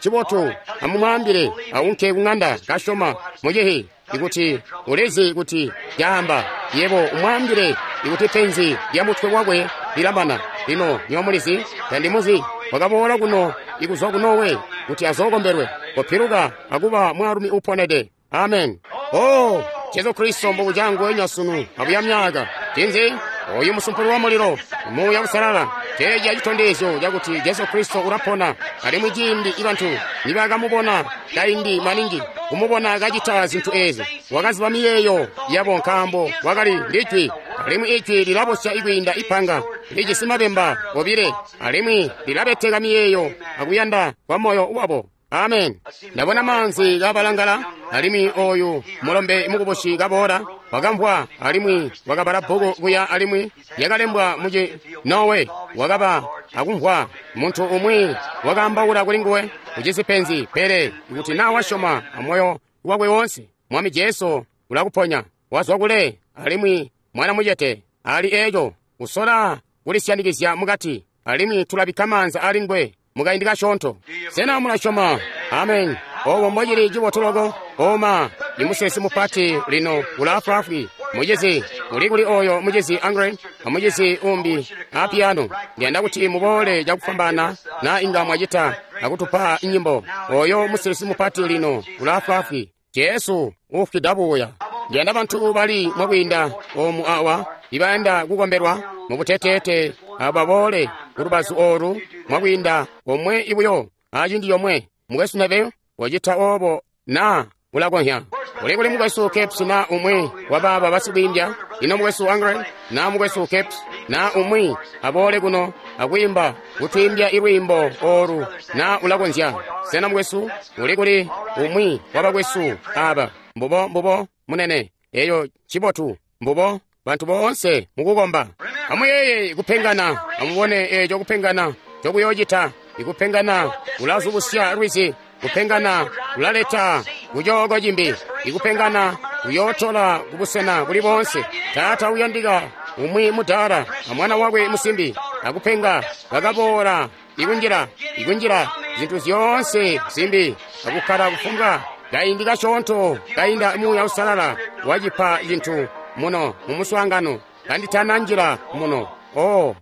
Cibotu, amumwaambile aunke kung'anda kasyoma mucihi ikuti ulizi kuti caamba. Yebo umwaambile ikuti penzi lya mutwe wakwe lilamana. Lino nywebo mulizi, tandimuzi. Wakaboola kuno ikuzwa ku Norway kuti azookombelwe, kopiluka akuba mwaalumi uponede. Amen. Oh, Jesu Kristo mbukucangu enya sunu abuya myaka. Cinzi? Oyu musumpulu wa mulilo, Muuya Uusalala, ceeci acitondezyo cakuti Jesu Kristo ulapona. Alimwi ciindi ibantu nibakamubona kaindi maningi, kumubona kacita zintu eezi, wakaziba miyeeyo yabo nkaambo wakali ndijwi. Alimwi ijwi lilabosya ikwiinda ipanga lijisi mabemba obile, alimwi lilabeteka miyeeyo akuyanda kwa moyo wabo. Amen. Ndabona maanzi kabalangala, alimwi oyu mulombe mukubusi kaboola, wakamvwa alimwi wakabala bbuku kuya alimwi lyakalembwa muci Norway. Wakaba akumvwa muntu umwi wakaambaula kuli nguwe, ujisi penzi, pele ikuti naa wasyoma amoyo wakwe wonse, Mwami Jesu ulakuponya. Wazwa kule, alimwi mwana mucete ali eeco usola kulisyanikizya mukati, alimwi tulabikka maanza ali nguwe mukaindi kasyoonto. Sena mulasyoma? Amen. Obo mbocili cibotu loko. Oma, imusilisi mupati lino ulaafwaafwi. Mucizi, uli kuli oyo mucizi Angren amucizi umbi a piano. Ndiyanda kuti muboole cakufwambaana na inga mwacita akutupa nyimbo. Oyo musilisi mupati lino ulaafwaafwi. Jesu ufwida buya. Ndiyanda bantu bali mwakwiinda omu awa ibayanda kukombelwa mubuteteete ababoole kulubazu oolu mwakwiinda omwe ibuyo aciindi yomwe. Mukwesu Neville wacita obo na ulakonzya. Uli kuli mukwesu Capes na umwi wabaaba basikwiimbya? Ino mukwesu Angren na mukwesu Capes na umwi aboole kuno akwiimba kutwiimbya ilwiimbo oolu na ulakonzya. Sena mukwesu uli kuli umwi wabakwesu aba? Mbubo mbubo munene, eyo cibotu mbubo bantu boonse mukukomba. Amuyeeye kupengana, amubone eco kupengana cokuyocita. Ikupengana kulazubusya lwizi, kupengana kulaleta kucooko cimbi, ikupengana kuyootola kubusena buli boonse. Taata uyandika umwi mudaala amwana wakwe musimbi akupenga bakaboola ikunjila ikunjila zintu zyoonse zimbi akukkala kufumbwa kaindi kasyoonto kainda Muuya Uusalala wacipa cintu muno mu muswaangano kanditana njila muno. Oh,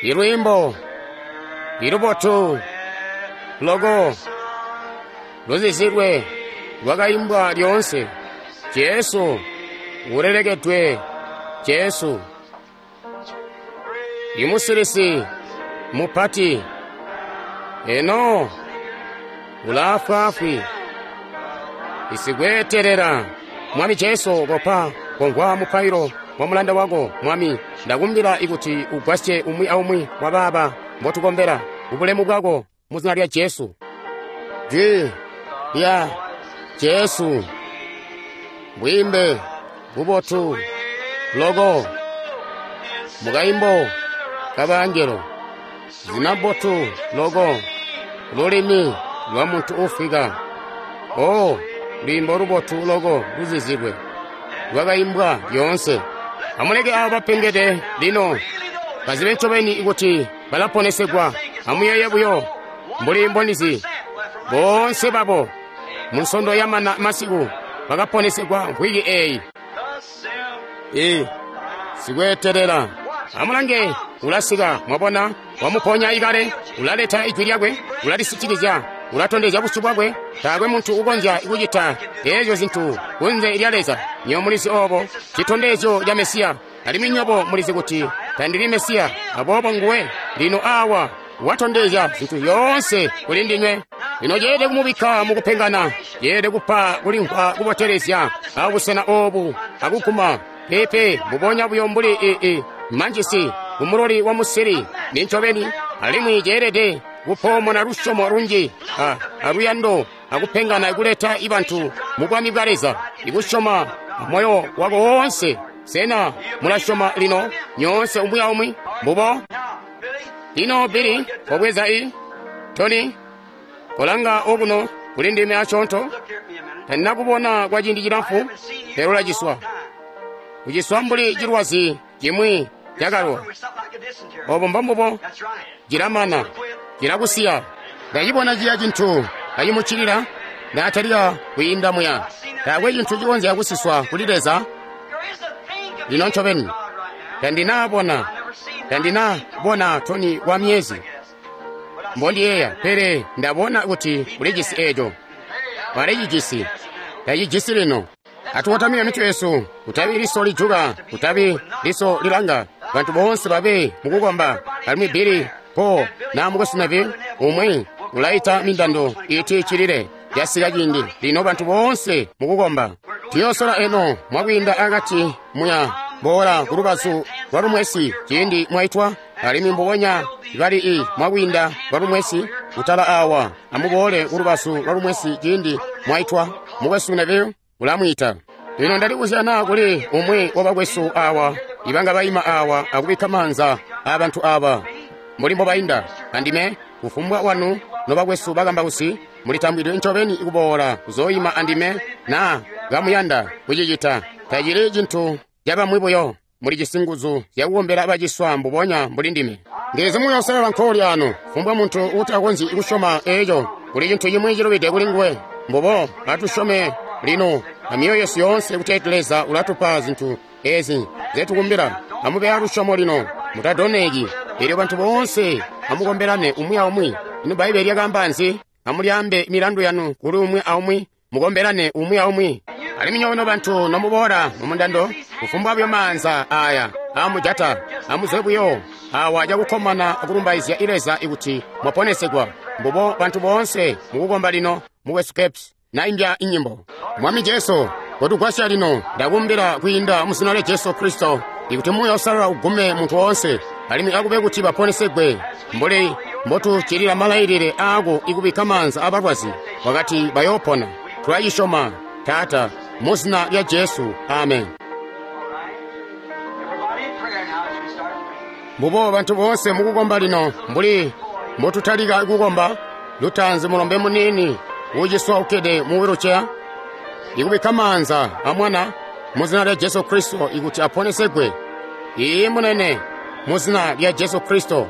ilwiimbo ilubotu loko luzizilwe lwakaimbwa lyoonse. Jesu ulelekedwe, Jesu imusilisi mupati, eno ulaafwaafwi isikweetelela. Mwami Jesu, kopa komvwa mupailo wa mulanda wako. Mwami, ndakumbila ikuti ugwasye umwi aumwi wa baaba mbotukombela kubulemu bwako mu zina lya Jesu. Jwi lya Jesu, bwiimbe bubotu loko mukaimbo kabangelo, zina botu loko lulimi lwa muntu ufwika. Oh, lwiimbo lubotu loko luzizilwe lwakaimbwa lyoonse. Amuleke abo bapengede lino bazibe ncobeni kuti balaponesegwa. Amuyeeye buyo mbuli mbonizi boonse babo mu nsondo yamana masiku bakaponesegwa mvwiki eyi. Sikweetelela. Amulange, ulasika, mwabona, wamuponya ikale, ulaleta ijwi lyakwe, ulalisitikizya, ulatondezya busyu bwakwe. Taakwe muntu ukonzya kucita eezyo zintu kunze lya Leza. Nywebo mulizi obo, citondezyo ca Mesiya. Alimwi nywebo mulizi kuti tandili Mesiya, aboobo nguwe lino awa watondezya zintu zyoonse kuli ndinywe. Lino ceelede kumubikka mukupengana, ceelede kupa kulimvwa kubotelezya abusena obu akuguma pepe mbubonya buyo mbuli manjisi kumuloli wa musiri nincobeni. Alimwi ceelede kupoomona lusyomo lunji aluyando akupengana kuleta ibantu mu bwami bwa Leza, ikusyoma moyo wako woonse. Sena mulasyoma lino nyoonse umwi aumwi? Mbubo. Lino Billy, kobweza i Tony, kolanga okuno kuli ndime asyoonto. Tandinakubona kwa ciindi cilamfu, pele ulaciswa. Uciswa mbuli cilwazi cimwi cakalwa. Obo mbombubo, cilamana, cilakusiya. Ndacibona ciya cintu kacimuccilila, ndatalika kwiinda muya. Taakwe cintu cikonzya kusiswa kuli Leza. Lino ncobeni tandinabona Tony kwa myezi mbondiyeeya, pele ndabona kuti ulijisi eeco. Walicijisi, tacijisi lino. Atukotamike mitwe yesu, kutabi liso lijuka, kutabi liso lilanga. Bantu boonse babe mukukomba. Alimwi Billy, Paul na mukwesu Neville, umwi ulaita mindando iti cilile. Yasika ciindi lino bantu boonse mukukomba. Tuyosola eno mwakwiinda akati muya boola kulubazu lwa lumwesi ciindi mwaitwa, alimwi mbubonya bali i mwakwiinda lwa lumwesi kutala awa. Amuboole kulubazu lwa lumwesi ciindi mwaitwa. Mukwesu Neville ulamwiita. Lino ndalibuzya naa kuli umwi wabakwesu awa ibanga baima awa akubikka maanza aabantu aba mbuli mbobainda. Andime kufumbwa wanu nobakwesu bakambausi mulitambwidwe ncobeni kuboola kuzooyima andime naa kamuyanda kucicita. Tacili cintu cabamwi buyo, mulijisi nguzu zyakukombela baciswa mbubonya mbuli ndime. Ndizi muyoosalala nkooli ano, fumbwa muntu uutakonzyi kusyoma eeco, kuli cintu cimwi cilubide kuli nguwe. Mbubo atusyome lino amyoyo yesu yoonse kuti Leza ulatupa zintu ezi nzetukumbila. Amube alusyomo lino, mutadoneki. Eelyo bantu boonse amukombelane umwi aumwi. Ino Bbaibbele lyakaamba nzi? Amulyaambe milandu yanu kuli umwi aumwi, mukombelane umwi aumwi. Alimwi nyono bantu nomuboola mumundando, kufumbwa buyo maanza aya amujata, amuzwe buyo awa cakukkomana akulumbaizya Leza ikuti mwaponesegwa. Mbubo bantu boonse mukukomba lino. Mukwesu Capps naimbya inyimbo. Mwami Jesu, kotugwasya lino. Ndakumbila kwiinda mu zina lya Jesu Kristo ikuti Muuya Uusalala ugume muntu woonse, alimwi akube kuti baponesegwe mbuli mbotuccilila malailile aako ikubikka maanza abalwazi, wakati bayoopona. Tulacisyoma, Taata, mu zina lya Jesu. Amen. Mbubo bantu boonse mukukomba lino mbuli mbotutalika kukomba. Lutaanzi mulombe muniini uciswa ukkede mu wheelchair, ikubikka maanza amwana mu zina lya Jesu Kristo ikuti aponesegwe. Iiyi munene, mu zina lya Jesu Kristo.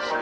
Lord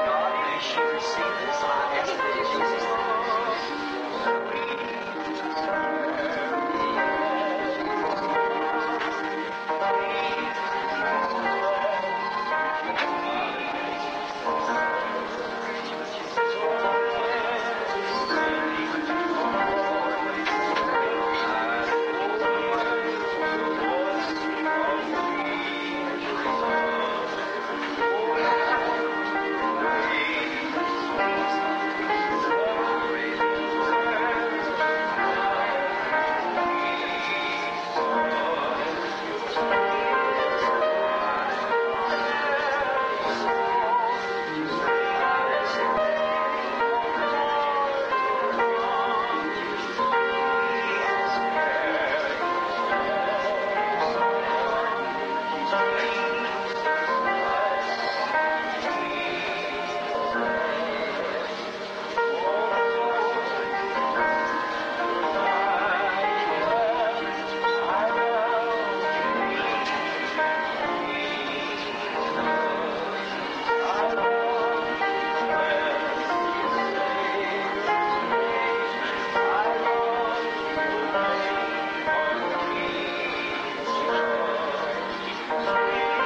God, may she receive this. I ask it in Jesus' name. Thank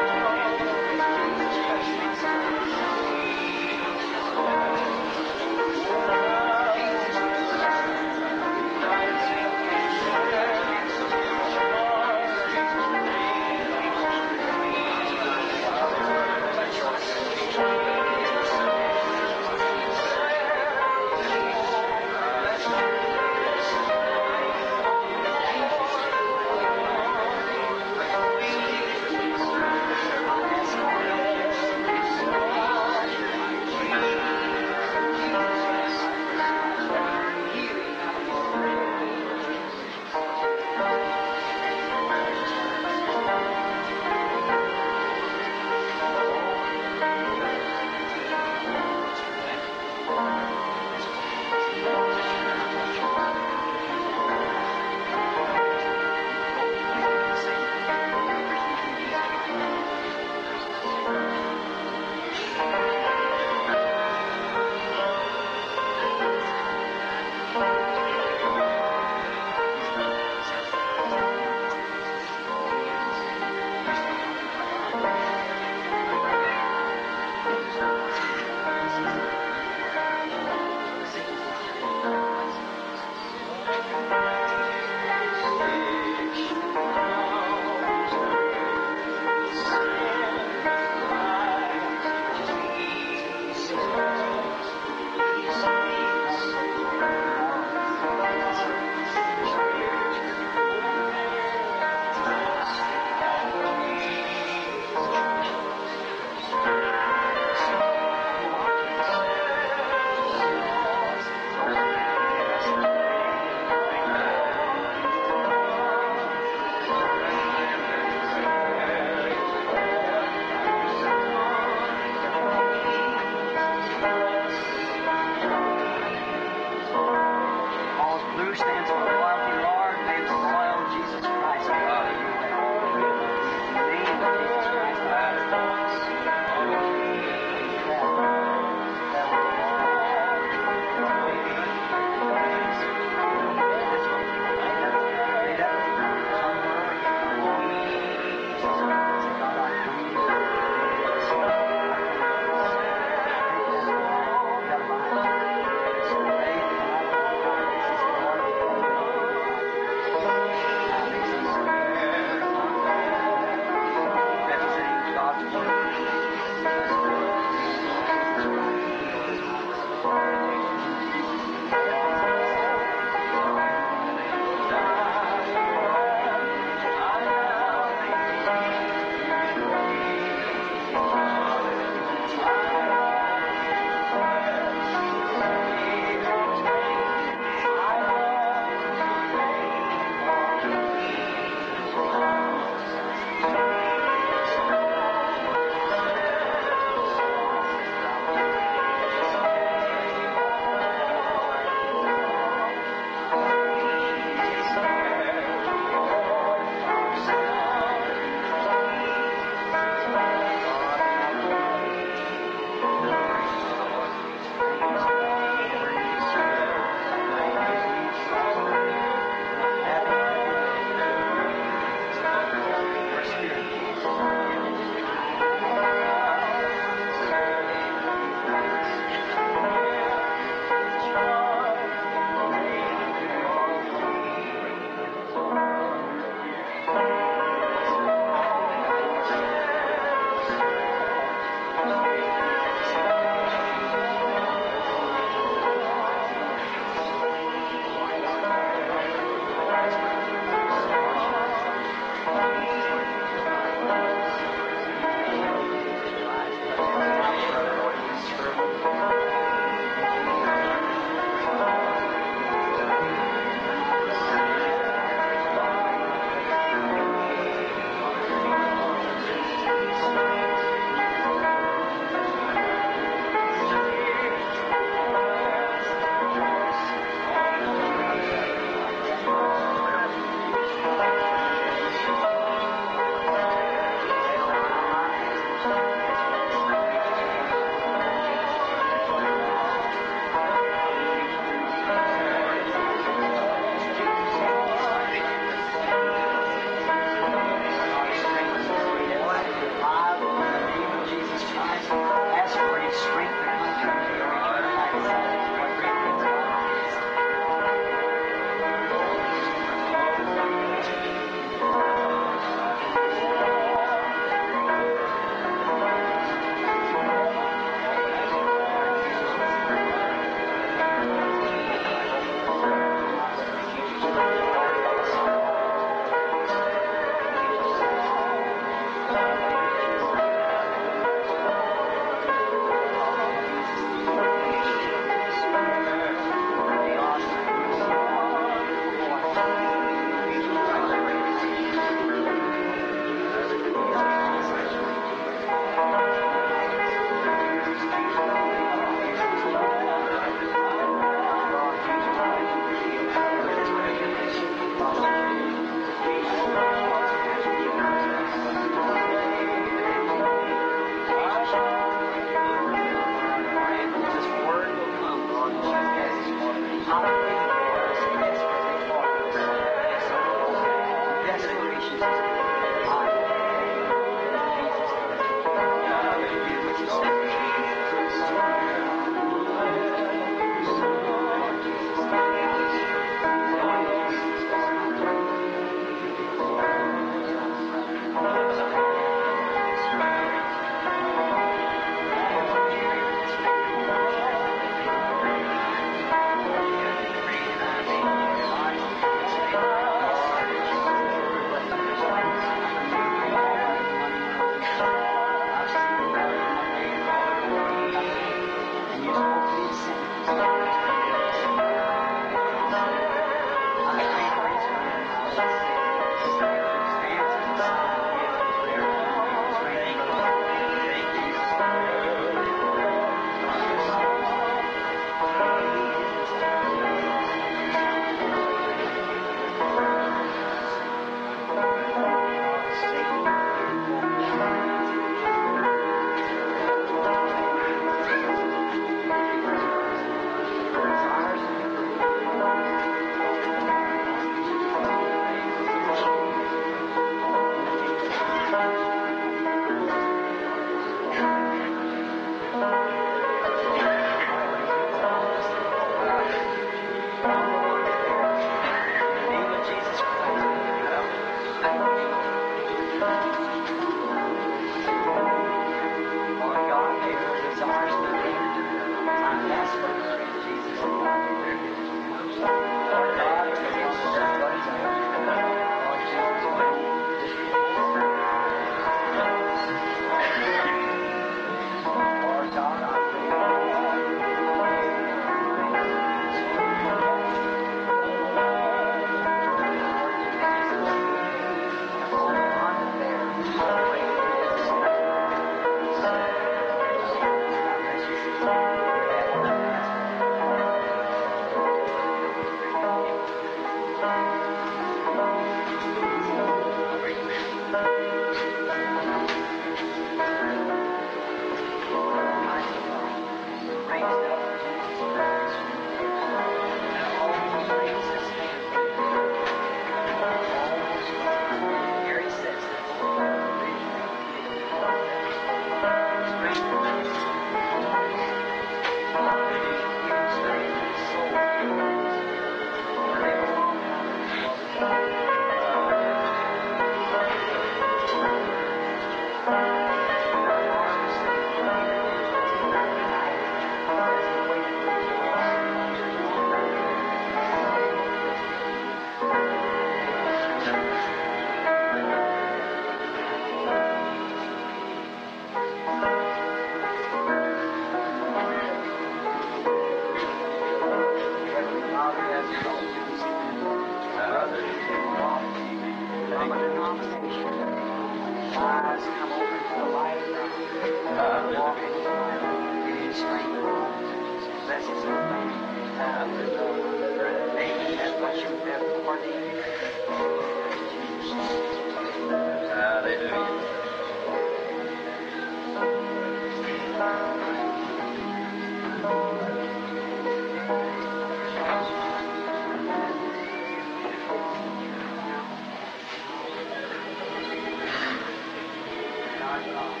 our God.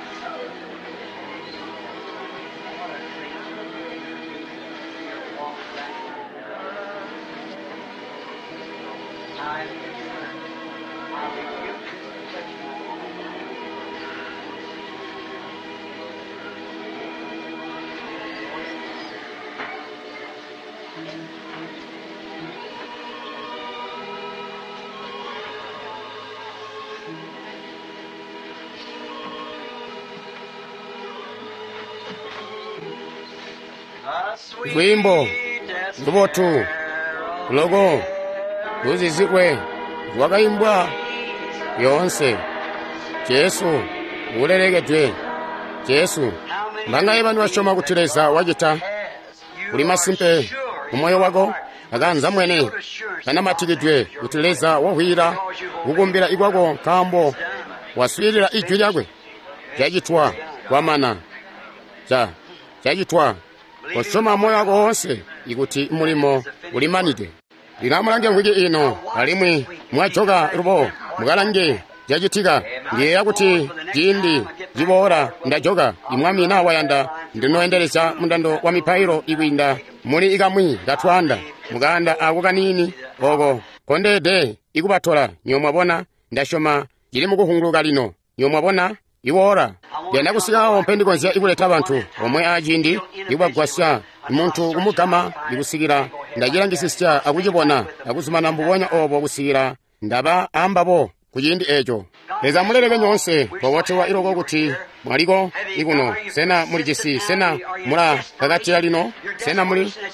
What a treat to walk back. I I rebuke this touch. Lwiimbo lubotu loko luzizilwe lwakaimbwa yoonse. Jesu ulelekedwe. Jesu, mbangaye bantu basyoma kuti Leza wacita? Uli masimpe mumoyo wako akanza mwene kanamatikidwe kuti Leza wahwila kukumbila ikwako nkaambo waswiilila ijwi lyakwe. Cacitwa kwamana. Cacitwa. Kosyoma moyo wako woonse ikuti mulimo ulimanide. Lino amulange mvwiki ino alimwi mwajoka lubo mukalange cacitika. Ndiyeeya kuti ciindi ciboola ndajoka imwami naa wayanda ndinoendelezya mundando wa mipailo ikwiinda muli ikamwi katwaanda mukaanda ako kaniini oko kondeede ikubatola. Nyo mwabona, ndasyoma cili mukuhunguluka lino. Nyo mwabona iwoola ndiyanda kusikawo mpe ndikonzya ikuleta bantu omwe aciindi ikubagwasya muntu kumugama ikusikila ndacilangisisya akucibona akuzumana mbubonya obo kusikila ndaba ambabo ku ciindi eco. Leza muleleke nyoonse twabotelwa iloko kuti mwaliko ikuno. Sena mulijisi? Sena mulakakatila lino?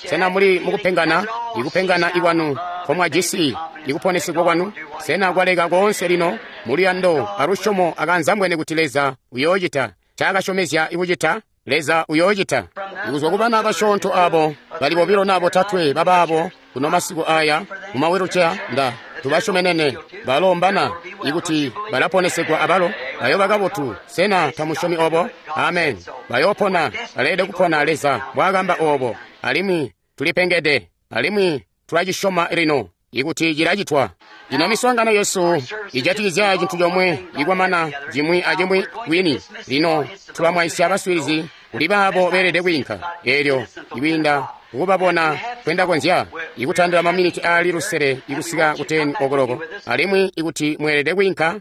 Sena muli mukupengana? Ikupengana ikwanu nkomwajisi ikuponesigwa kwanu sena kwaleka koonse lino? Muluyando alusyomo akanzambwene kuti Leza uyoocita ncaakasyomezya ikucita. Leza uyoocita. Ikuzwa ku bana basyoonto abo bali bobilo naa botatwe babaabo kuno masiku aya mumawiluceya nda tubasyomenene balombana ikuti balaponesegwa abalo bayoba kabotu. Sena tamusyomi obo? Amen. Bayoopona, baleelede kupona Leza mbwaakamba obo. Alimwi tulipengede, alimwi tulacisyoma lino ikuti cilacitwa. Lino miswaangano yesu ijatikizya cintu comwe ikwamana cimwi acimwi kwini. Lino tulamwaisya baswiilizi kuli baabo beelede kwiinka eelyo ikwiinda kukubabona kwendakonzya ikutandila maminiti aali lusele ikusika ku 10 okoloko. Alimwi ikuti mweelede kwiinka,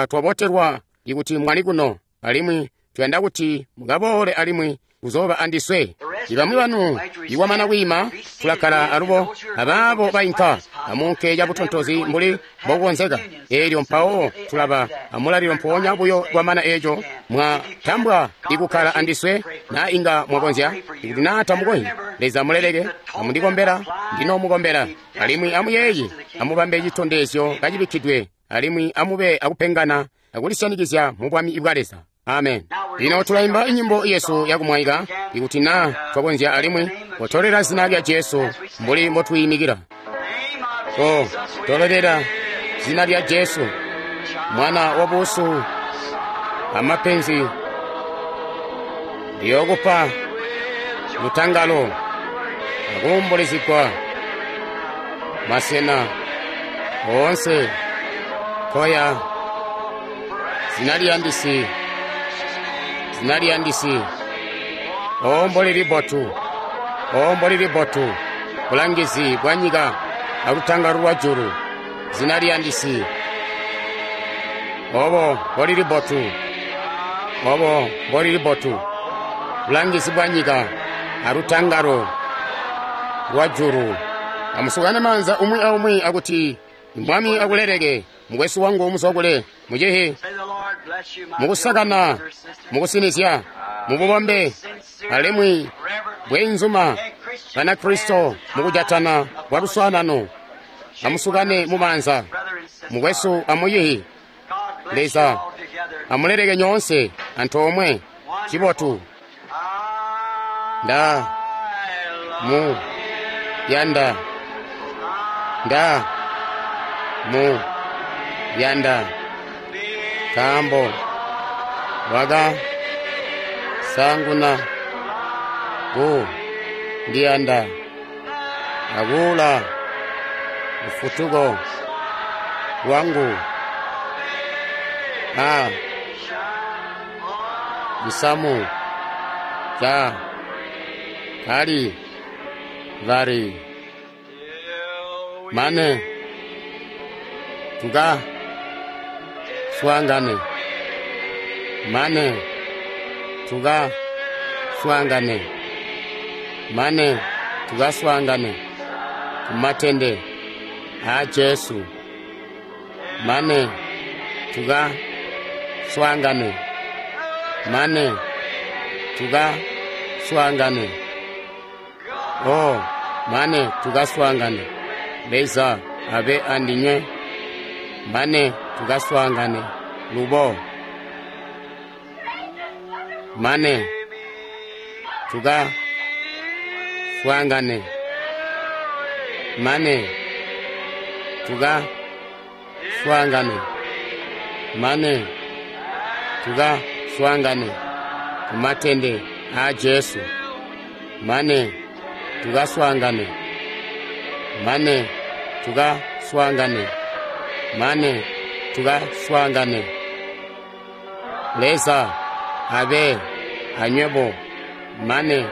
twabotelwa ikuti mwali kuno, alimwi tuyanda kuti mukaboole alimwi kuzooba andiswe. Ibamwi banu ikwamana kwiima tulakkala alubo abaabo bainka amunke cabutontozi mbuli mbokukonzeka. Eelyo mpawo tulaba amulalilo mpoonya buyo kwamana eeco mwatambwa ikukkala andiswe naa inga mwakonzya. Ikuti naa tamukonzyi, Leza muleleke. Amundikombela, ndinomukombela. Alimwi amuyeeye, amubambe citondezyo kacibikkidwe, alimwi amube akupengana akulisyanikizya mu bwami bwa Leza. Amen. Lino tulaimba inyimbo yesu yakumwaika ikuti naa twakonzya, alimwi kotolela zina lya Jesu mbuli mbotwiimikila. Ko tolelela zina lya Jesu, mwana wa busu amapenzi, ndiyokupa lutangalo akuumbulizigwa masena oonse koya. Zina liyandisi, zina liyandisi, o mboli libotu, o mboli libotu, bulangizi bwa nyika alutangalo lwa julu. Zina liyandisi, obo mboli libotu, obo mboli libotu, bulangizi bwa nyika alutangalo lwa julu. Amusukane maanza umwi aumwi akuti Mwami akuleleke, mukwesu wangu muzwakule mucihi, mukusakana, mukusinizya, mububombe, alimwi bweenzuma Banakristo mukujatana bwa luswaanano. Amusukane mumaanza, mukwesu amuyihi. Leza amuleleke nyoonse antoomwe. Cibotu. Nda mu yanda, nda mu yanda, nkaambo waka sanguna ku ndiyanda akuula lufutuko lwangu. A Cisamu ca Kalivari. Mane tuka swaangane, mane tuka swaangane, mane tukaswaangane kumatende aa Jesu, mane tuka swaangane, mane tuka swaangane, oh, mane tukaswaangane. Leza abe andinywe, mane tukaswaangane lubo, mane tuka swaangane, mane tuka swaangane, mane tuka swaangane kumatende aa Jesu, mane tukaswaangane, mane tukaswaangane, mane tukaswaangane. Leza abe anywebo, mane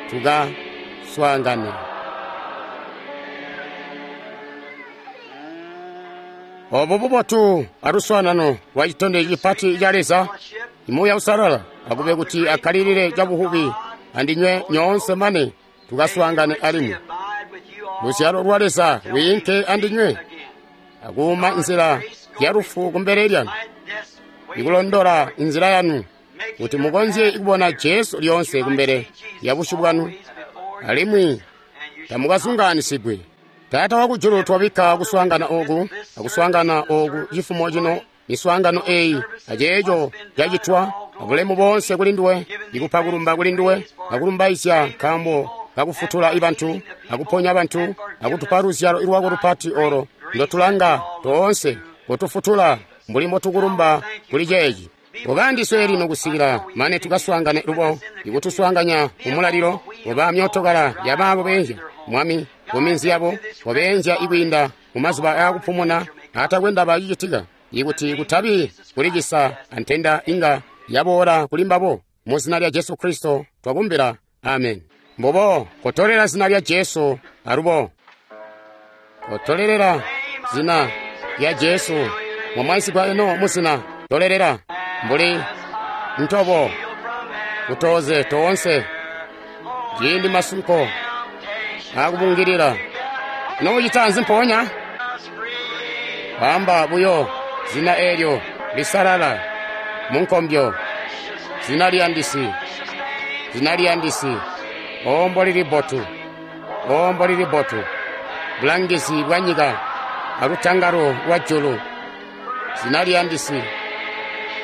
tukaswaangane. Obo bubotu aluswaanano lwa citondezyo cipati ca Leza, Muuya Uusalala akube kuti akkalilile cabuhubi andinywe nyoonse mane tukaswaangane alimwi. Luzyalo lwa Leza lwiinke andinywe akuuma nzila ya lufu kumbele lyanu, ikulondola inzila yanu kuti mukonzye kubona Jesu lyoonse kumbele ya busyu bwanu, alimwi tamukazungaanisigwi. Taata wakujulu, twabikka kuswaangana oku akuswaangana oku cifumo cino, miswaangano eyi aceeco cacitwa abulemu boonse kuli nduwe, ikupa kulumba kuli nduwe akulumbaizya nkaambo kakufutula ibantu akuponya bantu akutupa luzyalo lwako lupati olo ndotulanga toonse kutufutula mbuli mbotukulumba kuli ceeci. Ubandiswe lino kusikila mane tukaswaangane lubo, ikutuswaanganya kumulalilo oba myootokala yabaabo beenzya Mwami kuminzi yabo, wabeenzya ikwiinda mumazuba aakupumuna aatakwe ndaba cicitika, ikuti kutabi kulicisa antenda inga yaboola kuli mbabo. Mu zina lya Jesu Kristo twakumbila, amen. Mbubo kotolela zina lya Jesu alubo kotolelela zina lya Jesu mwamwaisigwa eno muzina tolelela mbuli ntobo kutoze toonse ciindi masunko akubungilila noucita nzi mpoonya wamba buyo zina eelyo lisalala munkombyo, zina liyandisi, zina liyandisi, ombo lili bbotu, ombo lili bbotu, bulangizi bwa nyika alutangalo lwa julu, zina liyandisi,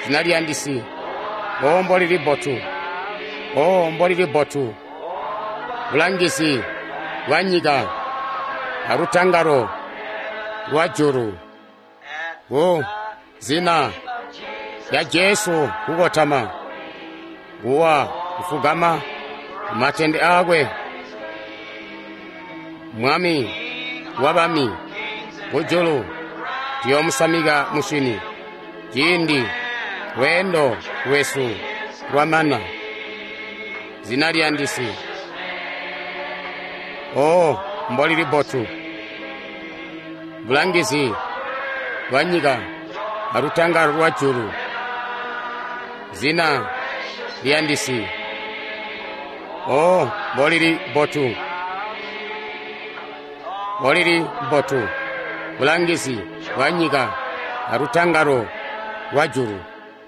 zina liyandisi, ombo lili bbotu, ombo lili bbotu, bulangizi bwa nyika alutangalo lwa julu. Ku zina lya Jesu kukotama, kuwa kufugama matende akwe, Mwami wa bami kujulu tuyoomusamika musyini ciindi lweendo lwesu lwamana. Zina liyandisi, o mbolili bbotu, bulangizi bwa nyika alutangalo lwa julu, zina liyandisi, o mbolili bbotu, mbolili bbotu, bulangizi bwa nyika alutangalo lwa julu.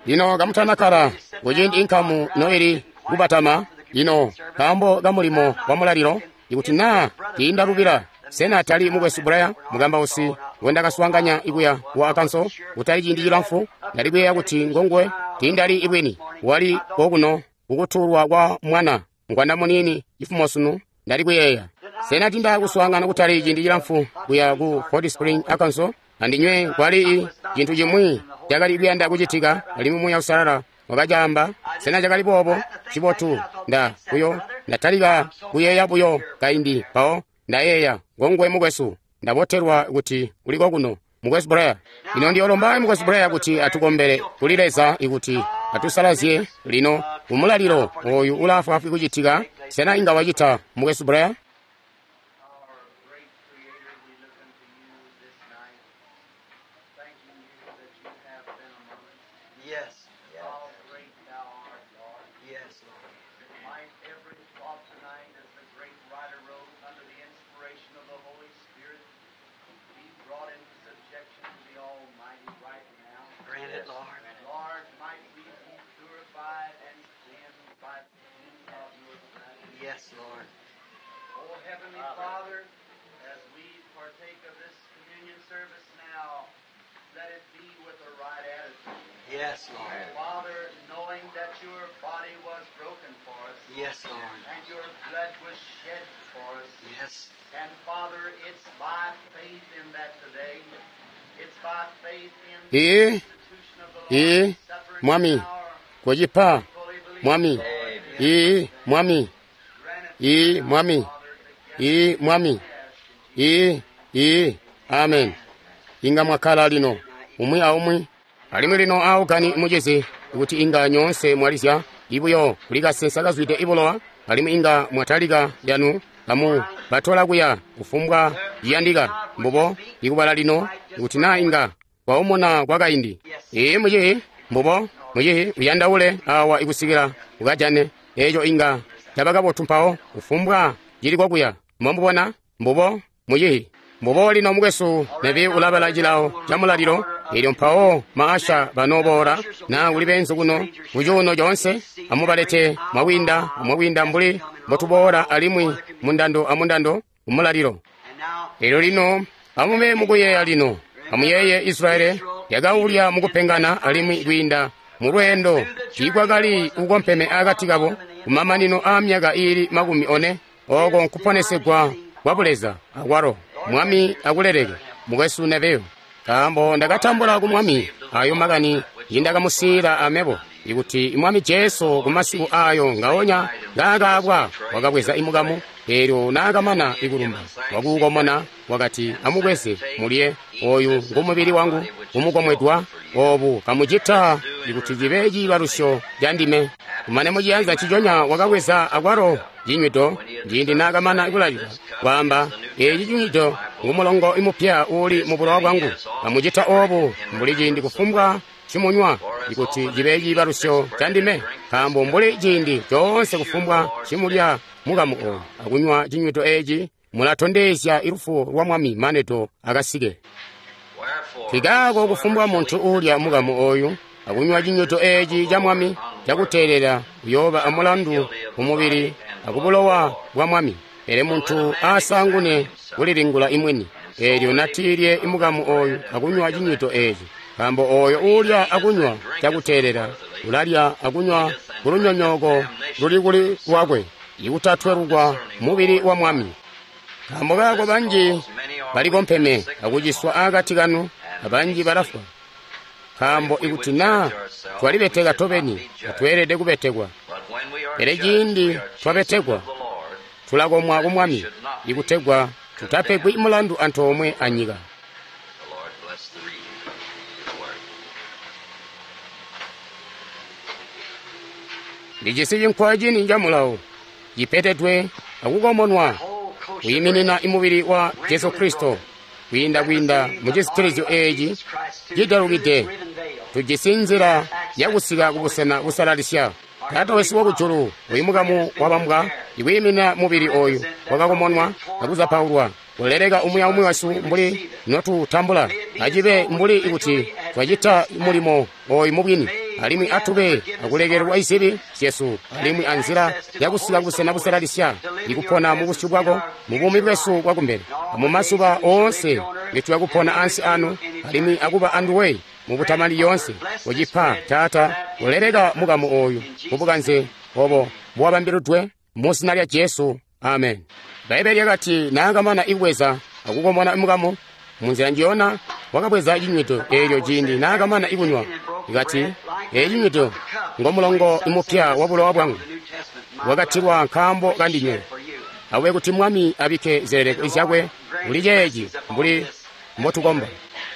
Lino kamutanakkala kuciindi inkamu noili kubatama, lino nkaambo kamulimo wa mulalilo, ikuti naa tiindalubila, sena tali mukwesu Bulaya mukambausi ngwendakaswaanganya ikuya ku Arkansas kutali ciindi cilamfu? Ndali kuyeeya kuti ngonguwe, tiindali ibwini. Wali kokuno kukutuulwa kwa mwana ngwanda muniini cifumo sunu, ndali kuyeeya. Sena tindakuswaangana kutali ciindi cilamfu kuya ku Hot Spring, Arkansas? Andinywe kwali cintu cimwi cakali kuyanda kucitika, alimwi Muuya Uusalala wakacaamba. Sena cakali boobo? Cibotu, nda buyo ndatalika kuyeeya buyo kaindi mpawo ndayeeya ngonguwe mukwesu. Ndabotelwa kuti uli kokuno, mukwesu Blair. Ino ndiyolomba mukwesu Blair kuti atukombele kuli Leza ikuti atusalazye lino umulalilo oyu ulaafwaafwi kucitika. Sena inga wacita, Mukwesu Blair? Our great Creator, we look unto you this night, thanking you that you have been among us. Yes. How great thou art, Lord. Yes, Lord. Might every thought tonight, as the great writer wrote under the inspiration of the Holy Spirit, be brought into subjection to the Almighty right now. Grant it, Lord. Lord, might we be purified and cleansed by the sin of your presence. Yes, Lord. O Heavenly Father, as we partake of this communion service now, let it be with the right attitude. Yes, Lord. Father, knowing that your body was broken for us, Yes, Lord. and your blood was shed for us. Yes. And Father, it's by faith in that today. It's by faith in the Ee, institution of the ee, Lord's Supper Mwami, now. kochipa, Fully believe, Mwami, Lord, ee, Mwami, grant it ee, now, Mwami, Father, together ee, Mwami, we ask in ee, ee, amen. Inga mwakkala lino, umwi aumwi. Alimwi lino aukani mucizi, kuti inga nyoonse mwalizya, ibuyo kuli kasensa kazwide ibulowa, alimwi inga mwatalika yanu, kamu batola kuya kufumbwa ciyandika, mbubo, ikubala lino, kuti naa inga kwaumona kwakaindi. Ee mucihi, mbubo, mucihi, uyandaule awa ikusikila ukajane, eco inga caba kabotu mpawo, kufumbwa cili kwakuya. Mwamubona, mbubo, mucihi. Mbubo lino mukwesu nebi ulabala cilawo ca mulalilo, eelyo mpawo maasha banooboola, naa kuli beenzu kuno kucuuno coonse, amubalete mwakwiinda amwakwiinda mbuli mbotuboola alimwi mundando amundando kumulalilo. And now, Eelyo lino amube mukuyeeya lino, amuyeeye Israeli yakaulya mukupengana alimwi kwiinda mu lweendo tiikwakali kukompeme akati kabo kumamanino aamyaka iili 40, oko nkuponesegwa kwa buleza akwalo. Mwami akuleleke mukwesu Neveyo, nkaambo ndakatambula ku Mwami ayo makani ngindakamusiila amebo, ikuti Mwami Jesu kumasiku ayo ngaonya ngaakaabwa wakabweza imukamu, eelyo naakamana ikulumba wakuukomona wakati, amubweze mulye, oyu ngumubili wangu umukomwedwa, obu kamucita ikuti cibe ciibalusyo ca ndime. Kumane muciyanza ciconya wakabweza akwalo cinywido, ciindi naakamana kulalila, kwaamba, eeci cinywido ngumulongo imupya uuli mu bulowa bwangu, kamucita obu mbuli ciindi kufumbwa cimunywa, ikuti cibe ciibalusyo ca ndime. Nkaambo mbuli ciindi coonse kufumbwa cimulya mukamu oyu akunywa cinywido eeci, mulatondezya ilufu lwa Mwami manedo akasike. Kikaako kufumbwa muntu uulya mukamu oyu akunywa cinywido eeci ca Mwami cakuteelela uyooba amulandu kumubili akubulowa bwa Mwami. Pele muntu aasangune kulilingula imwini, eelyo natiilye imukamu oyu akunywa cinywido eeci. Nkaambo oyo uulya akunywa cakuteelela ulalya akunywa kulunyonyooko luli kuli lwakwe, ikutatwelukwa mubili wa Mwami. Nkaambo kaako banji balikompeme akuciswa akati kanu, abanji balafwa. Nkaambo ikuti naa twalibeteka tobeni, tatweelede kubetekwa. Pele ciindi twabetekwa, tulakomwa ku Mwami, ikutegwa tutapegwi mulandu antoomwe anyika. The Lord bless the reading of His Word. Ndijisi cinkwa cini ca mulawo, cipetedwe akukomonwa, whole kosher kuyiminina imubili wa Jesu Kristo, kwiinda mu cisitilizyo eeci cidalukide, tujisi nzila yakusika kubusena busalalisya. Taata wesu wakujulu, uyu mukamu wabambwa ikwiimina mubili oyu wakakomonwa akuzapaulwa, kuleleka umwi aumwi wasu mbuli notutambula, acibe mbuli ikuti twacita mulimo oyu mubwini, alimwi atube akulekelelwa izibi zyesu, alimwi anzila yakusika kubusena busalalisya, ikupona mubusyu bwako mubuumi bwesu bwakumbele, amumazuba oonse ngetuya kupona ansi ano, alimwi akuba anduwe mubutamani yoonse. Kucipa Taata, kuleleka mukamu oyu mubukanze obo bwabambilidwe mu zina lya Jesu, amen. Bbaibele lyakati naakamana ikubweza akukomona mukamu, munzila njiyona wakabweza cinywido eelyo ciindi naakamana ikunywa, ikati, eeci cinywido ngomulongo imupya wa bulowa bwangu, wakatilwa nkaambo kandinywe. Awe kuti Mwami abikke zileleko zyakwe kuli ceeci mbuli mbotukomba.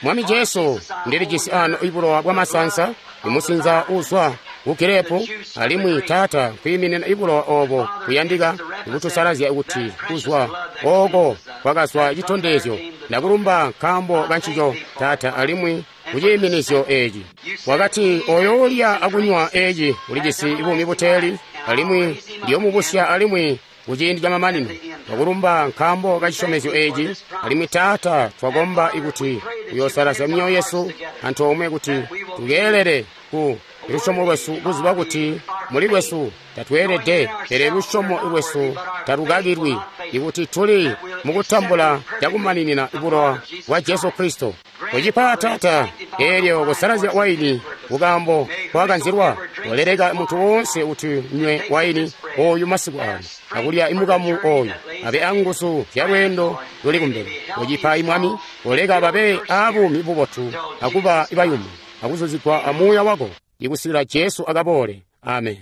Mwami Jesu, ndilijisi ano ibulowa bwa masansa, imusinza uzwa ku girepu, alimwi Taata kwiiminina ibulowa obo kuyandika kutusalazya kuti kuzwa oko kwakazwa citondezyo. Ndakulumba nkaambo kancico, Taata, alimwi kuciiminizyo eci. Wakati, oyo ulya akunywa eci ulijisi buumi buteeli, alimwi ndiyomubusya alimwi kuciindi camamanino. Twakulumba nkaambo ka cisyomezyo eci, alimwi Taata twakomba ikuti uyosalazya myoyo yesu antoomwe kuti tukeelele ku lusyomo lwesu kuziba kuti muli lwesu tatweelede, pele lusyomo lwesu talukakilwi, ikuti tuli mukutambula cakumaninina bulowa bwa Jesu Kristo. Kucipa Taata, eelyo kusalazya waini kukaambo kwakanzilwa, waleleka muntu woonse kuti nywe waini oyu masiku ano, akulya imukamu oyu, abe anguzu zya lweendo luli kumbele. Kucipa Mwami, oleka babe abuumi bubotu akuba bayumu, akuzuzigwa amuuya wako, ikusikila Jesu akaboole. Amen.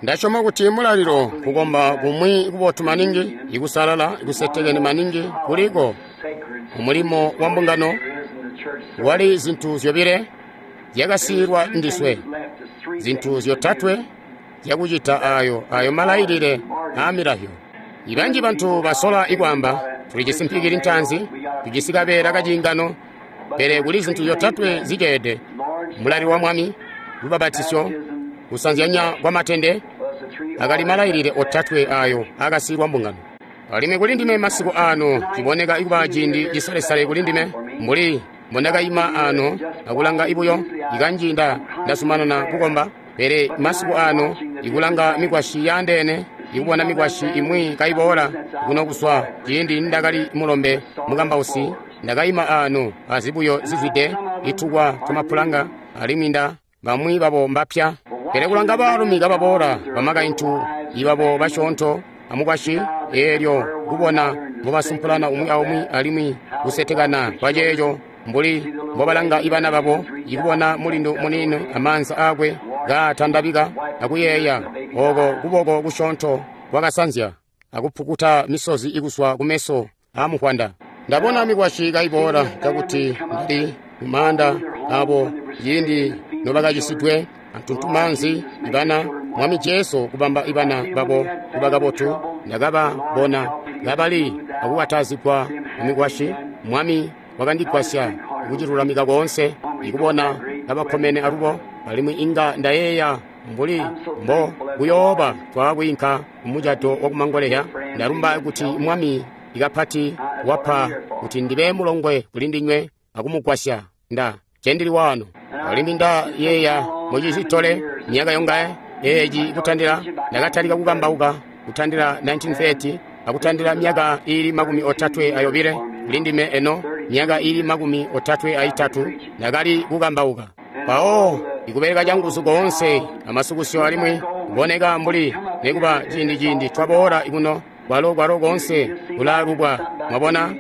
Ndasyoma kuti mulalilo kukomba kumwi kubotu maningi, ikusalala, ikusetekene maningi kuliko umulimo wa mbungano. Wali zintu zyobile zyakasiilwa ndiswe, zintu zyotatwe zyakucita ayo malailile aamilahyo. Ibanji bantu basola ikwaamba, tulijisi mpikili ntaanzi, tujisi kabeela kaciingano, pele kuli zintu zyotatwe ziceede: mulalilo wa Mwami, lubabatisyo, kusanzyanya kwa matende. Akali malailile otatwe ayo akasiilwa mbungano. Alimwi kuli ndime masiku ano ciboneka ikuba ciindi cisalesale kuli ndime, mbuli mbondakaima ano akulanga ibuyo ikanji ndazumanana kukomba, pele masiku ano ikulanga mikwasyi yaandeene, ikubona mikwasyi imwi kaiboola kuno kuzwa ciindi ndakali mulombe mukambausi, ndakaima ano azibuyo zizwide itukwa twamapulanga, alimwi bamwi babo mbapya. Pele kulanga baalumi kababoola, bamakaintu ibabo basyoonto amukwasyi, eelyo kubona mbobasumpulana umwi aumwi alimwi kusetekana kwaceeco, mbuli mbobalanga ibana babo, ikubona mulindu muniini amaanza aakwe kaatandabika akuyeeya oko kuboko kusyoonto kwakasanzya akupukuta misozi ikuswa kumeso aamukwanda. Ndabona mikwasyi kaiboola cakuti ndali mumaanda abo ciindi nobakacisidwe antuntumaanzi ibana Mwami Jesu kubamba ibana babo kuba kabotu. Ndakababona kabali akukatazigwa mumikwasyi. Mwami wakandigwasya kucilulamika koonse, ikubona kabakkomene alubo, alimwi inga ndayeeya mbuli mbo kuyooba twaakwiinka mumucato wakumangoleya. Ndalumba kuti Mwami ikapati wapa kuti ndibe mulongwe kuli ndinywe akumugwasya cendili wano. Alimwi ndayeeya mucizitole myaka yongaye eeci kutandila ndakatalika kukambauka kutandila 1930 akutandila myaka ili 32 kuli ndime eno myaka ili 33 ndakali kukambauka. Mpawo ikubeleka canguzu koonse amasukusyo, alimwi kuboneka mbuli nekuba ciindi twaboola kuno kwalo koonse kulalubwa. Mwabona,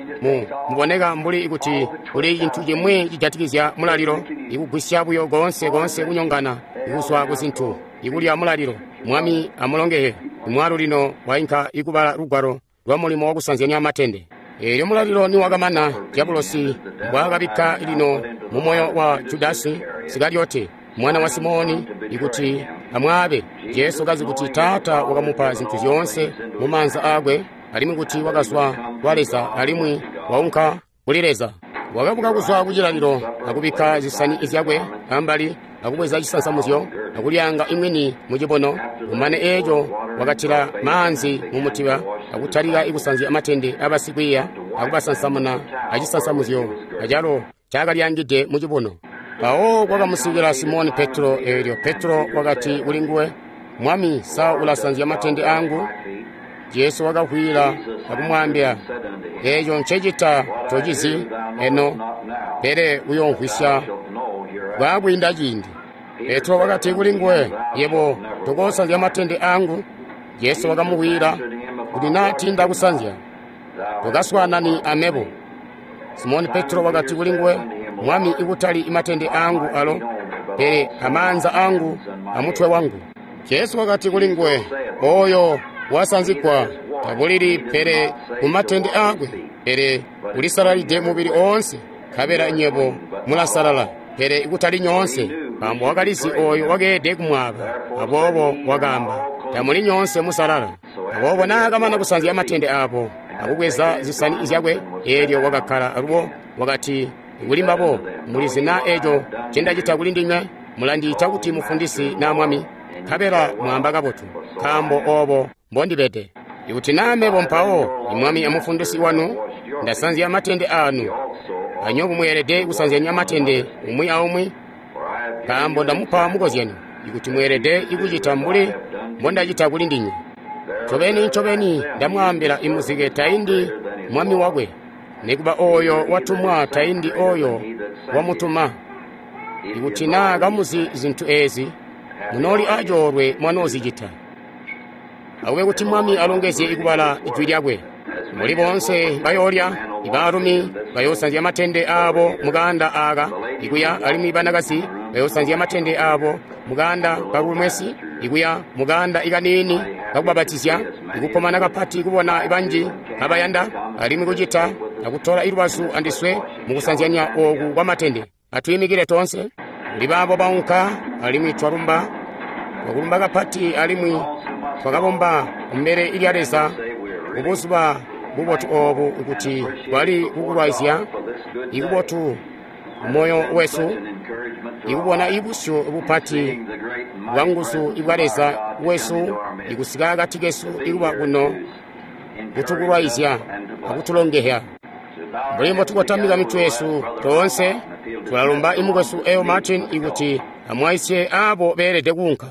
muboneka mbuli kuti kuli cintu cimwi cijatikizya mulalilo, ikugwisya buyo koonse kunyongana ikuzwa kuzintu ikulya mulalilo. Mwami amulongehe. Imwalu lino wainka ikubala lugwalo lwa mulimo wakusanzyanya matende. Eelyo mulalilo niwakamana, Diabulosi mbwaakabikka lino mumoyo wa Judasi Sikaliote mwana wa Simoni ikuti amwaabe. Jesu kazi kuti Taata wakamupa zintu zyoonse mumaanza aakwe, alimwi kuti wakazwa kwa Leza alimwi waunka kuli Leza. Wakabuka kuzwa kucilalilo akubikka zisani zyakwe ambali, akubweza cisansamuzyo akulyaanga imwini mucibono. Kumane eeco wakatila maanzi mumutiba akutalika ikusanzya amatende abasikwiiya akubasansamuna acisansamuzyo acalo caakalyaangide mucibono. Mpawo kwakamusikila Simoni Petro. Eelyo Petro wakati kuli nguwe, Mwami, sa ulasanzya matende angu? Jesu wakavwiila akumwaambila, eeco ncecita tocizi eno, pele uyoomvwisya bwaakwiinda ciindi. Petro wakati kuli nguwe, yebo tokoosanzya matende angu. Jesu wakamuvwiila kuti, naa tiindakusanzya tokaswaanani amebo. Simoni Petro wakati kuli nguwe, Mwami, ikutali matende angu alo, pele amaanza angu amutwe wangu. Jesu wakati kuli nguwe, oyo wasanzigwa tabulili pele kumatende aakwe, pele ulisalalide mubili oonse. Nkabela nywebo mulasalala, pele ikutali nyoonse. Nkaambo wakalizi ooyo wakeelede kumwaaba. Aboobo wakaamba, tamuli nyoonse musalala. Aboobo naakamana kusanzya matende aabo akubweza zisani zyakwe, eelyo wakakkala alubo wakati kuli mbabo, mulizi na eeco ncendacita kuli ndinywe? Mulandiita kuti mufundisi naa mwami, nkabela mwaamba kabotu, nkaambo oobo mbondibede. Ikuti naa mebo mpawo, imwami amufundisi wanu, ndasanzya matende aanu, anywebo mweelede kusanzyanya matende umwi aumwi, nkaambo ndamupa mukozyanyo, ikuti mweelede ikucita mbuli mbondacita kuli ndinywe. Ncobeni ncobeni ndamwaambila imuzike taindi mwami wakwe, nikuba ooyo watumwa taindi ooyo wamutuma. Ikuti naa kamuzi zintu eezi, munooli acoolwe mwanoozicita. Akube kuti Mwami alongezye ikubala ijwi lyakwe. Muli boonse bayoolya, ibaalumi bayoosanzya matende aabo mukaanda aaka ikuya, alimwi banakazi bayoosanzya matende aabo mukaanda kalumwesi ikuya mukaanda ikaniini kakubapatizya. Ikukkomana kapati kubona banji kabayanda alimwi kucita akutola ilubazu andiswe mukusanzyanya ooku kwamatende. Atwiimikile toonse. Kuli baabo baunka, alimwi twalumba, twakulumba kapati alimwi twakabomba kumbele lya Leza kubuzuba bubotu oobu kuti twali kukulwaizya ikubotu moyo wesu, ikubona ibusyu bupati bwa nguzu ibwa Leza wesu ikusika akati kesu ikuba kuno kutukulwaizya akutulongehya. Mbuli mbotukotamika mitwe yesu toonse, tulalumba imukwesu Earl Martin ikuti amwaisye aabo beelede kuunka.